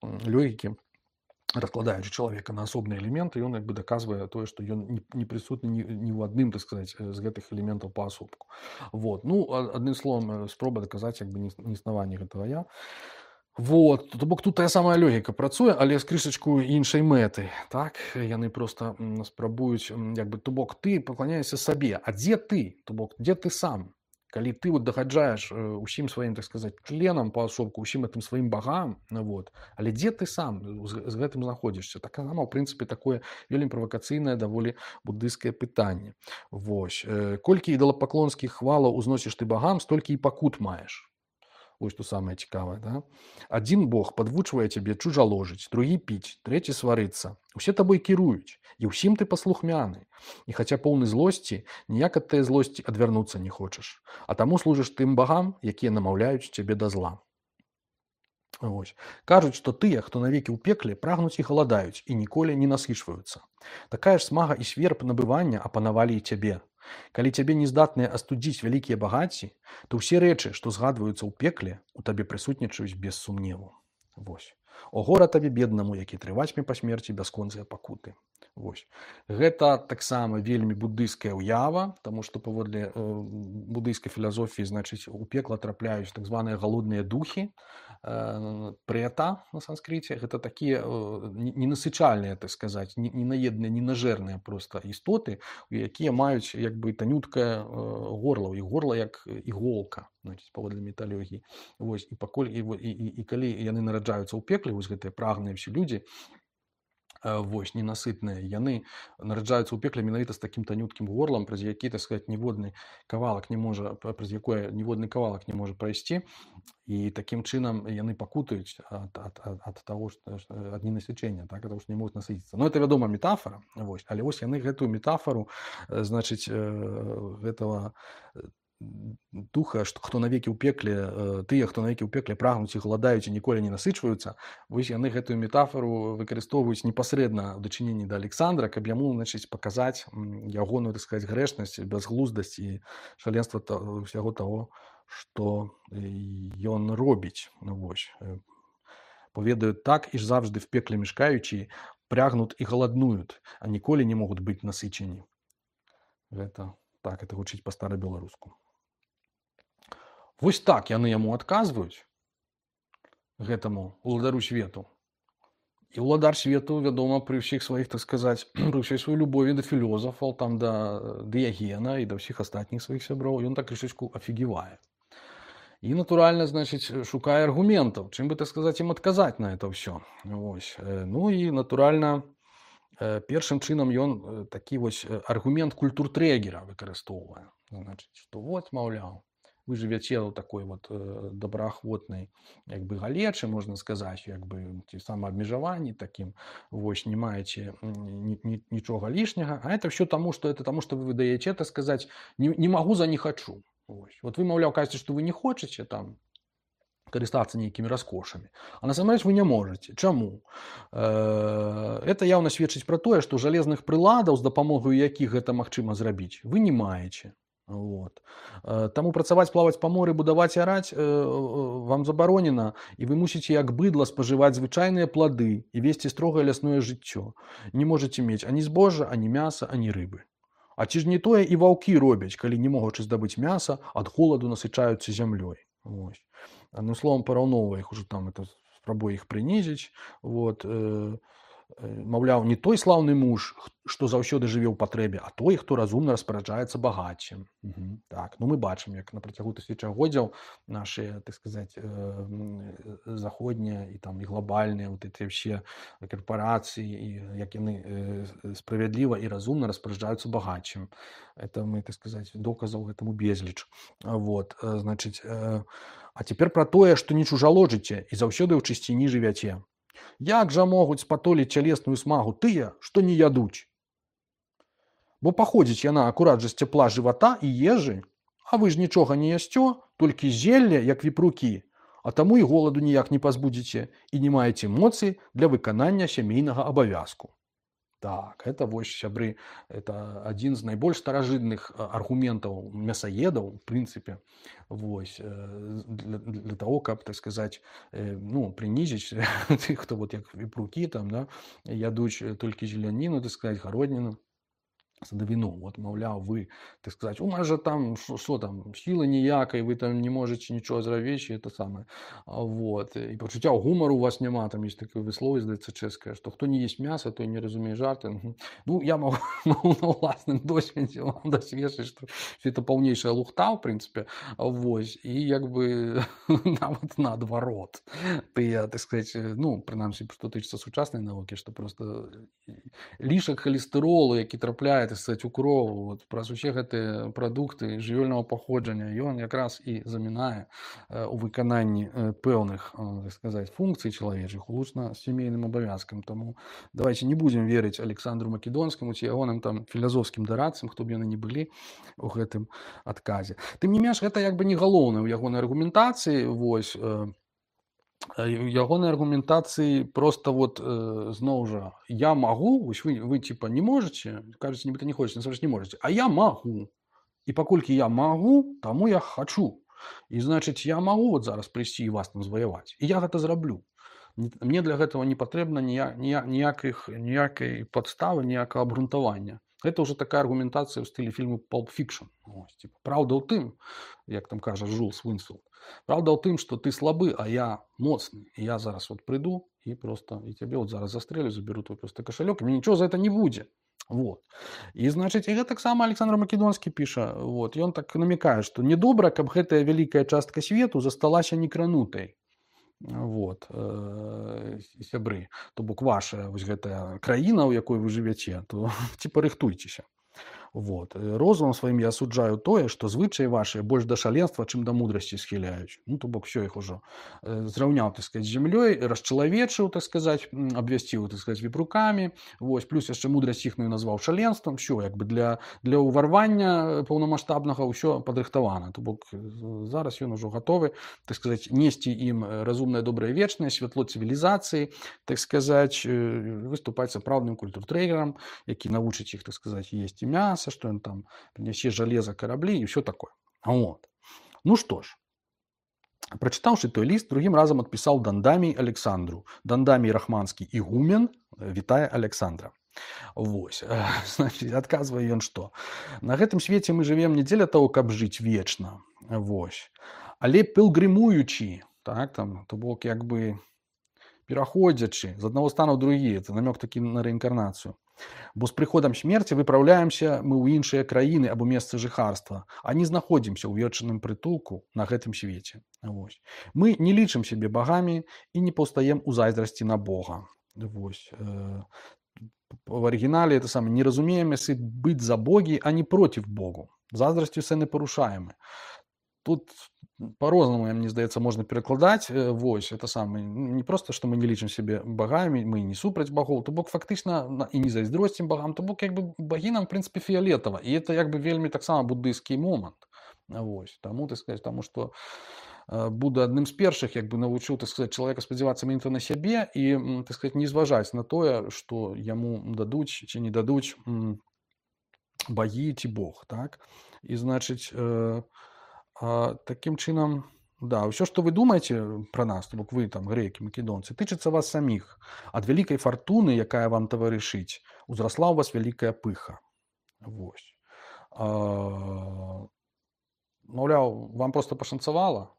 логікі, раскладаючы чалавека на асобныя элементы, ён як бы даказвае тое, што ён не, не прысутны ні, ні ў адным, так сказаць, з гэтых элементаў паасобку. Вот. Ну, адным словам, спроба даказаць як бы неіснаванне гэтага я. Вот, то бок тут тая самая логіка працуе, але з крышачку іншай мэты, так, яны проста спрабуюць, як бы, то бок ты пакланяешся сабе, а дзе ты, то бок, дзе ты сам, калі ты вот дагаджаеш усім сваім, так сказаць, членам паасобку, усім гэтым сваім багам, вот, але дзе ты сам з, з гэтым знаходзішся, так сама, ў прынцыпе, такое вельмі правакацыйнае, даволі буддыйскае пытанне. Вось, колькі ідалапаклонскіх хвалаў узносіш ты багам, столькі і пакут маеш. Вось што самае цікавае, да? Адзін бог падвучвае цябе чужаложыць, другі піць, трэці сварыцца. Усе табой кіруюць, і ўсім ты паслухмяны. І хаця поўны злосці, ніяк ад тае злосці адвярнуцца не хочаш. А таму служыш тым багам, якія намаўляюць цябе да зла. Вось. Кажуць, што тыя, хто навекі ў пекле, прагнуць і галадаюць, і ніколі не насычваюцца. Такая ж смага і сверб набывання апанавалі і цябе. Калі цябе не здатныя астудзіць вялікія багацці, то ўсе рэчы, што згадваюцца ў пекле, у табе прысутнічаюць без сумневу. Вось. О гора табе беднаму, які трывацьме па смерці бясконцыя пакуты. Вось. Гэта таксама вельмі буддыйская ўява, таму што паводле э, буддыйскай філазофіі, значыць, у пекла трапляюць так званыя галодныя духі, э, прета на санскрыце. Гэта такія э, ненасычальныя, так сказаць, ненаедныя, ненажэрныя проста істоты, якія маюць як бы танюткае э, горла, і горла як іголка, значыць, паводле металогіі. Вось. І, пакуль, і, і, і, і калі яны нараджаюцца ў пекле, вось гэтыя прагныя ўсе людзі, вось, ненасытныя, яны нараджаюцца ў пекле менавіта з такім танюткім горлам, праз які, так сказаць, ніводны кавалак не можа, праз якое ніводны кавалак не можа прайсці, і такім чынам яны пакутаюць ад, ад, ад, ад таго, што, ад ненасычэння, так, ад таго, што не могуць насыціцца. Ну, это, вядома, метафора, вось, але вось яны гэтую метафору, значыць, гэтага духа, што хто навекі ў пекле, тыя, хто навекі ў пекле прагнуць і галадаюць і ніколі не насычваюцца, вось яны гэтую метафору выкарыстоўваюць непасрэдна ў дачыненні да Александра, каб яму, значыць, паказаць ягоную, так сказаць, грэшнасць, бязглуздасць і шаленства ўсяго таго, што ён робіць. Ну, вось. Поведаюць так, і ж завжды в пекле мешкаючі прагнут і галаднуюць, а ніколі не могуць быць насычені. Гэта так, это гучыць па-старабеларуску. Вось так яны яму адказваюць, гэтаму уладару свету. І уладар свету, вядома, пры ўсіх сваіх, так сказаць, пры ўсёй сваёй любові да філёзафаў, там, да Дыягена і да ўсіх астатніх сваіх сяброў, ён так крышачку афігевае. І, натуральна, значыць, шукае аргументаў, чым бы, так сказаць, ім адказаць на это ўсё. Вось. Ну і, натуральна, першым чынам ён такі вось аргумент культуртрэгера выкарыстоўвае. Значыць, што вот, маўляў, вы жывяце ў такой вот добраахвотнай як бы галечы, можна сказаць, як бы ці самаабмежаванні такім, вось, не маеце нічога лішняга, а это все таму, што это таму, што вы выдаеце, так сказаць, не, не магу за не хачу. Вось. Вот вы, маўляў, кажаце, што вы не хочаце там карыстацца нейкімі раскошамі, а насамрэч вы не можаце. Чаму? Это яўна сведчыць пра тое, што жалезных прыладаў, з дапамогаю якіх гэта магчыма зрабіць, вы не маеце. Вот. Таму працаваць, плаваць па моры, будаваць і араць вам забаронена, і вы мусіце як быдла спажываць звычайныя плады і весці строгае лясное жыццё. Не можаце мець ані збожжа, ані мяса, ані рыбы. А ці ж не тое і ваўкі робяць, калі не могучы здабыць мяса, ад холаду насычаюцца зямлёй. Вось. Адным словам, параўноўвае іх ужо там, это спрабуе іх прынізіць. Вот. Маўляў, не той слаўны муж, што заўсёды жыве ў патрэбе, а той, хто разумна распараджаецца багаццем. Угу. Так, ну мы бачым, як на працягу тысячагоддзяў нашыя, так сказаць, заходнія і там і глобальныя вот эти все карпорацыі, і як яны справядліва і разумна распараджаюцца багаццем. Это мы, так сказаць, доказаў гэтаму безліч. Вот, значыць, а цяпер пра тое, што не чужаложыце і заўсёды ў чысціні жывяце. Як жа могуць спатоліць цялесную смагу тыя, што не ядуць? Бо паходзіць яна акурат жа з цяпла жывата і ежы, а вы ж нічога не ясцё, толькі зелле, як віпрукі, а таму і голаду ніяк не пазбудзіце і не маеце моцы для выканання сямейнага абавязку. Так, это вось, сябры, это адзін з найбольш старажытных аргументаў мясаедаў, в прынцыпе, вось, для, для того, каб, так сказаць, ну, прынізіць тых, хто вот як віпрукі там, да, ядуць толькі зеляніну, так сказаць, гародніну, садавіну. Вот, маўляў, вы, так сказаць, у нас жа там, што там, сілы ніякай, вы там не можаце нічого зрабіць, і это самае. Вот. І пачуцця гумару у вас няма, там ёсць такое высловие, здаецца, чэшскае, што хто не есть мяса, той не разумее жарты. Ну, я магу на ўласным досведзе вам дасведчыць, што это паўнейшая лухта, в прынцыпе. Вось. І як бы нават наадварот. Тыя, так сказаць, ну, прынамсі, што тычыцца сучаснай навукі, што просто лішак халестэролу, які трапляе, так сказаць, у крову, вот, праз усе гэтыя прадукты жывёльнага паходжання, ён якраз і замінае у выкананні пэўных, так сказаць, функцый чалавечых улучна сямейным абавязкам. Таму давайте не будзем верыць Александру Македонскаму ці ягоным там філазофскім дарадцам, хто б яны не былі у гэтым адказе. Тым не менш, гэта як бы не галоўнае ў ягонай аргументацыі, вось,
Э, ягонай аргументацыі просто вот э, зноў жа я магу, вось вы вы типа не можете, кажаце, нібыта не хочаце, насамрэч не можете, а я магу. І паколькі я магу, таму я хачу. І значыць я магу вот зараз прыйсці і вас там зваяваць. І я гэта зраблю. Н- Мне для гэтага не патрэбна нія- нія- ніякіх ніякай падставы, ніякага абгрунтавання. Гэта ўжо такая аргументацыя ў стылі фільму Pulp Fiction. Ось, типа, праўда ў тым, як там кажа Жулс Вінсфілд, праўда ў тым, што ты слабы, а я моцны. І я зараз вот прыйду і просто і цябе вот зараз застрэлю, заберу твой просто кашалёк, і мне нічого за это не будзе. Вот. І значыць і гэта таксама Александр Македонскі піша, вот, ён так намякае, што недобра, каб гэтая вялікая частка свету засталася некранутай. Вот, э, сябры, то бок ваша вось гэтая краіна, у якой вы жывяце, то ці парыхтуйцеся. Вот. Э, Розумам сваім я асуджаю тое, што звычаі вашыя больш да шаленства, чым да мудрасці схіляюць. Ну, то бок все іх ужо э, зраўняў, так сказать, з зямлёй, расчалавечыў, так сказать, м, абвясціў, так сказать, віпрукамі. Вось, плюс яшчэ мудрасць іхную назваў шаленствам. Все, як бы для, для ўварвання паўнамаштабнага ўсё падрыхтавана. То бок э, зараз ён ужо гатовы, так сказать, несці ім э, разумнае, добрае, вечнае, святло цывілізацыі, так сказать, э, выступаць сапраўдным культуртрейерам, які навучыць іх, так сказать, есці мяса, что он там принесе железо, корабли и все такое. Вот. Ну что ж, прочитавши той лист, другим разом отписал Дандамий Александру. Дандамий Рахманский игумен, витая Александра. Вось. Значит, отказывае ён што? На гэтым свеце мы живем не дзеля того, каб жыць вечна. Вось. Але пілгрымуючы, так, там, то бок, як бы пераходзячы з аднаго стану ў другі, это намёк такі на рэінкарнацыю. Бо з прыходам смерці выпраўляемся мы ў іншыя краіны або месцы жыхарства, а не знаходзімся ў вечным прытулку на гэтым свеце. Вось. Мы не лічым сябе багамі і не паўстаем у зайздрасці на Бога. Вось. Э, В оригинале это самое, не разумеем, если быть за боги, а не против Богу. Заздростью все не порушаемы. Тут по-розному, мне здаецца, можна перакладаць. Вось, это самое. Не просто, што мы не лічым сябе багамі, мы не супраць багоў, то бок фактычна і не зайздросцім багам, то бок як бы багі нам, в прынцыпе, фіялетава. І это як бы вельмі таксама буддыйскі момант. Вось, таму, так сказать, таму што Будда адным з першых як бы навучыў, так сказать, чалавека спадзявацца менавіта на сябе і, так сказать, не зважаць на тое, што яму дадуць ці не дадуць багі ці Бог, так? І, значыць, э, э, такім чынам, да, ўсё, што вы думаеце пра нас, то бок вы там грэкі, македонцы, тычыцца вас саміх. Ад вялікай фартуны, якая вам таварышыць, узрасла ў вас вялікая пыха. Вось. Э, маўляў, вам проста пашанцавала.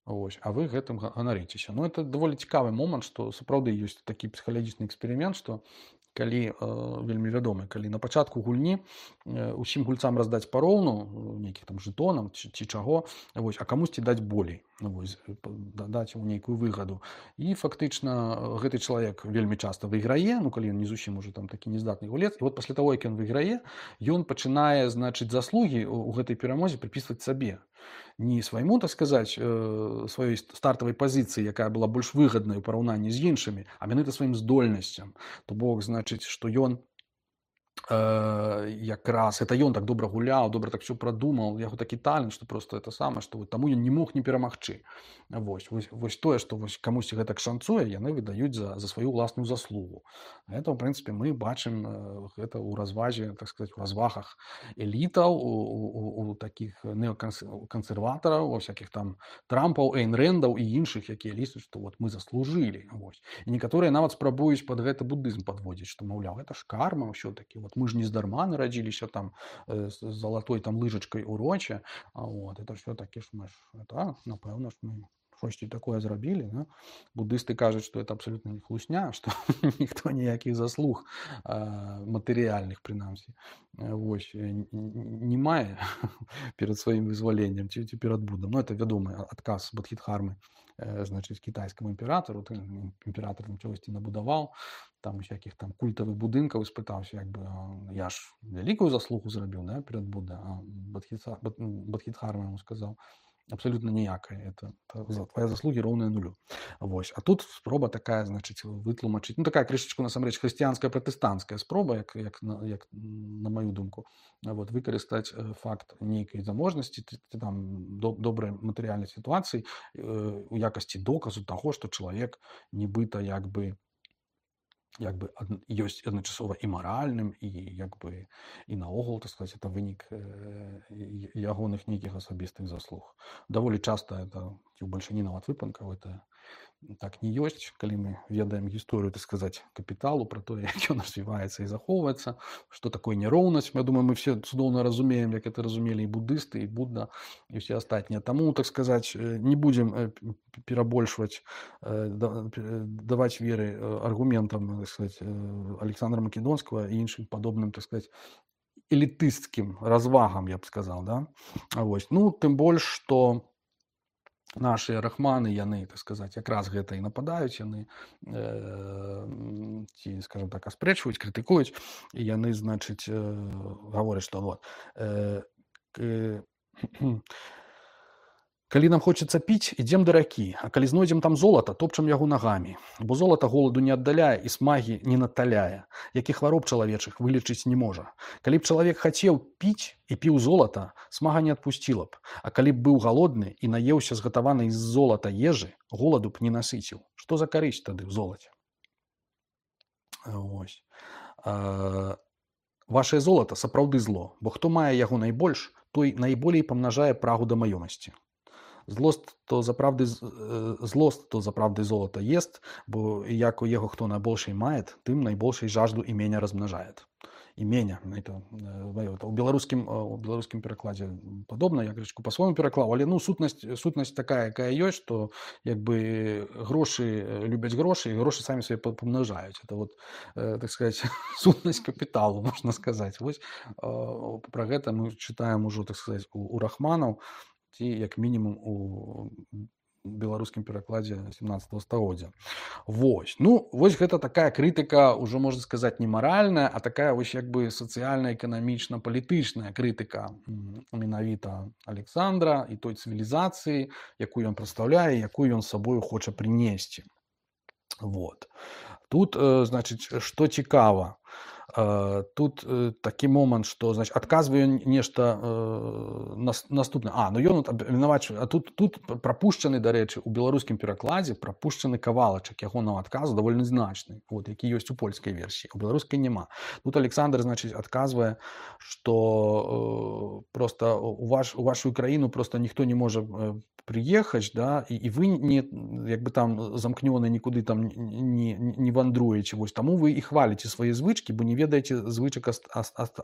Вось, а вы гэтым ганарыцеся. Ну, это даволі цікавы момант, што сапраўды ёсць такі псіхалагічны эксперымент, што калі, э, вельмі вядомы, калі на пачатку гульні э, усім гульцам раздаць пароўну, нейкіх там жэтонам ці, ці чаго, вось, а камусьці даць болей, вось, даць яму нейкую выгаду. І фактычна гэты чалавек вельмі часта выйграе, ну, калі ён не зусім уже там такі нездатны гулец, і вот пасля таго, як ён выйграе, ён пачынае, значыць, заслугі ў гэтай перамозе прыпісваць сабе. Не свайму, так сказаць, сваёй стартавай пазіцыі, якая была больш выгаднай у параўнанні з іншымі, а менавіта сваім здольнасцям. То бок, значыць, што ён э, якраз, это ён так добра гуляў, добра так все прадумаў, яго такі талент, што просто это самае, што вот, таму ён не мог не перамагчы. Вось, вось, вось тое, што вось камусьці гэтак шанцуе, яны выдаюць за, за сваю ўласную заслугу. Это, в прынцыпе, мы бачым гэта ў развазе, так сказаць, у развагах элітаў, у, у, у такіх неокансерватараў, у всякіх там Трампаў, Эйн Рэндаў і іншых, якія лічаць, што вот мы заслужылі. Вось. І некаторыя нават спрабуюць пад гэты буддызм падводзіць, што, маўляў, гэта ж карма ўсё-такі. Вот мы ж не здарма нарадзіліся там э, з залатой там лыжачкай у роче. А вот, это все-таки ж мы ж, это, напэўна ж мы штосьці такое зрабілі, да? Буддысты кажуць, што это абсолютно не хлусня, што ніхто ніякіх заслуг матэрыяльных, прынамсі, вось, не мае перад сваім вызваленнем ці, ці перад Буддам. Ну, это вядомы адказ Бодхідхармы, значыць, кітайскаму імператару. Імператар там чогосьці набудаваў, там усякіх там культавых будынкаў, і спытаўся, як бы, я ж вялікую заслугу зрабіў, да, перад Будда. А Бодхідхарма яму сказаў:
абсолютно ніякай. Это, это твоя заслуги роўныя нулю. Вось. А тут спроба такая, значыць, вытлумачыць, ну такая крышачку насамрэч хрысціянская пратэстанцкая спроба, як, як, на, як на маю думку, вот, выкарыстаць факт нейкай заможнасці, там до, добрай матэрыяльнай сітуацыі э, у якасці доказу таго, што чалавек нібыта як бы як бы ёсць адначасова і маральным, і як бы і наогул, так сказать, это вынік э, ягоных нейкіх асабістых заслуг. Даволі часта это ці ў бальшыні нават выпадкаў это так не ёсць, калі мы ведаем гісторыю, так сказать, капіталу, про тое, як ён развіваецца і захоўваецца, што такое няроўнасць. Я думаю, мы все цудоўна разумеем, як это разумелі і буддысты, і Будда, і все астатнія. Таму, так сказать, не будзем перабольшваць, даваць веры аргументам, так сказать, Александра Македонскага і іншым падобным, так сказать, элітысцкім развагам, я б сказал, да? Вось. Ну, тым больш, што нашыя рахманы, яны, так сказать, якраз гэта і нападаюць, яны э, ці, скажем так, аспрэчваюць, крытыкуюць, і яны, значыць, э, гавораць, што вот, э, э, калі нам хочацца піць, ідзем да ракі, а калі знойдзем там золата, топчам яго нагамі, бо золата голаду не аддаляе і смагі не наталяе, які хвароб чалавечых вылечыць не можа. Калі б чалавек хацеў піць і піў золата, смага не адпусціла б, а калі б быў галодны і наеўся згатаванай з золата ежы, голаду б не насыціў. Што за карысць тады ў золаце? Вось. А, вашае золата сапраўды зло, бо хто мае яго найбольш, той найболей памнажае прагу да маёмасці. Злост то заправды злост то заправды золото ест, бо як у яго хто найбольший мае, тым найбольшай жажду імення размнажае. Імення, это, это у беларускім у беларускім перакладзе падобна, я крышку па-свойму пераклаў, але ну сутнасць сутнасць такая, якая ёсць, што як бы грошы любяць грошы, і грошы самі сабе памнажаюць. Это вот, так сказать, сутнасць капіталу, можна сказаць. Вось пра гэта мы чытаем ужо, так сказать, у, у рахманаў, ці як мінімум у беларускім перакладзе сямнаццатага стагоддзя. Вось. Ну, вось гэта такая крытыка, ўжо можна сказаць, не маральная, а такая вось як бы сацыяльна-эканамічна-палітычная крытыка менавіта Александра і той цывілізацыі, якую ён прадстаўляе, якую ён з сабою хоча прынесці. Вот. Тут, значыць, што цікава, тут такі момант, што, значыць, адказвае нешта наступнае. А, ну ён абвінавачвае, а тут, тут прапушчаны, дарэчы, у беларускім перакладзе прапушчаны кавалачак ягонага адказу даволі значны, вот, які ёсць у польскай версіі, у беларускай няма. Тут Александр, значыць, адказвае, што просто у, ваш, у вашу краіну просто ніхто не можа прыехаць, да, і, і вы не, як бы там замкнёны нікуды там не, не вандруеце, вось, таму вы і хваліце свае звычкі, бо не ведаеце звычак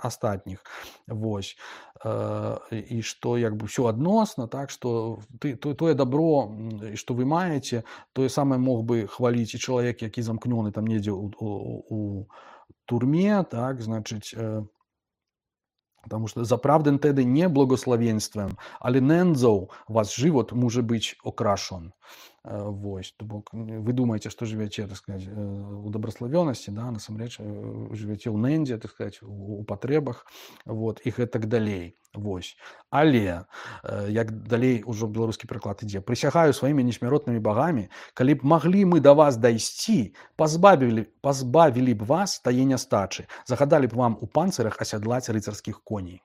астатніх. Вось. І што як бы ўсё адносна, так, што ты, то, тое добро, што вы маеце, тое самае мог бы хваліць і чалавек, які замкнёны там недзе у, у, у турме, так, значыць, потому что заправден tedy nie błogosławieństwem, ale nędzą was żywot może być okraszon. Вось, то бок вы думаеце, што жывяце, так сказать, у добраславёнасці, да, насамрэч жывяце ў нэндзе, так сказать, у патрэбах, вот, і гэтак далей. Вось. Але, як далей ужо беларускі пераклад ідзе, прысягаю сваімі несмяротнымі багамі, калі б маглі мы да вас дайсці, пазбавілі, пазбавілі б вас тае нястачы, загадалі б вам у панцырах асядлаць рыцарскіх коней.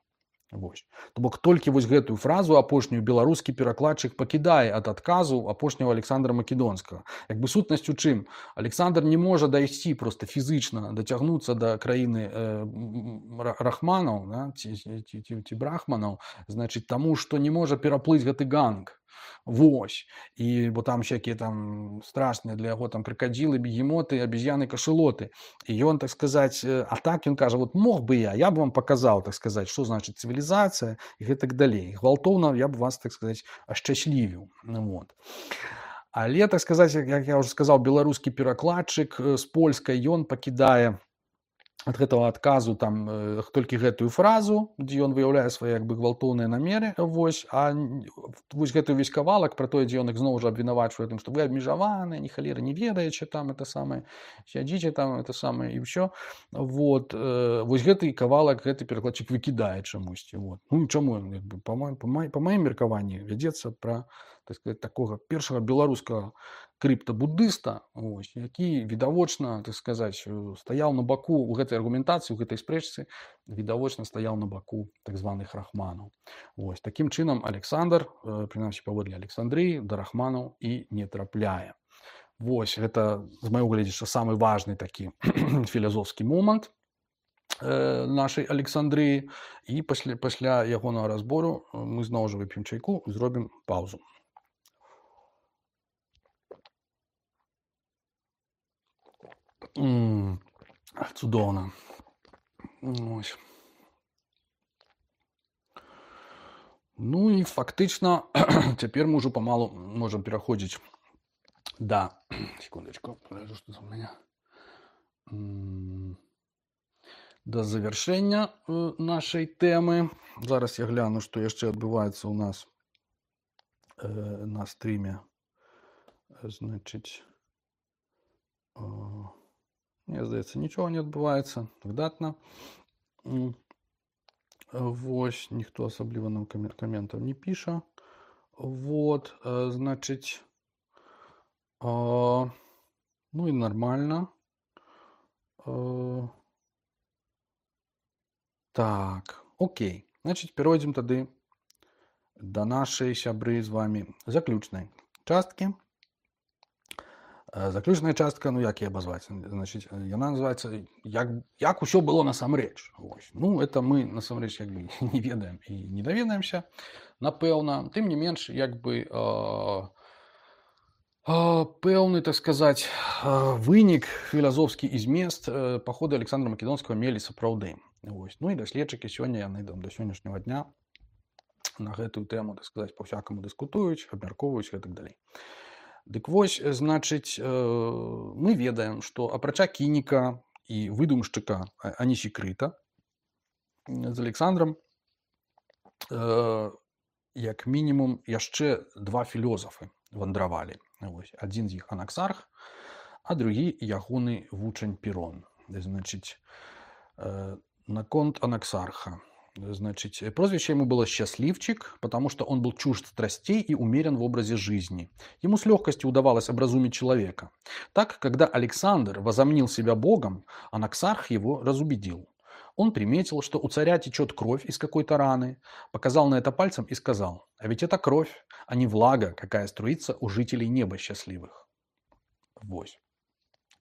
Вось. То бок толькі вось гэтую фразу апошнюю беларускі перакладчык пакідае ад адказу апошняга Александра Македонскага. Як бы сутнасць у чым? Александр не можа дайсці проста фізычна, дацягнуцца да краіны э, рахманаў, да, ці, ці, ці, ці брахманаў, значыць, таму што не можа пераплыць гэты ганг. Вось. І бо там всякие там страшныя для яго там крокодилы, бегемоты, обезьяны, кашелоты. І ён, так сказать, а так ён кажа, вот мог бы я, я бы вам показал, так сказать, что значит цивилизация и гэтак далей. Гвалтоўна я бы вас, так сказать, ашчаслівіў. Вот. Але, так сказать, як я уже сказал, беларускі перакладчык з польскай, ён пакідае ад гэтага адказу там э, толькі гэтую фразу, дзе ён выяўляе свае як бы гвалтоўныя намеры, вось, а н- вось гэты ўвесь кавалак пра тое, дзе ён іх зноў жа абвінавачвае тым, што вы абмежаваныя, ні халеры не ведаеце там это самае, сядзіце там это самае і ўсё. Вот э, вось гэты кавалак гэты перакладчык выкідае чамусьці. Вот. Ну чаму ён як бы па маім па маім- па маім меркаванні вядзецца пра, так сказать, такога першага беларускага крыптабуддыста, ось, які відавочна, так сказаць, э, стаяў на баку у гэтай аргументацыі, у гэтай спрэчцы, відавочна стаяў на баку так званых рахманаў. Вось. Такім чынам Александр, э, прынамсі паводле Александрыі, да рахманаў і не трапляе. Вось гэта з майго гледзяча самы важны такі філазофскі момант э, нашай Александрыі, і пасля, пасля ягонага разбору э, мы зноў жа вып'ем чайку і зробім паўзу. М, Цудоўна. Ось. Ну і фактычна цяпер мы ўжо памалу можам пераходзіць да секундачку, пагляджу, што за ў мяне. М, да завяршэння э, нашай тэмы. Зараз я гляну, што яшчэ адбываецца ў нас э, на стріме. Значыць, э, мне здаецца, нічога не адбываецца. Выдатна. М, Вось, ніхто асабліва нам камер- каментаў не піша. Вот, э, значыць, э, ну і нармальна. Э, Так, окей. Значыць, перайдзем тады да нашай сябры з вами заключнай часткі. Э, Заключная частка, ну як яе абазваць? Значыць, э, яна называецца як, як усё было насамрэч. Вось. Ну, это мы насамрэч як бы не ведаем і не даведаемся, напэўна. Тым не менш, як бы э, э, пэўны, так сказаць, э, вынік філазофскі і змест э, паходы Александра Македонскага мелі сапраўды. Вось. Ну і даследчыкі сёння яны там да сённяшняга дня на гэтую тэму, так сказаць, па-всякаму дыскутуюць, абмяркоўваюць і так далей. Дык вось, значыць, э, мы ведаем, што апрача кініка і выдумшчыка А- Анісікрыта м, з Александрам э, як мінімум яшчэ два філёзафы вандравалі. Вось. Адзін з іх Анаксарх, а другі ягоны вучань Пірон. Значыць, э, наконт Анаксарха. Значит, прозвище ему было «Счастливчик», потому что он был чужд страстей и умерен в образе жизни. Ему с легкостью удавалось образумить человека. Так, когда Александр возомнил себя богом, Анаксарх его разубедил. Он приметил, что у царя течет кровь из какой-то раны, показал на это пальцем и сказал: «А ведь это кровь, а не влага, какая струится у жителей неба счастливых». Вось.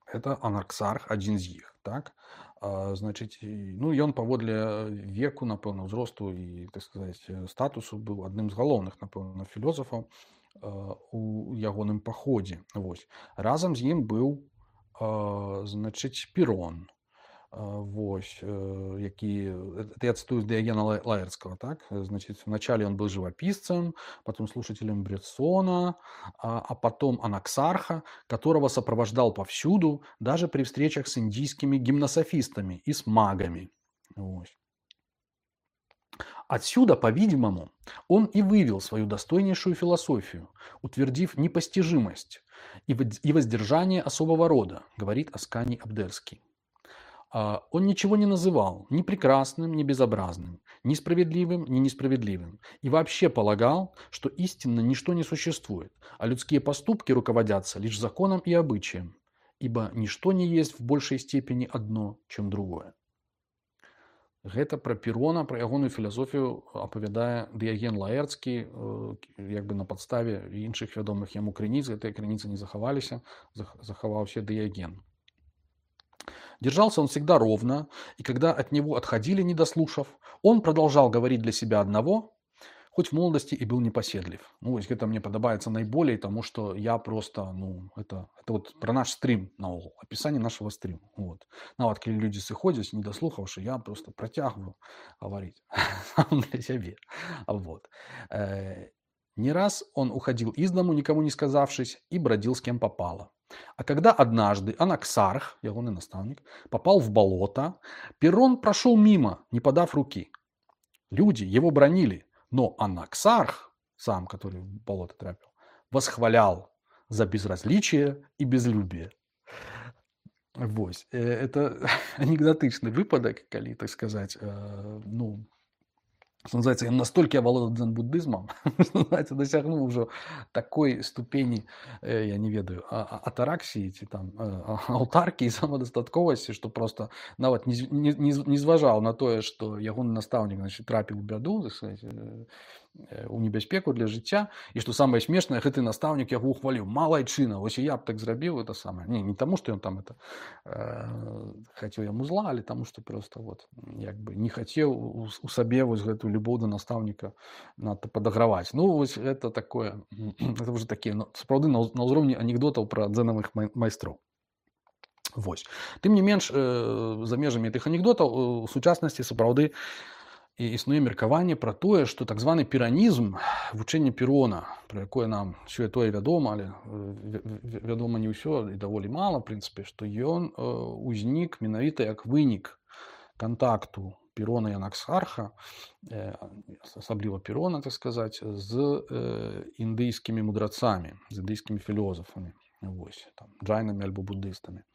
Это Анаксарх, адзін з іх, так? А, значыць, і- ну ён паводле веку, напэўна, ўзросту і, так сказаць, статусу быў адным з галоўных, напэўна, філёзафаў а, у ягоным паходзе. Вось. Разам з ім быў, а, значыць, Пірон. А, Вось, э, які, это я цитую Диогена Ла- Лаэртского, так? Значит, вначале он был живописцем, потом слушателем Бреттсона, а, а потом Анаксарха, которого сопровождал повсюду, даже при встречах с индийскими гимнософистами и с магами. Вот. Отсюда, по-видимому, он и вывел свою достойнейшую философию, утвердив непостижимость и вод- и воздержание особого рода, говорит Асканий Абдерский. А, Он ничего не называл ни прекрасным, ни безобразным, ни справедливым, ни несправедливым. И вообще полагал, что истинно ничто не существует, а людские поступки руководятся лишь законом и обычаем, ибо ничто не есть в большей степени одно, чем другое. Гэта пра Пірона, пра ягоную філасофію апавядае Дыяген Лаэрцкі, э, як бы на падставе іншых вядомых яму крыніц. Гэтыя крыніцы не захаваліся, зах- захаваўся Дыяген. Держался он всегда ровно, и когда от него отходили, не дослушав, он продолжал говорить для себя одного, хоть в молодости и был непоседлив. Ну, вось гэта мне падабаецца найболей, тому что я просто, ну, это, это вот про наш стрим наогул, описание нашего стрима. Вот. Нават калі людзі сыходзяць, не дослухаўшы, я просто працягваю говорить сам для сябе. Вот. Э, Не раз он уходил из дому, никому не сказавшись, и бродил с кем попало. А когда однажды Анаксарх, ягоный наставник, попал в болото, Перрон прошел мимо, не подав руки. Люди его бранили, но Анаксарх, сам, который в болото трапил, восхвалял за безразличие и безлюбие. Вось. Это анекдотычны выпадак, калі, так сказать, ну, что называется, он настолько оволодал дзен-буддизмом, что, называется, досягнул уже такой ступени, я не ведаю, атараксии, ці там, аўтаркі і самадастатковасці, што просто нават не, не, не зважаў на тое, што ягоны настаўнік, значит, трапіў у бяду, так сказать, у небяспеку для жыцця, і што самае смешнае, гэты настаўнік яго ухваліў. Малайчына, вось і я б так зрабіў, это самае. Не, не таму, што ён там это э, хацеў яму зла, але таму, што просто вот, як бы не хацеў у, у сабе вось гэту любоў да настаўніка надта падаграваць. Ну, вось гэта такое, это уже такія, ну, сапраўды на, на ўзроўні анекдотаў пра дзенавых майстроў. Вось. Тым не менш, э, за межамі тых анекдотаў у сучаснасці сапраўды і існуе меркаванне пра тое, што так званы піранізм, вучэнне Перрона, пра якое нам сёе-тое вядома, але вядома не ўсё і даволі мала, в прынцыпе, што ён узнік менавіта як вынік кантакту Перрона і Анаксарха, асабліва Перрона, так сказаць, з індыйскімі мудрацамі, з індыйскімі філёзафамі, вось, там, джайнамі альбо буддыстамі.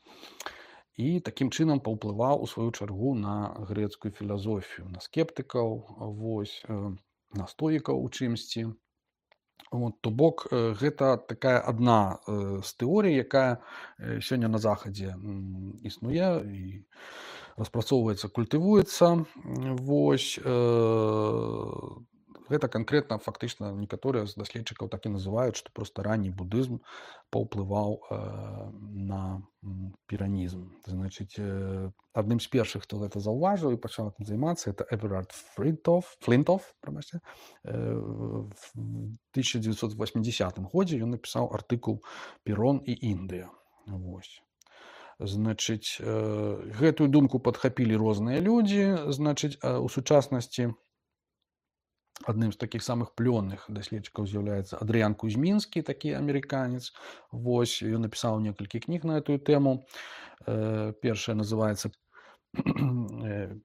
І такім чынам паўплываў у сваю чаргу на грэцкую філазофію, на скептыкаў, вось, на стоікаў у чымсьці. Вот, то бок, гэта такая адна з тэорый, якая сёння на захадзе існуе і распрацоўваецца, культывуецца. Вось, гэта канкрэтна фактычна некаторыя з даследчыкаў так і называюць, што проста ранні буддызм паўплываў э, на піранізм. Значыць, э, адным з першых, хто гэта заўважыў і пачаў гэтым займацца, это Эверард Флінтоф, Флінтоф, прабачце, э, в тысяча девятьсот восьмидесятым годзе ён напісаў артыкул «Перрон і Індыя». Вось. Значыць, э, гэтую думку падхапілі розныя людзі. Значыць, у сучаснасці адным з такіх самых плённых даследчыкаў з'яўляецца Адрыян Кузьмінскі, такі амерыканец. Вось, ён напісаў некалькі кніг на эту тэму. Першая называецца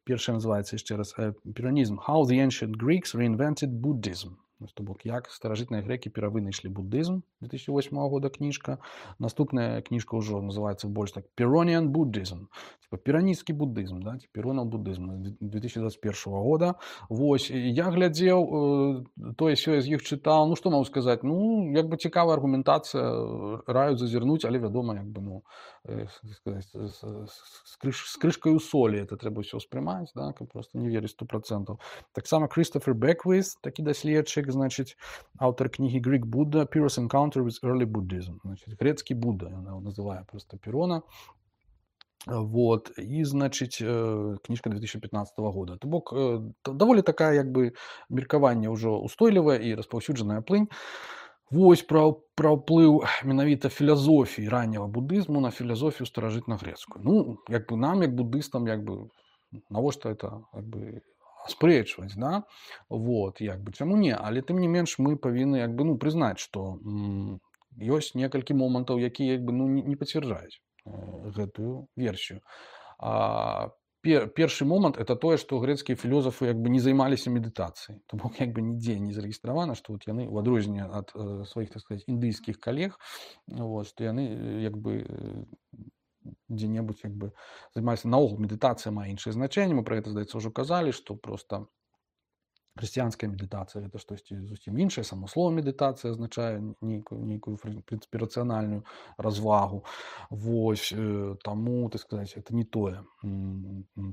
першая называецца яшчэ раз «Піранізм. How the ancient Greeks reinvented Buddhism». То бок, як старажытныя грэкі перавынайшлі буддызм, две тысячи восьмого года кніжка. Наступная кніжка ўжо называецца больш так «Pyrrhonian Buddhism», типа піранісцкі буддызм, да, «Pyrrhonian Buddhism» две тысячи двадцать первого года. Вось, я глядзеў, э, тое сёе з іх чытаў, ну што магу сказаць, ну, як бы цікавая аргументацыя, раю зазірнуць, але вядома, як бы, ну, э, сказаць, з, з, крыш, з крышкай у солі это трэба ўсё ўспрымаць, да, каб просто не верыць сто процентов. Таксама Крыстофер Беквіс, такі даследчык, значит, аўтар кнігі Greek Buddha, Pyrrhon's Encounter with Early Buddhism. Значит, грецкий Будда, я его называю просто Перрона. Вот, и, значит, книжка две тысячи пятнадцатого года. То бок, даволі такая, як бы, меркаванне ўжо устойлівая і распаўсюджаная плынь. Вось пра, пра ўплыў менавіта філазофіі ранняга буддызму на філазофію старажытна-грецкую. Ну, як бы нам, як буддыстам, як бы, навошта это, як бы, аспрэчваць, да? Вот, як бы, чаму не? Але тым не менш мы павінны, як бы, ну, прызнаць, што м, ёсць некалькі момантаў, якія, як бы, ну, не, не пацвярджаюць э, гэтую версію. А, пер, першы момант это тое, што грэцкія філёзафы, як бы, не займаліся медытацыяй. То бок, як бы, нідзе не зарэгістравана, што вот яны, у адрозненне ад э, сваіх, так сказаць, індыйскіх калег, вот, што яны, як бы, э, дзе-небудзь, як бы, займаліся наогул, медытацыя мае іншае значэнне. Мы пра гэта, здаецца, ўжо казалі, што проста хрысціянская медытацыя гэта штосьці зусім іншае, само слова медытацыя азначае нейкую, нейкую, в прынцыпе, рацыянальную развагу. Вось, э, таму, так сказаць, это не тое,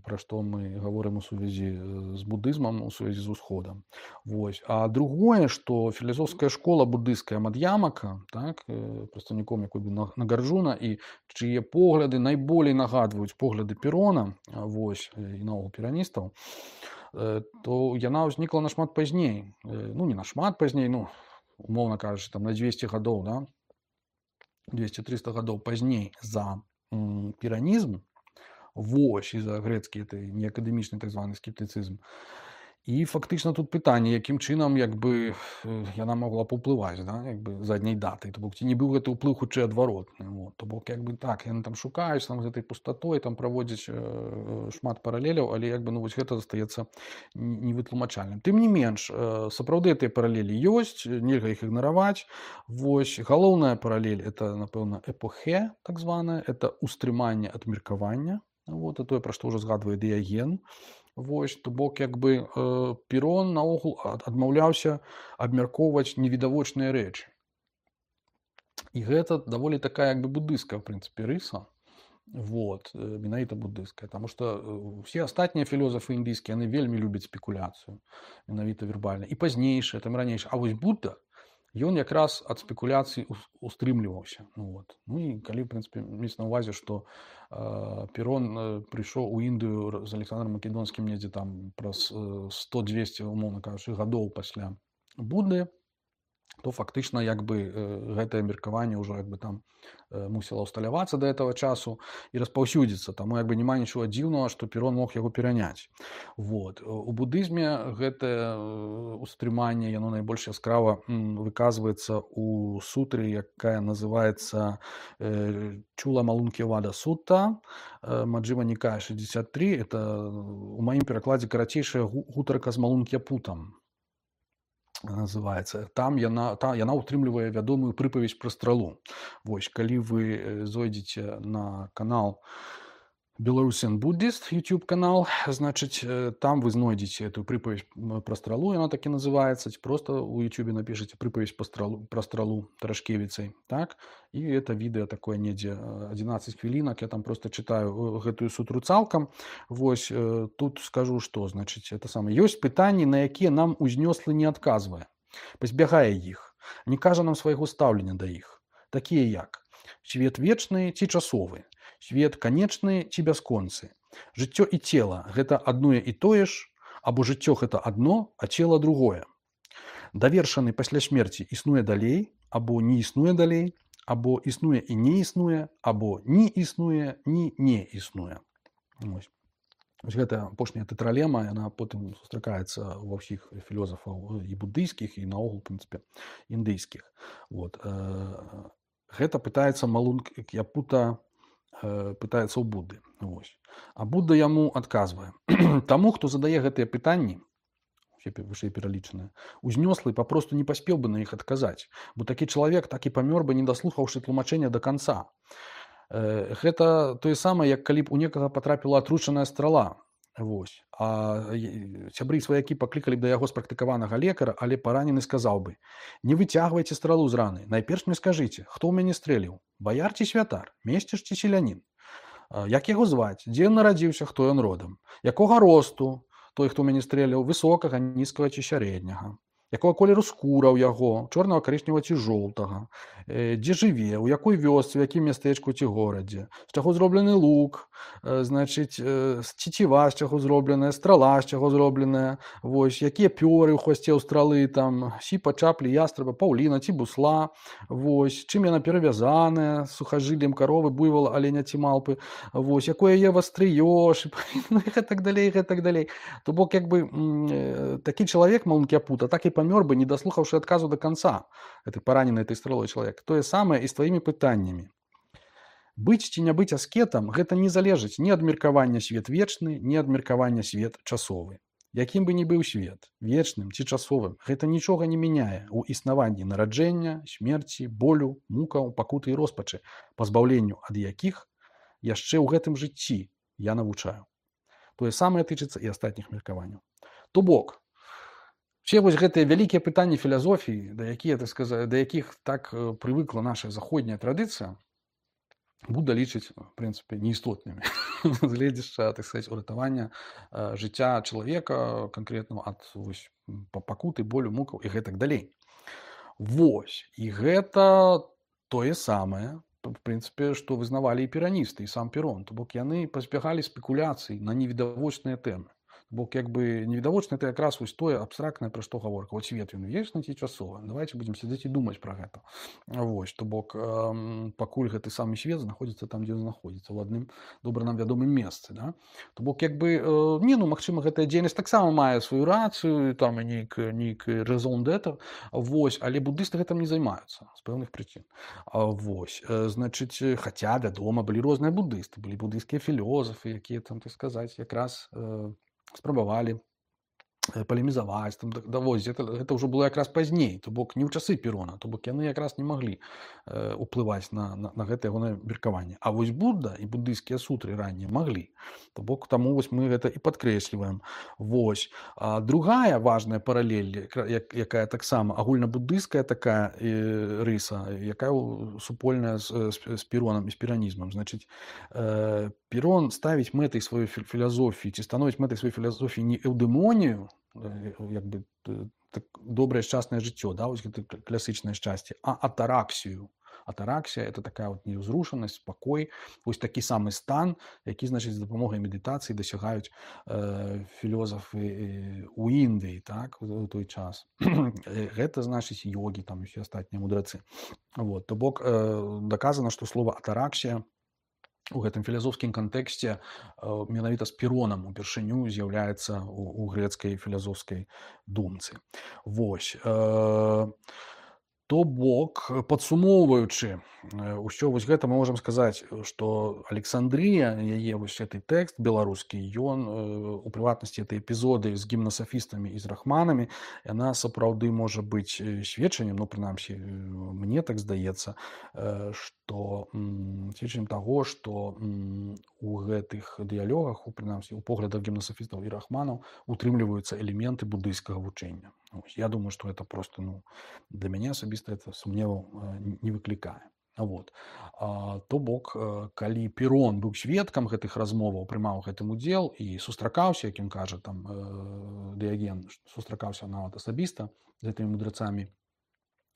пра што мы гаворым у сувязі з буддызмам, у сувязі з усходам. Вось. А другое, што філасофская школа буддыская Мад'ямака, так, прадстаўніком якой бы Нагарджуна, і чые погляды найболей нагадваюць погляды Перрона, вось, і наогул піраністаў, то яна ўзнікла нашмат пазней. Ну, не нашмат пазней, ну, умоўна кажучы, там на двести гадоў, да? двести-триста гадоў пазней за м, піранізм, вось, і за грэцкі, это неакадэмічны так званы скептыцызм. І фактычна тут пытанне, якім чынам як бы яна могла паўплываць, да, як бы задняй даты. То бок ці не быў гэты ўплыў хутчэй адваротны. Вот. То бок як бы так, яны там шукаюць там гэтай пустатой, там праводзяць э, шмат паралеляў, але як бы ну вось гэта застаецца невытлумачальным. Тым не менш, э, сапраўды гэтыя паралелі ёсць, нельга іх ігнараваць. Вось галоўная паралель это, напэўна, эпохе, так званая, это устрыманне ад меркавання. Вот, і тое, пра што ўжо згадвае Дыяген. Вось, то бок як бы э, Перон наогул адмаўляўся абмяркоўваць невідавочныя рэчы. І гэта даволі такая як бы буддыйская, в прынцыпе, рыса. Вот, менавіта буддыйская. Таму што ўсе астатнія філёзафы індыйскія, яны вельмі любяць спекуляцыю, менавіта вербальна. І пазнейшыя, там ранейшыя. А вось Будда, ён якраз ад спекуляцый устрымліваўся. Ну, вот. Ну і калі, в прынцыпе, мець на ўвазе, што э, Перон э, прыйшоў у Індыю з Александром Македонскім недзе там праз э, сто двесце, умоўна кажучы, гадоў пасля Будды, то фактычна як бы э, гэтае меркаванне ўжо як бы там э, мусіла ўсталявацца да гэтага часу і распаўсюдзіцца. Таму як бы няма нічога дзіўнага, што Перон мог яго пераняць. Вот. У будызме гэтае устрыманне, яно найбольш яскрава выказваецца у сутры, якая называецца э, Чула Малункі Вада Сутта, э, Маджхіма Нікая шэсцьдзесят тры. Это у маім перакладзе карацейшая гутарка з Малунк'я-путам называется. Там яна, та, яна утрымлівае вядомую прыпаведь пра стралу. Вось, калі вы зойдзеце на канал Belarusian Buddhist, YouTube канал, значыць, там вы знойдзеце эту прыпаведь пра стралу, яна так і называецца, просто у YouTube напішаце прыпаведь пра стралу, пра стралу Тарашкевіцай, так? І это відэа такое недзе адзінаццаць хвілінак, я там просто чытаю гэтую сутру цалкам. Вось, тут скажу, што, значыць, это самае. Ёсць пытанні, на якія нам узнёслы не адказвае, пазбягае іх, не кажа нам свайго стаўлення да іх. Такія як свет вечны ці часовы, свет канечны ці бясконцы, жыццё і цела – гэта адное і тое ж, або жыццё – гэта адно, а цела – другое. Давершаны пасля смерці існуе далей, або не існуе далей, або існуе і не існуе, або не існуе, ні не існуе. Вось. Вось гэта апошняя тэтралема, яна потым сустракаецца ва ўсіх філёзафаў і буддыйскіх, і наогул, в прынцыпе, індыйскіх. Вот. Гэта пытаецца Малунк'я-пута, пытаецца ў Будды. Вось. А Будда яму адказвае. Таму, хто задае гэтыя пытанні, вышэй пералічаныя, узнёслы папросту не паспеў бы на іх адказаць, бо такі чалавек так і памёр бы, не даслухаўшы тлумачэння да канца. Гэта тое самае, як калі б у некага патрапіла атручаная страла. Вось. А сябры і сваякі паклікалі б да яго спрактыкаванага лекара, але паранены сказаў бы: не выцягвайце стралу з раны, найперш мне скажыце, хто ў мяне стрэліў, баяр ці святар, месціш ці селянін, як яго зваць, дзе ён нарадзіўся, хто ён родам, якога росту той, хто ў мяне стрэліў, высокага, нізкага ці сярэдняга, якога колеру скура ў яго, чорнага, карычневага ці жоўтага, дзе жыве, у якой вёсцы, у якім мястэчку ці горадзе, з чаго зроблены лук, значыць, цеціва, з чаго зробленая, страла, з чаго зробленая, вось, якія пёры ў хвасце ў стралы, там, сіпа, чаплі, ястраба, паўліна ці бусла, вось, чым яна перавязаная, сухажыллем каровы, буйвола, аленя ці малпы, вось, якое яе вастрыё, ну, і гэтак далей, гэтак далей. То бок, як бы, такі чалавек, Малунк'я-пута, так і памёр бы, не даслухаўшы адказу да канца, гэты паранены этой стралой чалавек. Тое самае і з тваімі пытаннямі. Быць ці не быць аскетам – гэта не залежыць ні ад меркавання свет вечны, ні ад меркавання свет часовы. Якім бы ні быў свет, вечным ці часовым, гэта нічога не мяняе ў існаванні нараджэння, смерці, болю, мукаў, пакуты і роспачы, пазбаўленню ад якіх яшчэ ў гэтым жыцці я навучаю. Тое самае тычыцца і астатніх меркаванняў. То бок, все вось гэтыя вялікія пытанні філазофіі, да якія, так сказаць, да якіх так прывыкла наша заходняя традыцыя, Будда лічыць, в прынцыпе, неістотнымі з гледзяча, так сказаць, уратавання жыцця чалавека канкрэтнага ад вось, пакуты, болю, мукаў і гэтак далей. Вось. І гэта тое самае, в прынцыпе, што вызнавалі і пераністы, і сам Перон. То бок яны пазбягалі спекуляцый на невідавочныя тэмы. Бо як бы невідавочна это якраз вось тое абстрактнае, пра што гаворка. Вось свет ён вечны ці часовы. Давайте будзем сядзець і думаць пра гэта. Вось, то бок эм, пакуль гэты самы свет знаходзіцца там, дзе ён знаходзіцца, у адным добра нам вядомым месцы. Да? То бок як бы э, не, ну магчыма, гэтая дзейнасць таксама мае сваю рацыю, там і нейкі, нейкі резон d'être, вось, але буддысты гэтым не займаюцца з пэўных прычын. А, вось, э, значыць, хаця, вядома, былі розныя буддысты, былі буддыйскія філёзафы, якія там, так сказаць, якраз э, спрабавалі палемізаваць, там, да, вось, гэта, гэта ўжо было якраз пазней, то бок не ў часы Перона, то бок яны якраз не маглі э, уплываць на, на, на гэта ягонае меркаванне. А вось Будда і буддыйскія сутры раннія маглі. То бок таму вось мы гэта і падкрэсліваем. Вось. А другая важная паралель, як, якая таксама агульнабуддыйская такая э, рыса, якая супольная з, з, з Перонам і з перанізмам. Значыць, э, Перон ставіць мэтай сваёй філасофіі, ці становіць мэтай сваёй філасофіі не эўдэмонію, як бы так, добрае шчаснае жыццё, да, вось гэта класычнае шчасце, а атараксію. Атараксія это такая вот неўзрушанасць, спакой, вось такі самы стан, які, значыць, з дапамогай медытацыі дасягаюць э, філёзафы ў Індыі, так, у той час. Гэта значыць йогі, там усе астатнія мудрацы. Вот, то бок э, даказана, што слова атараксія у гэтым філасофскім кантэксце э, менавіта з Перонам упершыню з'яўляецца у, у грэцкай філасофскай думцы. Вось. Э, То бок, падсумоўваючы ўсё вось гэта, мы можам сказаць, што Александрыя, яе вось гэты тэкст беларускі, ён у прыватнасці этой эпізоды з гімнасафістамі і з рахманамі, яна сапраўды можа быць сведчаннем, ну, прынамсі, мне так здаецца, што сведчаннем таго, што у гэтых дыялогах, у прынамсі, у поглядах гімнасафістаў і рахманаў утрымліваюцца элементы буддыйскага вучэння. Я думаю, што гэта просто, ну, для мяне асабіста это сумневаў не выклікае. Вот. А, то бок, калі Перон быў сведкам гэтых размоваў, прымаў гэтым удзел і сустракаўся, як ён кажа, там Дыяген сустракаўся нават асабіста з гэтымі мудрацамі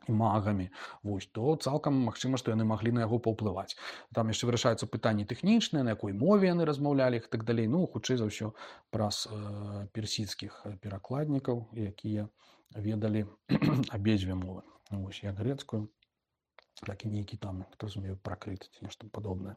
і магамі, вось, то цалкам магчыма, што яны маглі на яго паўплываць. Там яшчэ вырашаюцца пытанні тэхнічныя, на якой мове яны размаўлялі і так далей. Ну, хутчэй за ўсё праз э, персідскіх перакладнікаў, якія ведалі абедзве мовы. Вось, як грэцкую, так і нейкі там, хто разумею, пракрыт ці нешта падобнае.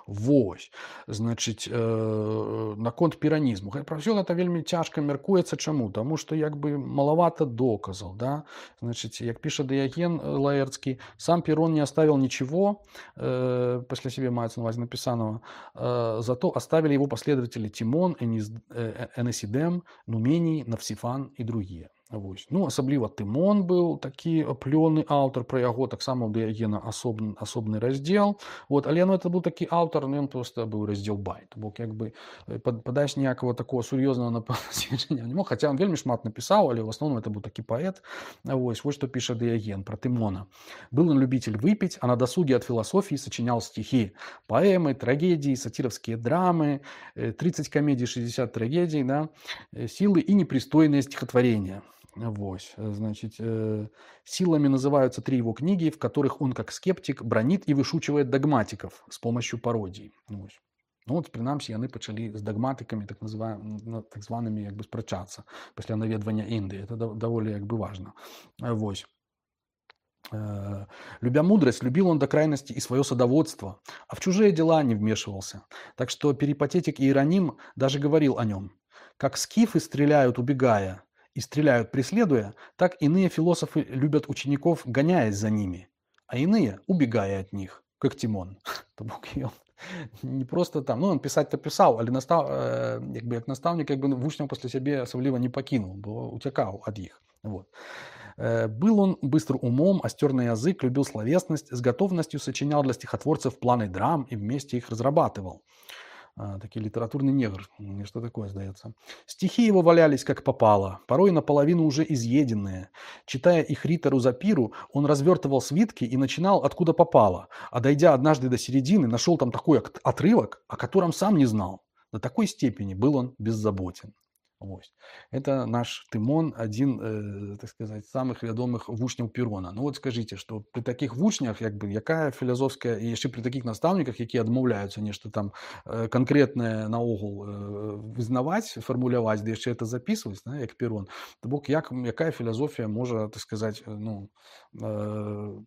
Вось, значыць, э, наконт піранізму. Пра ўсё гэта вельмі цяжка мяркуецца. Чаму? Таму што як бы малавата доказаў, да? Значыць, як піша Дыяген Лаэрцкі, сам Перон не оставил ничего, э, после себе маецца на увазе написанного, э, зато оставили его последователи Тимон, Энис, э, Энесидем, Нумений, Навсифан і другие. Вось. Ну, асабліва Тымон быў такі плённы аўтар, пра яго таксама ў Дыягена асобны, асобны раздзел. Вот. Але ну, это быў такі аўтар, ну, ён проста быў раздзел байт. Бок як бы падаць ніякага такого сур'ёзнага сведчання не мог, хаця он вельмі шмат напісаў, але ў асноўным это быў такі паэт. Вось, вось што піша Дыяген пра Тымона. Был он любитель выпить, а на досуге от философии сочинял стихи, поэмы, трагедии, сатировские драмы, тридцать комедий, шестьдесят трагедий, да, силы и непристойные стихотворения. Вось, значит, э, силами называются три его книги, в которых он, как скептик, бронит и вышучивает догматиков с помощью пародий. Вось. Ну, от, принамсі, яны пачалі з дагматыкамі, так, так званымі, як бы, спрачацца пасля наведвання Індыі. Это даволі, як бы, важно. Вось. Э, любя мудрость, любил он до крайности и свое садоводство, а в чужие дела не вмешивался. Так что перипатетик Иероним даже говорил о нем. Как скифы стреляют, убегая, и стреляют, преследуя, так иные философы любят учеников, гоняясь за ними, а иные убегая от них, как Тимон. Не просто там, ну, он писать-то писал, але настав, э, як бы, як наставник, як бы, вучняў пасля сябе асабліва не пакінуў, бо уцякаў ад іх. Вот. Э, был он быстр умом, остер на язык, любил словесность, с готовностью сочинял для стихотворцев планы драм и вместе их разрабатывал. А, такой литературный негр, что такое, сдается. Стихи его валялись как попало, порой наполовину уже изъеденные. Читая их ритору Запиру, он развертывал свитки и начинал откуда попало, а дойдя однажды до середины, нашел там такой отрывок, о котором сам не знал. До такой степени был он беззаботен. Вось. Это наш Тымон, адзін, э, так сказаць, самых вядомых вучняў Перона. Ну вот скажыце, што пры такіх вучнях, як бы, якая філазофская, і яшчэ пры такіх настаўніках, якія адмаўляюцца нешта там э, канкрэтнае наогул э, вызнаваць, фармуляваць, ды яшчэ это запісваць, да, як Перон, то бок як, якая філазофія можа, так сказаць, ну, э,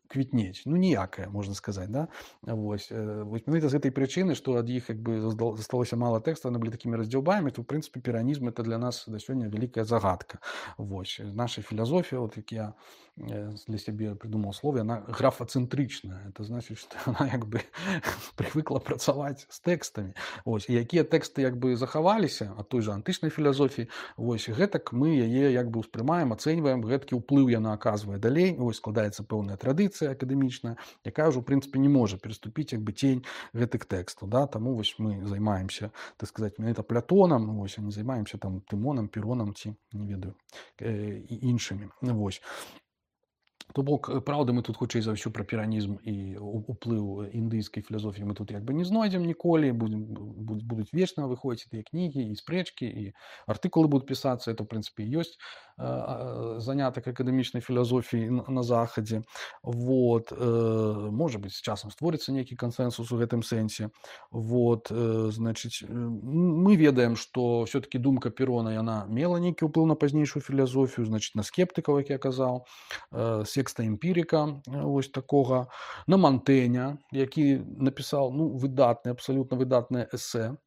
квітнець, ну ніякая, можна сказаць, да? Вось. Вось менавіта з гэтай прычыны, што ад іх як бы засталося мала тэкстаў, яны былі такімі раздзяўбамі, то ў прынцыпе перанізм это для нас да сёння вялікая загадка. Вось. Наша філасофія, вот як я для сябе придумал слово, она графацэнтрычная. Это значит, што она як бы прывыкла працаваць з тэкстамі. Вось. І якія тэксты як бы захаваліся ад той жа антычнай філасофіі, вось гэтак мы яе як бы ўспрымаем, ацэньваем, гэткі ўплыў яна аказвае далей, вось складаецца пэўная традыцыя акадэмічная, якая ўжо, у прынцыпе, не можа пераступіць як бы цень гэтых тэкстаў, да? Таму вось мы займаемся, так сказаць, менавіта Платонам, вось, а не займаемся там Тымонам, Перонам ці, не ведаю, э, і іншымі. Вось. То бок, праўда, мы тут хутчэй за ўсё пра піранізм і уплыў індыйскай філасофіі мы тут як бы не знойдзем ніколі, будем, будуць вечна выходзіць тыя кнігі і спрэчкі, і артыкулы будуць пісацца, это, в прынцыпе, ёсць э, занятак акадэмічнай філасофіі на, на захадзе. Вот. Э, можа быць, з часам створыцца нейкі кансэнсус у гэтым сэнсе. Вот. Э, значыць, мы ведаем, што ўсё-такі думка Перона, яна мела нейкі ўплыў на пазнейшую філасофію, значыць, на скептыкаў, як я казаў, э, секста эмпірыка, вось такога, на Мантэня, які напісаў, ну, выдатны, абсалютна выдатнае эсэ,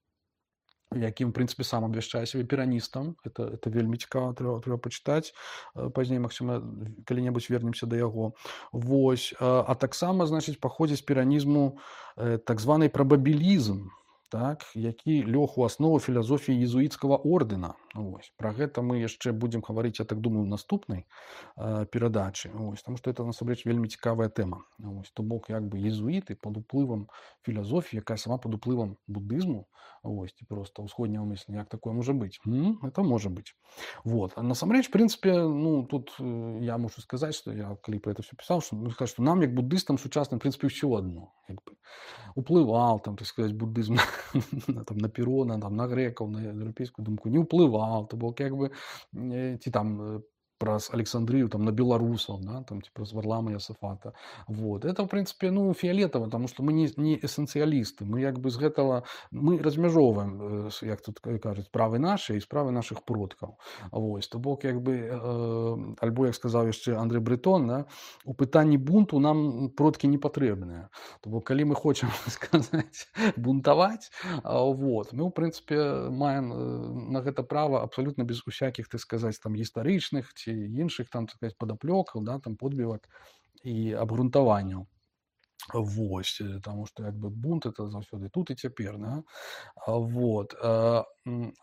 якім, в прынцыпе, сам абвяшчае сябе піраністам. Это, это вельмі цікава, трэба, трэба пачытаць. Пазней, магчыма, калі-небудзь вернемся да яго. Вось. А таксама, значыць, паходзіць з піранізму так званы прабабілізм, так, які лёг у аснову філасофіі езуіцкага ордэна. Вось. Пра гэта мы яшчэ будзем гаварыць, я так думаю, у наступнай э, перадачы. Вось. Таму што это, насамрэч, вельмі цікавая тэма. Вось. То бок, як бы, езуіты пад уплывам філасофіі, якая сама пад уплывам буддызму, вось, ці проста ўсходняга мыслення, як такое можа быць? М? Это можа быць. Вот. А насамрэч, в прынцыпе, ну, тут э, я мушу сказаць, што я, калі пра гэта ўсё пісаў, што, ну, сказаць, што нам, як буддыстам сучасным, в прынцыпе, ўсё адно. Як бы. Уплываў, там, так сказаць, буддызм там, на Перона, там, на грэкаў, на еўрапейскую думку, не ўплываў, то бок як бы ці там праз Александрыю, там, на беларусаў, да, там, ці праз Варлама Ясафата. Вот. Это, в прынцыпе, ну, фіялетава, таму што мы не, не эсэнцыялісты, мы як бы з гэтага, мы размяжоўваем, як тут кажуць, справы нашы і справы нашых продкаў. Вось. То бок, як бы, э, альбо, як сказаў яшчэ Андрэй Брэтон, да, у пытанні бунту нам продкі не патрэбныя. То бок, калі мы хочам сказаць бунтаваць, вот, мы, у прынцыпе, маем на гэта права абсалютна без усякіх, так сказаць, там, гістарычных ці іншых, там, так сказаць, падаплёкаў, да, там, подбівак і абгрунтаванняў. Вось, таму што як бы бунт это заўсёды тут і цяпер, да? Вот.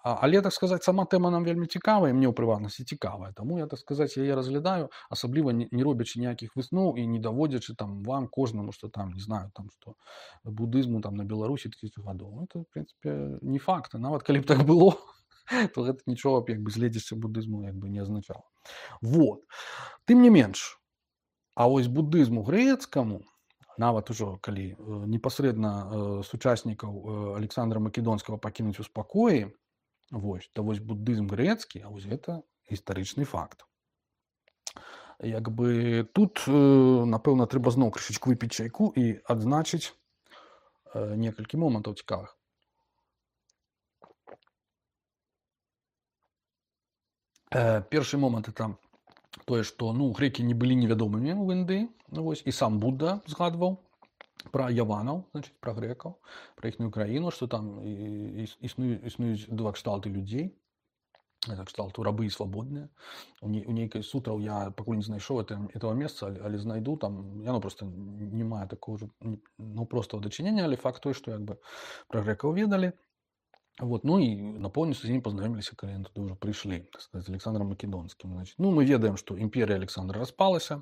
Але, так сказаць, сама тэма нам вельмі цікавая, мне ў прыватнасці цікавая, таму я, так сказаць, яе разглядаю, асабліва не робячы ніякіх высноў і не даводзячы там вам кожнаму, што там, не знаю, там, што буддызму там на Беларусі тысячу гадоў. Это, в прынцыпе, не факт, нават калі б так было, то гэта нічога б як бы зледзішча буддызму як бы не азначала. Вот. Тым не менш, а вось буддызму грэцкаму, нават ужо калі непасрэдна сучаснікаў Александра Македонскага пакінуць у спакоі, вось, то вось буддызм грэцкі, а вось гэта гістарычны факт. Як бы тут, напэўна, трэба зноў крышачку выпіць чайку і адзначыць некалькі момантаў цікавых. Першы момант это тое, што, ну, грэкі не былі невядомымі ў Індыі, вось, і сам Будда згадваў пра яванаў, значыць, пра грэкаў, пра іхнюю краіну, што там існуюць, існуюць два кшталты людзей, кшталту рабы і свабодныя. У нейкай сутраў я пакуль не знайшоў этого месца, але знайду, там, яно просто не мае такого ж, ну, простого дачынення, але факт той, што як бы пра грэкаў ведалі. Вот, ну і напоўніцу з ім пазнаёміліся, калі яны туды ўжо прыйшлі, так сказаць, з Александром Македонскім. Значит, ну, мы ведаем, што імперія Александра распалася,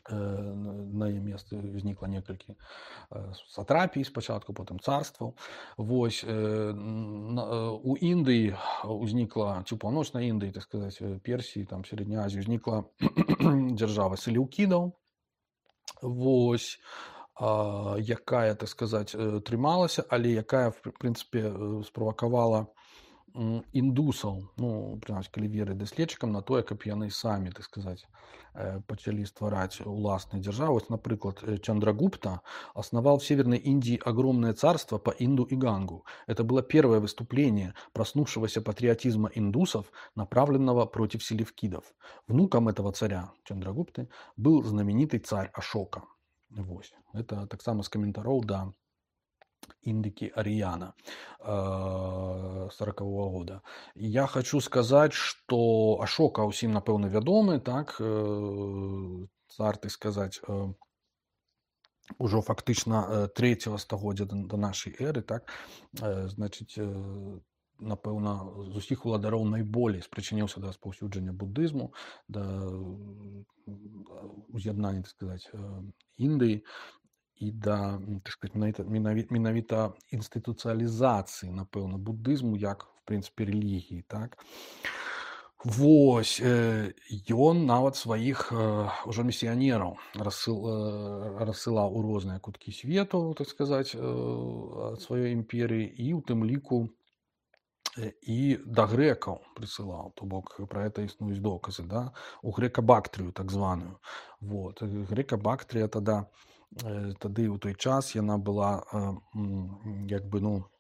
э, на яе месцы ўзнікла некалькі э, сатрапій спачатку, потым царстваў. Вось, э, на, у Індыі ўзнікла, ці ў паўночнай Індыі, так сказаць, Персіі, там, Сярэдняй Азіі, ўзнікла дзяржава селеўкідаў. Вось, якая, так сказаць, трымалася, але якая, в прынцыпе, справакавала м, індусаў, ну прынамсі калі верыць даследчыкам, на тое, каб яны самі, так сказаць, э, пачалі ствараць уласныя дзяржавы. Вось, напрыклад, э, Чандрагупта основал в Северной Индии огромное царство по Инду и Гангу. Это было первое выступление проснувшегося патриотизма индусов, направленного против селевкидов. Внуком этого царя Чандрагупты был знаменитый царь Ашока. Вось. Это так само з каментароў да Индики Ариана сорокового года. И я хочу сказать, что Ашока усім, напэўна, вядомы, так, э, цар, так сказать, э, ужо фактычна э, трэцяга стагоддзя да, да нашай эры, так, э, значыць, э, напэўна, з усіх уладароў найболей спрычыніўся да распаўсюджання буддызму, да э, уз'яднання, так сказать, э, Індыі і да, так сказать, менавіта, менавіта, менавіта інстытуцыялізацыі, напэўна, буддызму як, в прынцыпе, рэлігіі, так. Вось, э, ён нават сваіх э, ужо місіянераў рассыл, э, рассылаў у розныя куткі свету, так сказаць, э, ад сваёй імперыі, і ў тым ліку э, і да грэкаў прысылаў, то бок пра гэта існуюць доказы, да, у грэка-бактрыю так званую. Вот. Грэка-бактрыя тада э, тады ў той час яна была э, м, як бы, ну,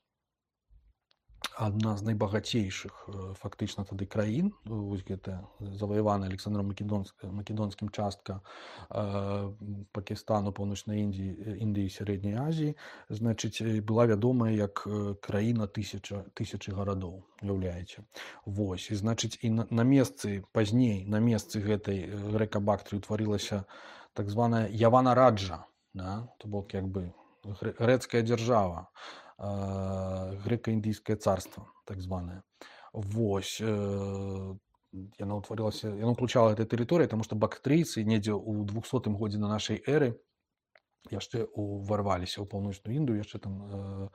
адна з найбагацейшых э, фактычна тады краін, вось гэта заваяваная Александром Македонскім, Македонскім частка э, Пакістану, Паўночнай Індіі, Індыі, Сярэдняй Азіі, значыць, была вядомая як э, краіна тысяча, тысячы гарадоў, уяўляеце. Вось, і значыць, і на, на месцы, пазней, на месцы гэтай грэка-бактрыі утварылася так званая Явана-Раджа, да? То бок, як бы, грэцкая дзяржава, грэка-індыйскае царство, так званае. Вось, э, яна ўтварылася, яна ўключала гэтая тэрыторыя, таму што бактрыйцы недзе ў двухсотым годзе на нашай эры яшчэ уварваліся ў паўночную Індыю, яшчэ там э,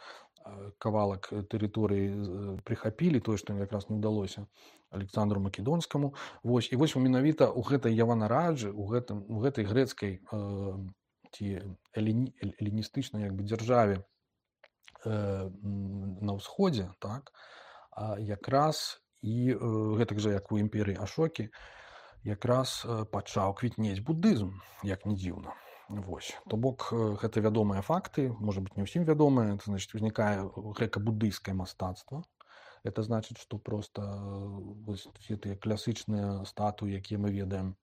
кавалак тэрыторыі прыхапілі, тое, што ім якраз не ўдалося Александру Македонскаму. Вось, і вось менавіта ў гэтай Явана-Раджы, у, гэтым, у гэтай грэцкай э, ці эліні, эліністычнай як бы дзяржаве на ўсходзе, так, якраз і гэтак жа, як у імперыі Ашокі, якраз пачаў квітнець буддызм, як не дзіўна. Вось. То бок, гэта вядомыя факты, можа быць, не ўсім вядомыя, это значыць, узнікае грэка-буддыйскае мастацтва. Это значыць, што проста вось, все тыя класычныя статуі, якія мы ведаем,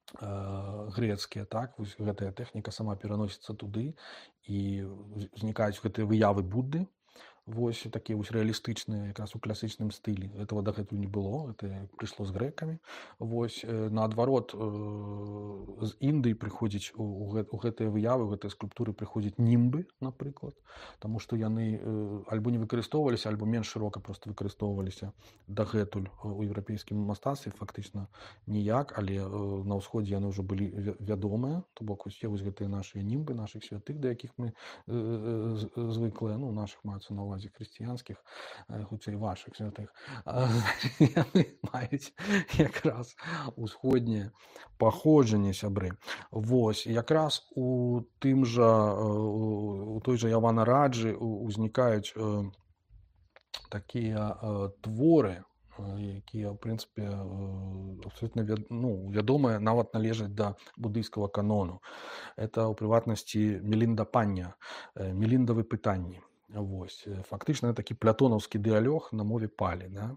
грэцкія, так, вось гэтая тэхніка сама пераносіцца туды, і узнікаюць гэтыя выявы Будды, вось такія вось рэалістычныя, якраз у класічным стылі. Этого дагэтуль не было, это прыйшло з грэкамі. Вось, наадварот, з Індыі прыходзіць у, у гэтыя выявы, у гэтыя скульптуры прыходзяць німбы, напрыклад, таму што яны альбо не выкарыстоўваліся, альбо менш шырока проста выкарыстоўваліся дагэтуль у еўрапейскім мастацтве, фактычна ніяк, але на ўсходзе яны ўжо былі вядомыя, то бок усе вось гэтыя нашыя німбы, нашых святых, да якіх мы звыклыя, ну, нашых маецца на ўвазе хрысціянскіх, хутчэй вашых святых, яны маюць якраз усходняе паходжанне, сябры. Вось, якраз у тым жа, у той жа Явана-Раджы узнікаюць такія творы, якія, ў прынцыпе, абсолютна ну, вядомыя, нават належаць да буддыйскага канону. Это, у прыватнасці, Мелінда-пання, Меліндавы пытанні. Вось. Фактычна такі плятонаўскі дыялог на мове палі. Да?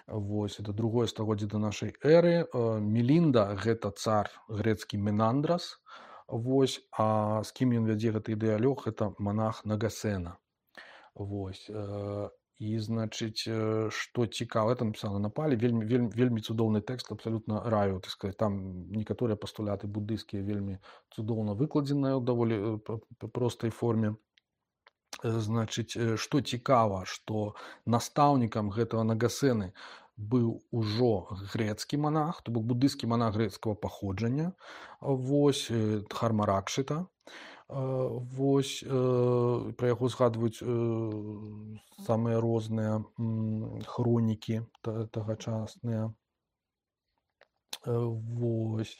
Вось. Это другое стагоддзе да нашай эры. Мелінда – гэта цар грэцкі Менандрас. Вось. А з кім ён вядзе гэты дыялог? Гэта манах Нагасена. Вось. І, значыць, што цікава, это напісана на палі, вельмі, вельмі, вельмі цудоўны тэкст, абсалютна раю, так сказать, там некаторыя пастуляты буддыйскія вельмі цудоўна выкладзеныя ў даволі простай форме. Значыць, што цікава, што настаўнікам гэтага Нагасены быў ужо грэцкі манах, то бок буддыйскі манах грэцкага паходжання, вось, Дхарма-Ракшыта. Вось, пра яго згадваюць самыя розныя хронікі тагачасныя. Вось.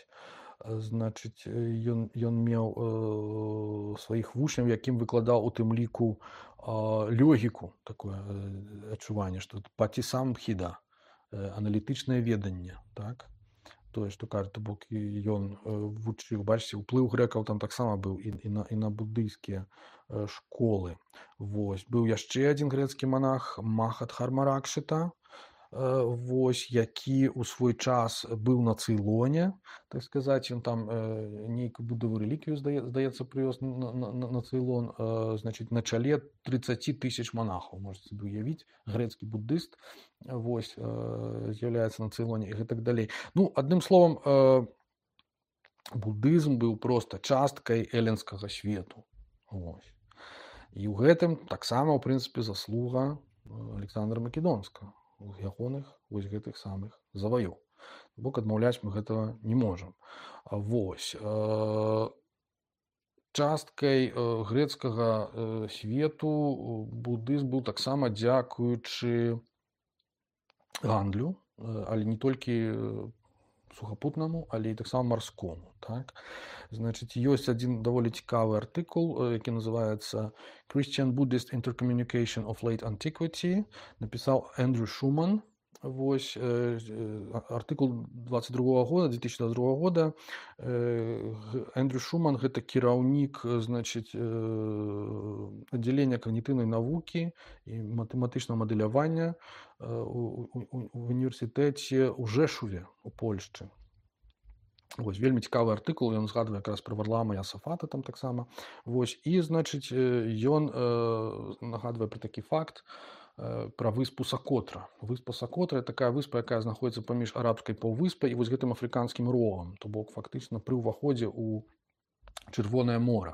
Значыць, ён ён меў э, сваіх вучняў, якім выкладаў у тым ліку а, логіку, такое э, адчуванне, што патисамхіда, э, аналітычнае веданне, так? Тое, што кажа, то бок і ён э, вучыў, бачыце, уплыў грэкаў там таксама быў і, і, на, і на буддыйскія э, школы. Вось. Быў яшчэ адзін грэцкі манах Махатхармаракшыта, э, вось, які ў свой час быў на Цейлоне, так сказаць, ён там э, нейкую будову рэліквію, здае, здаецца, прывёз на, на, на, на Цейлон, э, значыць, на чале тридцать тысяч монахаў, можете сабе уявіць, грэцкі буддыст, вось, э, з'яўляецца на Цейлоне і гэтак далей. Ну, адным словам, э, буддызм быў проста часткай эллінскага свету. Вось. І ў гэтым таксама, ў прынцыпе, заслуга Александра Македонскага, у ягоных вось гэтых самых заваёў. Бок адмаўляць мы гэтага не можам. Вось. Э, часткай э, грэцкага э, свету буддызм быў таксама дзякуючы гандлю, э, але не толькі сухапутнаму, але і таксама марскому. Так? Значыць, ёсць адзін даволі цікавы артыкул, які называецца Christian Buddhist Intercommunication of Late Antiquity, напісаў Эндрю Шуман. Вось, э, артыкул двадцать другого года, две тысячи двадцать другого года. Э, Эндрю Шуман гэта кіраўнік, значыць, э, аддзялення когнітыўнай навукі і матэматычнага мадэлявання э, у, у, у універсітэце ў Жэшуве у Польшчы. Вось, вельмі цікавы артыкул, ён згадвае якраз пра Варлаама Ясафата там таксама. Вось, і, значыць, ён э, нагадвае пра такі факт, пра выспу Сакотра. Выспа Сакотра — такая выспа, якая знаходзіцца паміж арабскай паўвыспай і вось гэтым афрыканскім рогам, то бок фактычна пры ўваходзе ў Чырвонае мора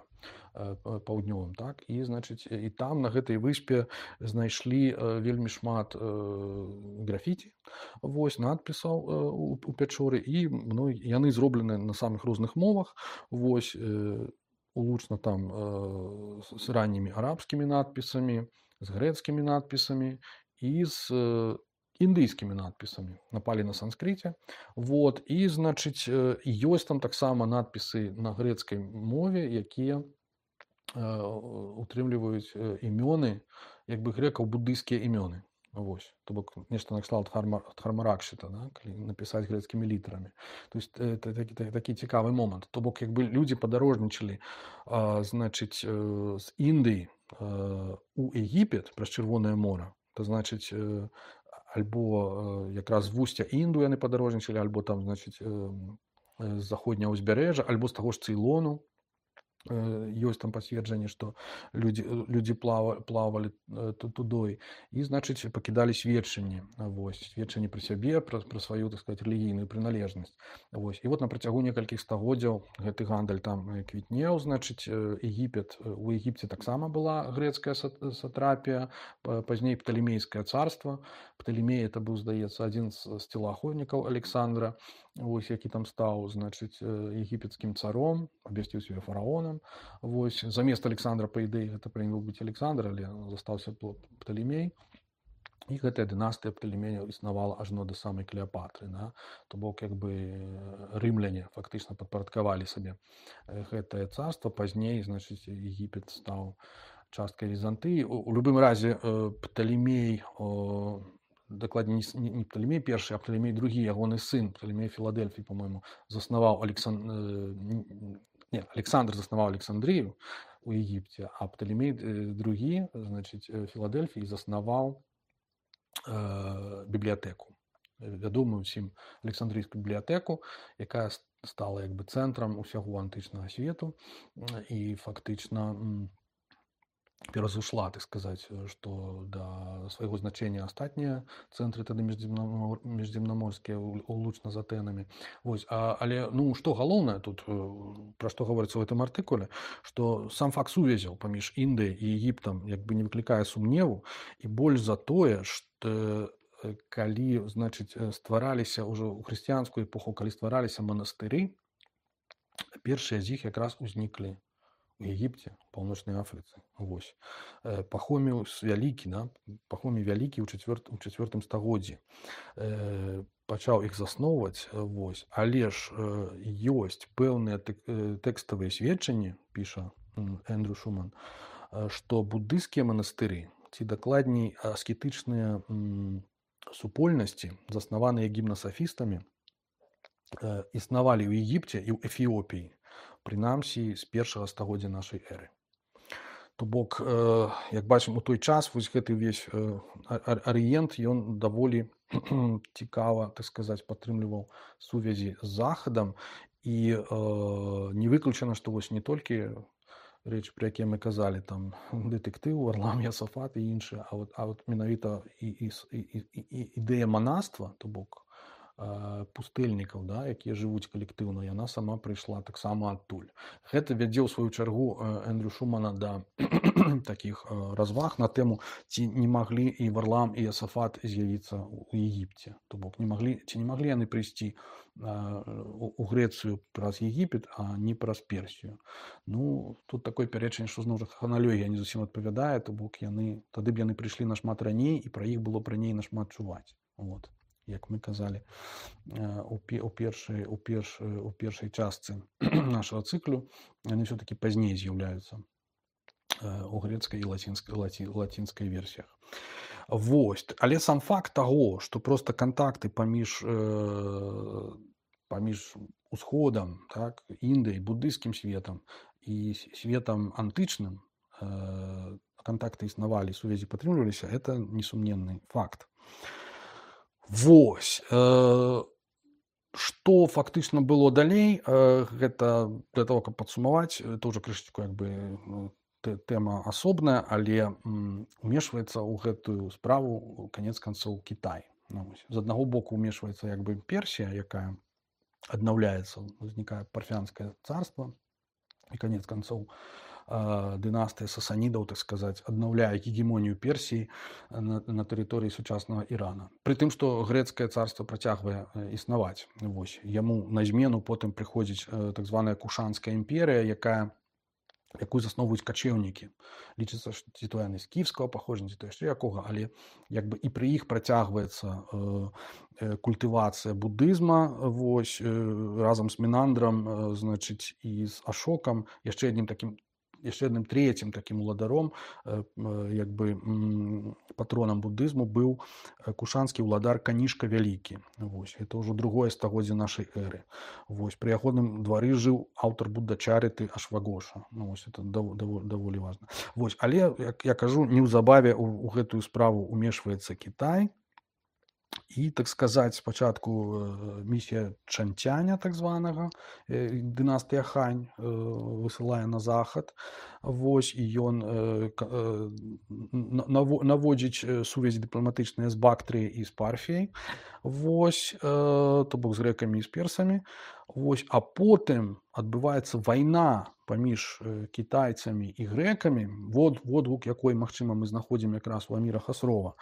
паўднёвым, так? І, значыць, і там на гэтай выспе знайшлі вельмі шмат э, графіці, вось, надпісаў э, у, у пячоры, і ну, яны зроблены на самых розных мовах, вось, э, улучна там э, з раннімі арабскімі надпісамі, з грэцкімі надпісамі і з э, індыйскімі надпісамі. Напалі на санскрыце. Вот. І, значыць, э, ёсць там таксама надпісы на грэцкай мове, якія э, утрымліваюць э, імёны, як бы грэкаў, буддыйскія імёны. Вось. То бок нешта накшталт Хармаракшыта, да? Калі напісаць грэцкімі літарамі. То есть это такі, такі цікавы момант. То бок як бы людзі падарожнічалі, э, значыць, э, з Індыі э, у Егіпет праз Чырвонае мора. То значыць, э, альбо э, якраз з вусця Інду яны падарожнічалі, альбо там, значыць, э, з заходняга ўзбярэжжа, альбо з таго ж Цейлону. Ёсць там пацверджанне, што людзі, людзі плава, плавалі тудой і, значыць, пакідалі сведчанні, вось, сведчанні пра сябе, пра, пра сваю, так сказаць, рэлігійную прыналежнасць. Вось. І вот на працягу некалькіх стагоддзяў гэты гандаль там квітнеў, значыць, Егіпет, у Егіпце таксама была грэцкая сатрапія, пазней Пталемейскае царства. Пталемей это быў, здаецца, адзін з целаахоўнікаў Александра, вось, які там стаў, значыць, егіпецкім царом, абвясціў сябе фараонам. Вось, замест Александра, па ідэі, гэта павінен быць Александр, але застаўся Пталемей. І гэтая дынастыя Пталемеяў існавала ажно да самай Клеапатры. Да? То бок, як бы, рымляне фактычна падпарадкавалі сабе гэтае царства. Пазней, значыць, Егіпет стаў часткай Візантыі. У, у любым разе Пталемей, о, дакладней, не, не Пталемей першы, а Пталемей другі, ягоны сын, Пталемей Філадельфій, по-моему, заснаваў Александр... Не, Александр заснаваў Александрыю у Егіпце, а Пталемей другі, значыць, Філадельфій заснаваў э, бібліятэку. Вядомую ўсім Александрыйскую бібліятэку, якая стала як бы цэнтрам усяго антычнага свету і фактычна перазышла, так сказаць, што да свайго значэння астатнія цэнтры тады міжземнаморскія улучна з Атэнамі. Вось. А, але ну, што галоўнае тут, пра што гаворыцца ў гэтым артыкуле, што сам факт сувязяў паміж Індыяй і Егіптам як бы не выклікае сумневу, і больш за тое, што калі, значыць, ствараліся ўжо ў хрысціянскую эпоху, калі ствараліся манастыры, першыя з іх якраз узніклі у Егіпце, паўночнай Афрыцы. Вось. Пахоміў вялікі, да? Пахомій вялікі ў чацвёртым стагоддзі.
пачаў іх засноўваць, вось, але ж э, ёсць пэўныя тэк- э, тэкставыя сведчанні, піша м, Эндрю Шуман, э, што буддыйскія манастыры, ці дакладней аскетычныя м, супольнасці, заснаваныя гімнасафістамі, э, існавалі ў Егіпце і ў Эфіопіі, прынамсі з першага стагоддзя нашай эры. То бок, э, як бачым, у той час вось гэты ўвесь э, ар- арыент, ён даволі цікава, так сказаць, падтрымліваў сувязі з захадам, і э, не выключана, што вось не толькі рэчы, пра якія мы казалі, там дэтэктыў, Варлам Ясафат і іншыя, а вот, а вот менавіта і, і, с- і, і, і ідэя манаства, то бок э, пустэльнікаў, да, якія жывуць калектыўна, яна сама прыйшла таксама адтуль. Гэта вядзе ў сваю чаргу э, Эндрю Шумана да такіх э, разваг на тэму, ці не маглі і Варлам і Ясафат з'явіцца ў Егіпце. То бок не маглі, ці не маглі яны прыйсці э, у, у Грэцыю праз Егіпет, а не праз Персію. Ну, тут такое пярэчанне, што зноў жа храналогія не зусім адпавядае, то бок яны, тады б яны прыйшлі нашмат раней, і пра іх было б раней нашмат чуваць. Вот. Як мы казалі э, у, пе- у, першай, у, перш, у першай частцы нашага цыклю, яны ўсё-такі пазней з'яўляюцца э, у грецкай і лацінскай, лаці, лацінскай версіях. Вось. Але сам факт таго, што проста кантакты паміж, э, паміж усходам, так, Індыяй, буддыйскім светам і с- светам антычным, э, кантакты існавалі, сувязі падтрымліваліся, это несумненны факт. Вось. Э, Што фактычна было далей, э, гэта для того, каб падсумаваць, это ўжо крышачку як бы ну, тэ- тэма асобная, але м, умешваецца ў гэтую справу канец канцоў Кітай. Ну, вось. З аднаго боку умешваецца як бы Персія, якая аднаўляецца, узнікае парфянскае царства, і канец канцоў э, дынастыя сасанідаў, так сказаць, аднаўляе гегемонію Персіі на, на тэрыторыі сучаснага Ірана. Пры тым, што грэцкае царства працягвае э, існаваць. Вось. Яму на змену потым прыходзіць э, так званая Кушанская імперія, якая якую засноўваюць качэўнікі. Лічыцца, што ці то яны з кіевскага паходжання, ці то яшчэ якога, але як бы і пры іх працягваецца э, э, культывацыя буддызма, вось, э, разам з Менандрам, э, значыць, і з Ашокам, яшчэ адным такім яшчэ адным трэцім такім уладаром, э, э, як бы м, патронам буддызму быў э, кушанскі ўладар Канішка Вялікі. Вось. Это ўжо другое стагоддзе нашай эры. Вось. Пры ягоным двары жыў аўтар Буддачарыты Ашвагоша. Ну, вось, это даволі, даволі важна. Вось. Але, як я кажу, неўзабаве ў, у гэтую справу умешваецца Кітай. І, так сказаць, спачатку э, місія Чанцяня, так званага, э, дынастыя Хань, э, высылае на захад. Вось, і ён э, к- э, на- наво- наводзіць э, сувязі дыпламатычныя з Бактрыяй і з Парфіяй. Вось, э, то бок з грэкамі і з персамі. Вось, а потым адбываецца вайна паміж э, кітайцамі і грэкамі, вод, водгук якой, магчыма, мы знаходзім якраз у Аміра Хасрова.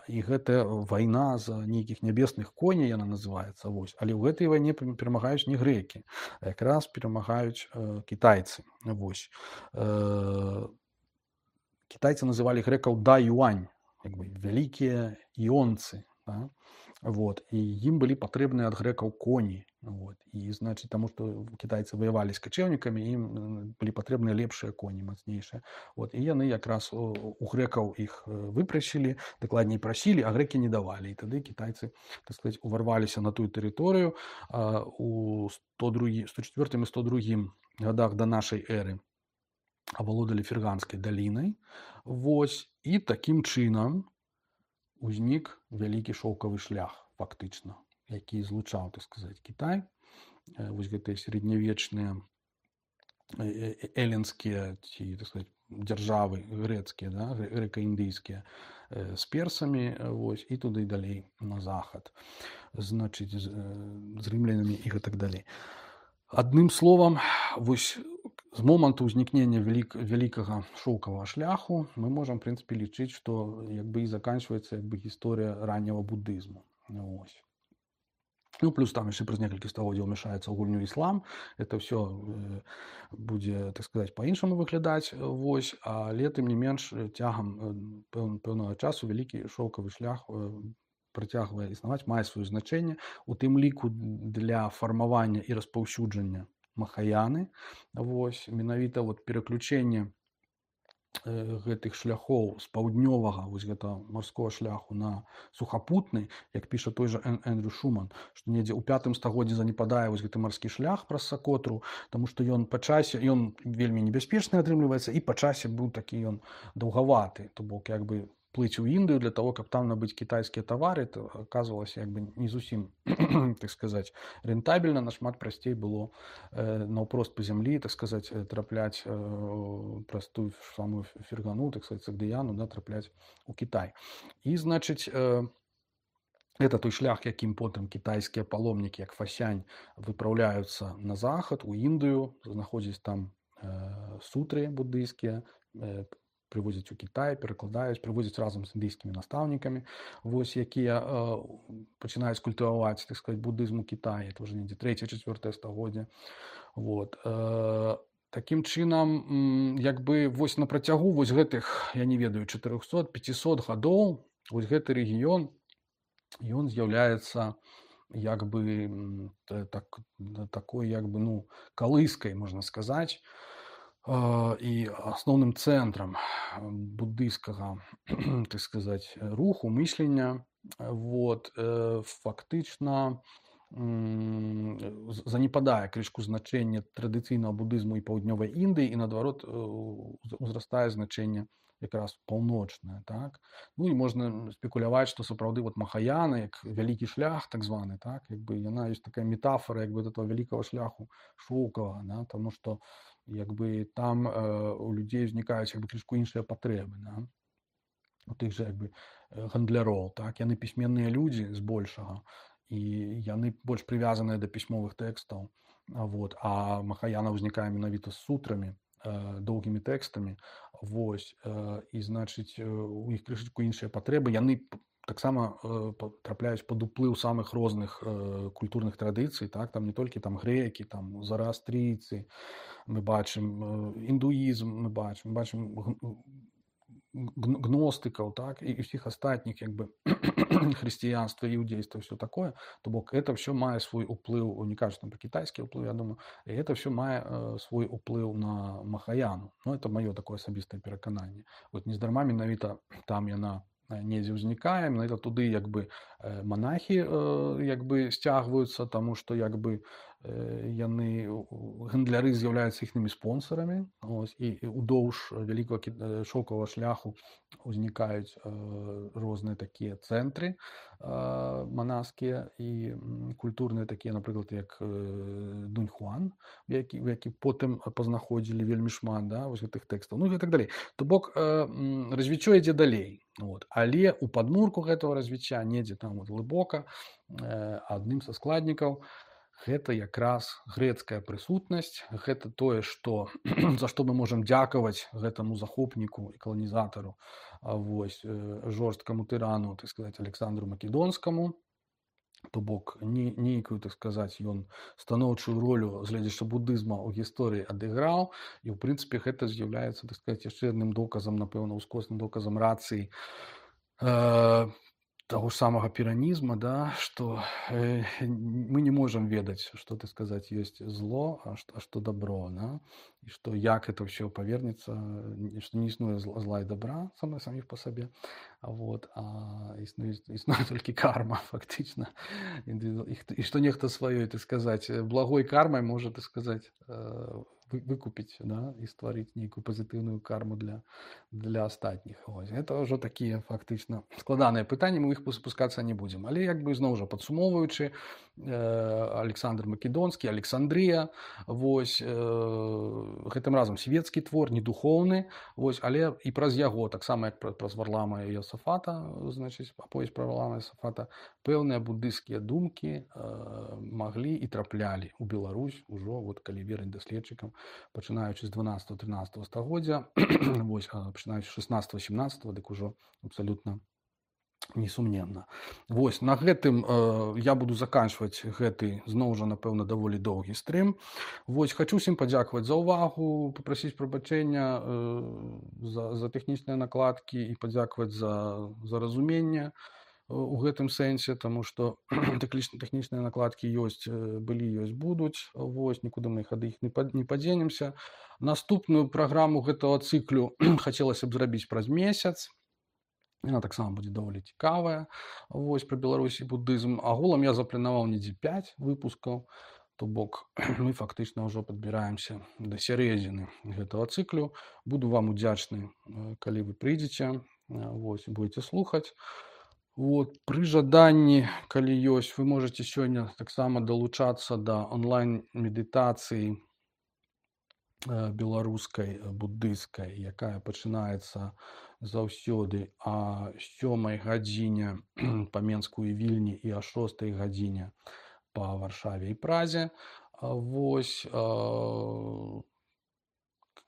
І гэтая вайна за нейкіх нябесных коней, яна называецца. Вось. Але ў гэтай вайне перамагаюць не грэкі, а якраз перамагаюць э, кітайцы. Вось. Э, кітайцы называлі грэкаў да-юань, як бы вялікія іонцы. Да? Вот. І ім былі патрэбныя ад грэкаў коні. Вот. І, значыць, таму што кітайцы ваявалі з качэўнікамі, ім э, былі патрэбныя лепшыя коні, мацнейшыя. Вот. І яны якраз у, у грэкаў іх э, выпрасілі, дакладней прасілі, а грэкі не давалі. І тады кітайцы, так сказаць, уварваліся на тую тэрыторыю а, у сто другім, сто чацвёртым і сто другім гадах да нашай эры. Авалодалі Ферганскай далінай. Вось. І такім чынам узнік вялікі шоўкавы шлях, фактычна, які злучаў, так сказаць, Кітай, э, вось гэтыя сярэднявечныя э, э, эленскія ці, так сказаць, дзяржавы грэцкія, да, грэ- грэка-індыйскія э, з персамі, э, вось, і туды далей на захад, значыць, з, э, з рымлянамі і гэтак далей. Адным словам, вось з моманту ўзнікнення вялік, вялікага шоўкавага шляху мы можам, в прынцыпе, лічыць, што як бы і заканчваецца як бы гісторыя ранняга буддызму. Вось. Ну, плюс там яшчэ праз некалькі стагоддзяў ўмяшаецца ў гульню іслам. Это ўсё э, будзе, так сказаць, па-іншаму выглядаць. Вось. Але, тым не менш, цягам э, пэўн, пэўнага часу вялікі шоўкавы шлях э, працягвае існаваць, мае сваё значэнне, у тым ліку для фармавання і распаўсюджання махаяны. Вось менавіта вот пераключэнне гэтых шляхоў з паўднёвага вось гэта марскога шляху на сухапутны, як піша той жа Эндрю Шуман, што недзе ў пятым стагоддзі занепадае вось гэты марскі шлях праз Сакотру, таму што ён па часе ён вельмі небяспечны атрымліваецца і па часе быў такі ён даўгаваты, то бок як бы плыць у Індыю для того, каб там набыць кітайскія тавары, то аказвалася як бы не зусім так сказаць рэнтабельна, нашмат прасцей было э, наўпрост па зямлі, так сказаць, трапляць э, праз тую самую Фергану, так сказать, Сагдыяну, да, трапляць у Кітай. І, значыць, э, это той шлях, якім потым кітайскія паломнікі, як Фасянь, выпраўляюцца на захад, у Індыю, знаходзяць там э, сутры буддыйскія, э, прывозяць у Кітай, перакладаюць, прывозяць разам з індыйскімі настаўнікамі, вось, якія э, пачынаюць культываваць, так сказаць, буддызм у Кітаі, это ўжо недзе трэцяе-чацвёртае стагоддзе. Вот. Э, такім чынам, як бы вось на працягу вось гэтых, я не ведаю, чатырохсот-пяцісот гадоў, вось гэты рэгіён, ён з'яўляецца як бы так, такой як бы, ну, калыскай, можна сказаць, і асноўным цэнтрам буддыйскага, так сказаць, руху, мыслення. Вот. Фактычна занепадае крышку значэнне традыцыйнага буддызму і паўднёвай Індыі, і наадварот узрастае значэнне якраз паўночнае, так? Ну і можна спекуляваць, што сапраўды вот махаяна, як вялікі шлях, так званы, так, як бы яна ёсць такая метафора як бы этого вялікага шляху шоўкавага, да, таму што як бы там э, у людзей узнікаюць як бы крышку іншыя патрэбы, да? У тых жа як бы гандляроў, так, яны пісьменныя людзі збольшага, і яны больш прывязаныя да пісьмовых тэкстаў, вот, а махаяна ўзнікае менавіта з сутрамі, доўгімі тэкстамі, вось, і, значыць, у іх крышачку іншыя патрэбы, яны таксама трапляюць пад уплыў самых розных культурных традыцый, так, там не толькі там грэкі, там зараастрыйцы, мы бачым індуізм, мы бачым, мы бачым гностыкаў, так, і ўсіх астатніх як бы хрысціянства, іудзейства, все такое, то бок это все мае свой уплыў, не кажу там про кітайскі уплыў, я думаю, і это все мае э, свой уплыў на махаяну. Ну, это маё такое асабістае перакананне. Вот нездарма менавіта там яна недзе ўзнікае, менавіта туды як бы э, монахі э, як бы сцягваюцца, таму што як бы э, яны гандляры з'яўляюцца іхнымі спонсарамі, ось, і, і удоўж вялікага шоўкавага шляху узнікаюць э, розныя такія цэнтры э, манаскія і культурныя такія, напрыклад, як э, Дуньхуан, які, які потым пазнаходзілі вельмі шмат, да, вось гэтых тэкстаў, ну і так далей. То бок э, развіццё ідзе далей. Вот. Але у падмурку гэтага развіцця недзе там вот глыбока э, адным са складнікаў гэта якраз грэцкая прысутнасць, гэта тое, што за што мы можам дзякаваць гэтаму захопніку і каланізатару, вось, э, жорсткаму тырану, так сказаць, Александру Македонскаму. То бок не, нейкую, так сказаць, ён станоўчую ролю з гледзяча буддызма ў гісторыі адыграў, і ў прынцыпе гэта з'яўляецца, так сказаць, яшчэ адным доказам, напэўна, ускосным доказам рацыі э, таго ж самага піранізма, да, што э, мы не можам ведаць, што, так сказаць, ёсць зло, а што, а што добро, да? І што як это ўсё павернецца, што не існуе зла і добра самі, саміх па сабе, вот, а існуе, існуе толькі карма, фактычна, і, і, і што нехта сваёй, так сказаць, благой кармай можа, так сказаць, э, выкупіць, да, і стварыць нейкую пазітыўную карму для, для астатніх. Ось. Гэта ўжо такія фактычна складаныя пытанні, мы іх спускацца не будзем. Але як бы зноў жа падсумоўваючы, э, Александр Македонскі, Александрыя, вось, э, гэтым разам свецкі твор, не духоўны, вось, але і праз яго, таксама як праз Варлама і Йосафата, значыць, аповесць пра Варлама і Йосафата, пэўныя буддыйскія думкі э, маглі і траплялі ў Беларусь ужо, вот, калі верыць даследчыкам, пачынаючы з дванаццатага-трынаццатага стагоддзя, вось, пачынаючы з шаснаццатага-сямнаццатага, дык ужо абсалютна несумненна. Вось, на гэтым э, я буду заканчваць гэты, зноў жа, напэўна, даволі доўгі стрым. Вось, хачу всім падзякаваць за ўвагу, папрасіць прабачэння э, за, за тэхнічныя накладкі і падзякаваць за, за разуменне. у гэтым сэнсе, таму што тэхнічныя накладкі ёсць, былі, ёсць, будуць. Вось, нікуды мы іх ад іх не падзенемся. Наступную праграму гэтага цыклю хацелася б зрабіць праз месяц. Яна таксама будзе даволі цікавая. Вось, пра Беларусь і буддызм. Агулам я запланаваў недзе пяць выпускаў, то бок мы фактычна ўжо падбіраемся да сярэдзіны гэтага цыклю. Буду вам удзячны, калі вы прыйдзеце, вось, будзеце слухаць. Вот, пры жаданні, калі ёсць, вы можаце сёння таксама далучацца да онлайн-медытацыі беларускай, буддыйскай, якая пачынаецца заўсёды о сёмай гадзіне па Менску і Вільні і о шостай гадзіне па Варшаве і Празе. Вось,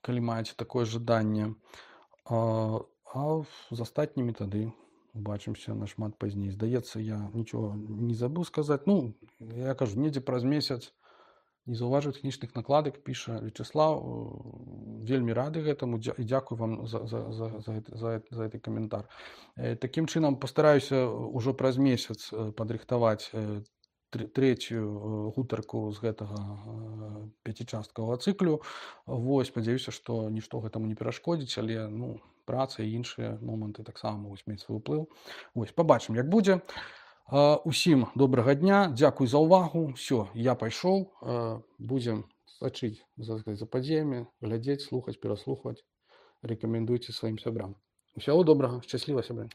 калі маеце такое жаданне. А з астатнімі тады убачымся нашмат пазней. Здаецца, я нічога не забыў сказаць. Ну, я кажу, недзе праз месяц не заўважыў тэхнічных накладак, піша Вячеслав. Вельмі рады гэтаму і дзякую вам за, за, за, за, за, за гэты каментар. Такім чынам пастараюся ўжо праз месяц падрыхтаваць трэцюю гутарку з гэтага пяцічасткавага цыклю. Вось, спадзяюся, што нішто гэтаму не перашкодзіць, але ну, праца і іншыя моманты таксама могуць мець свой уплыў. Вось, пабачым, як будзе. Усім добрага дня, дзякуй за ўвагу. Всё, я пайшоў. Будзем сачыць за, за падзеямі, глядзець, слухаць, пераслухаць. Рэкамендуйце сваім сябрам. Усяго добрага, шчасліва, сябры.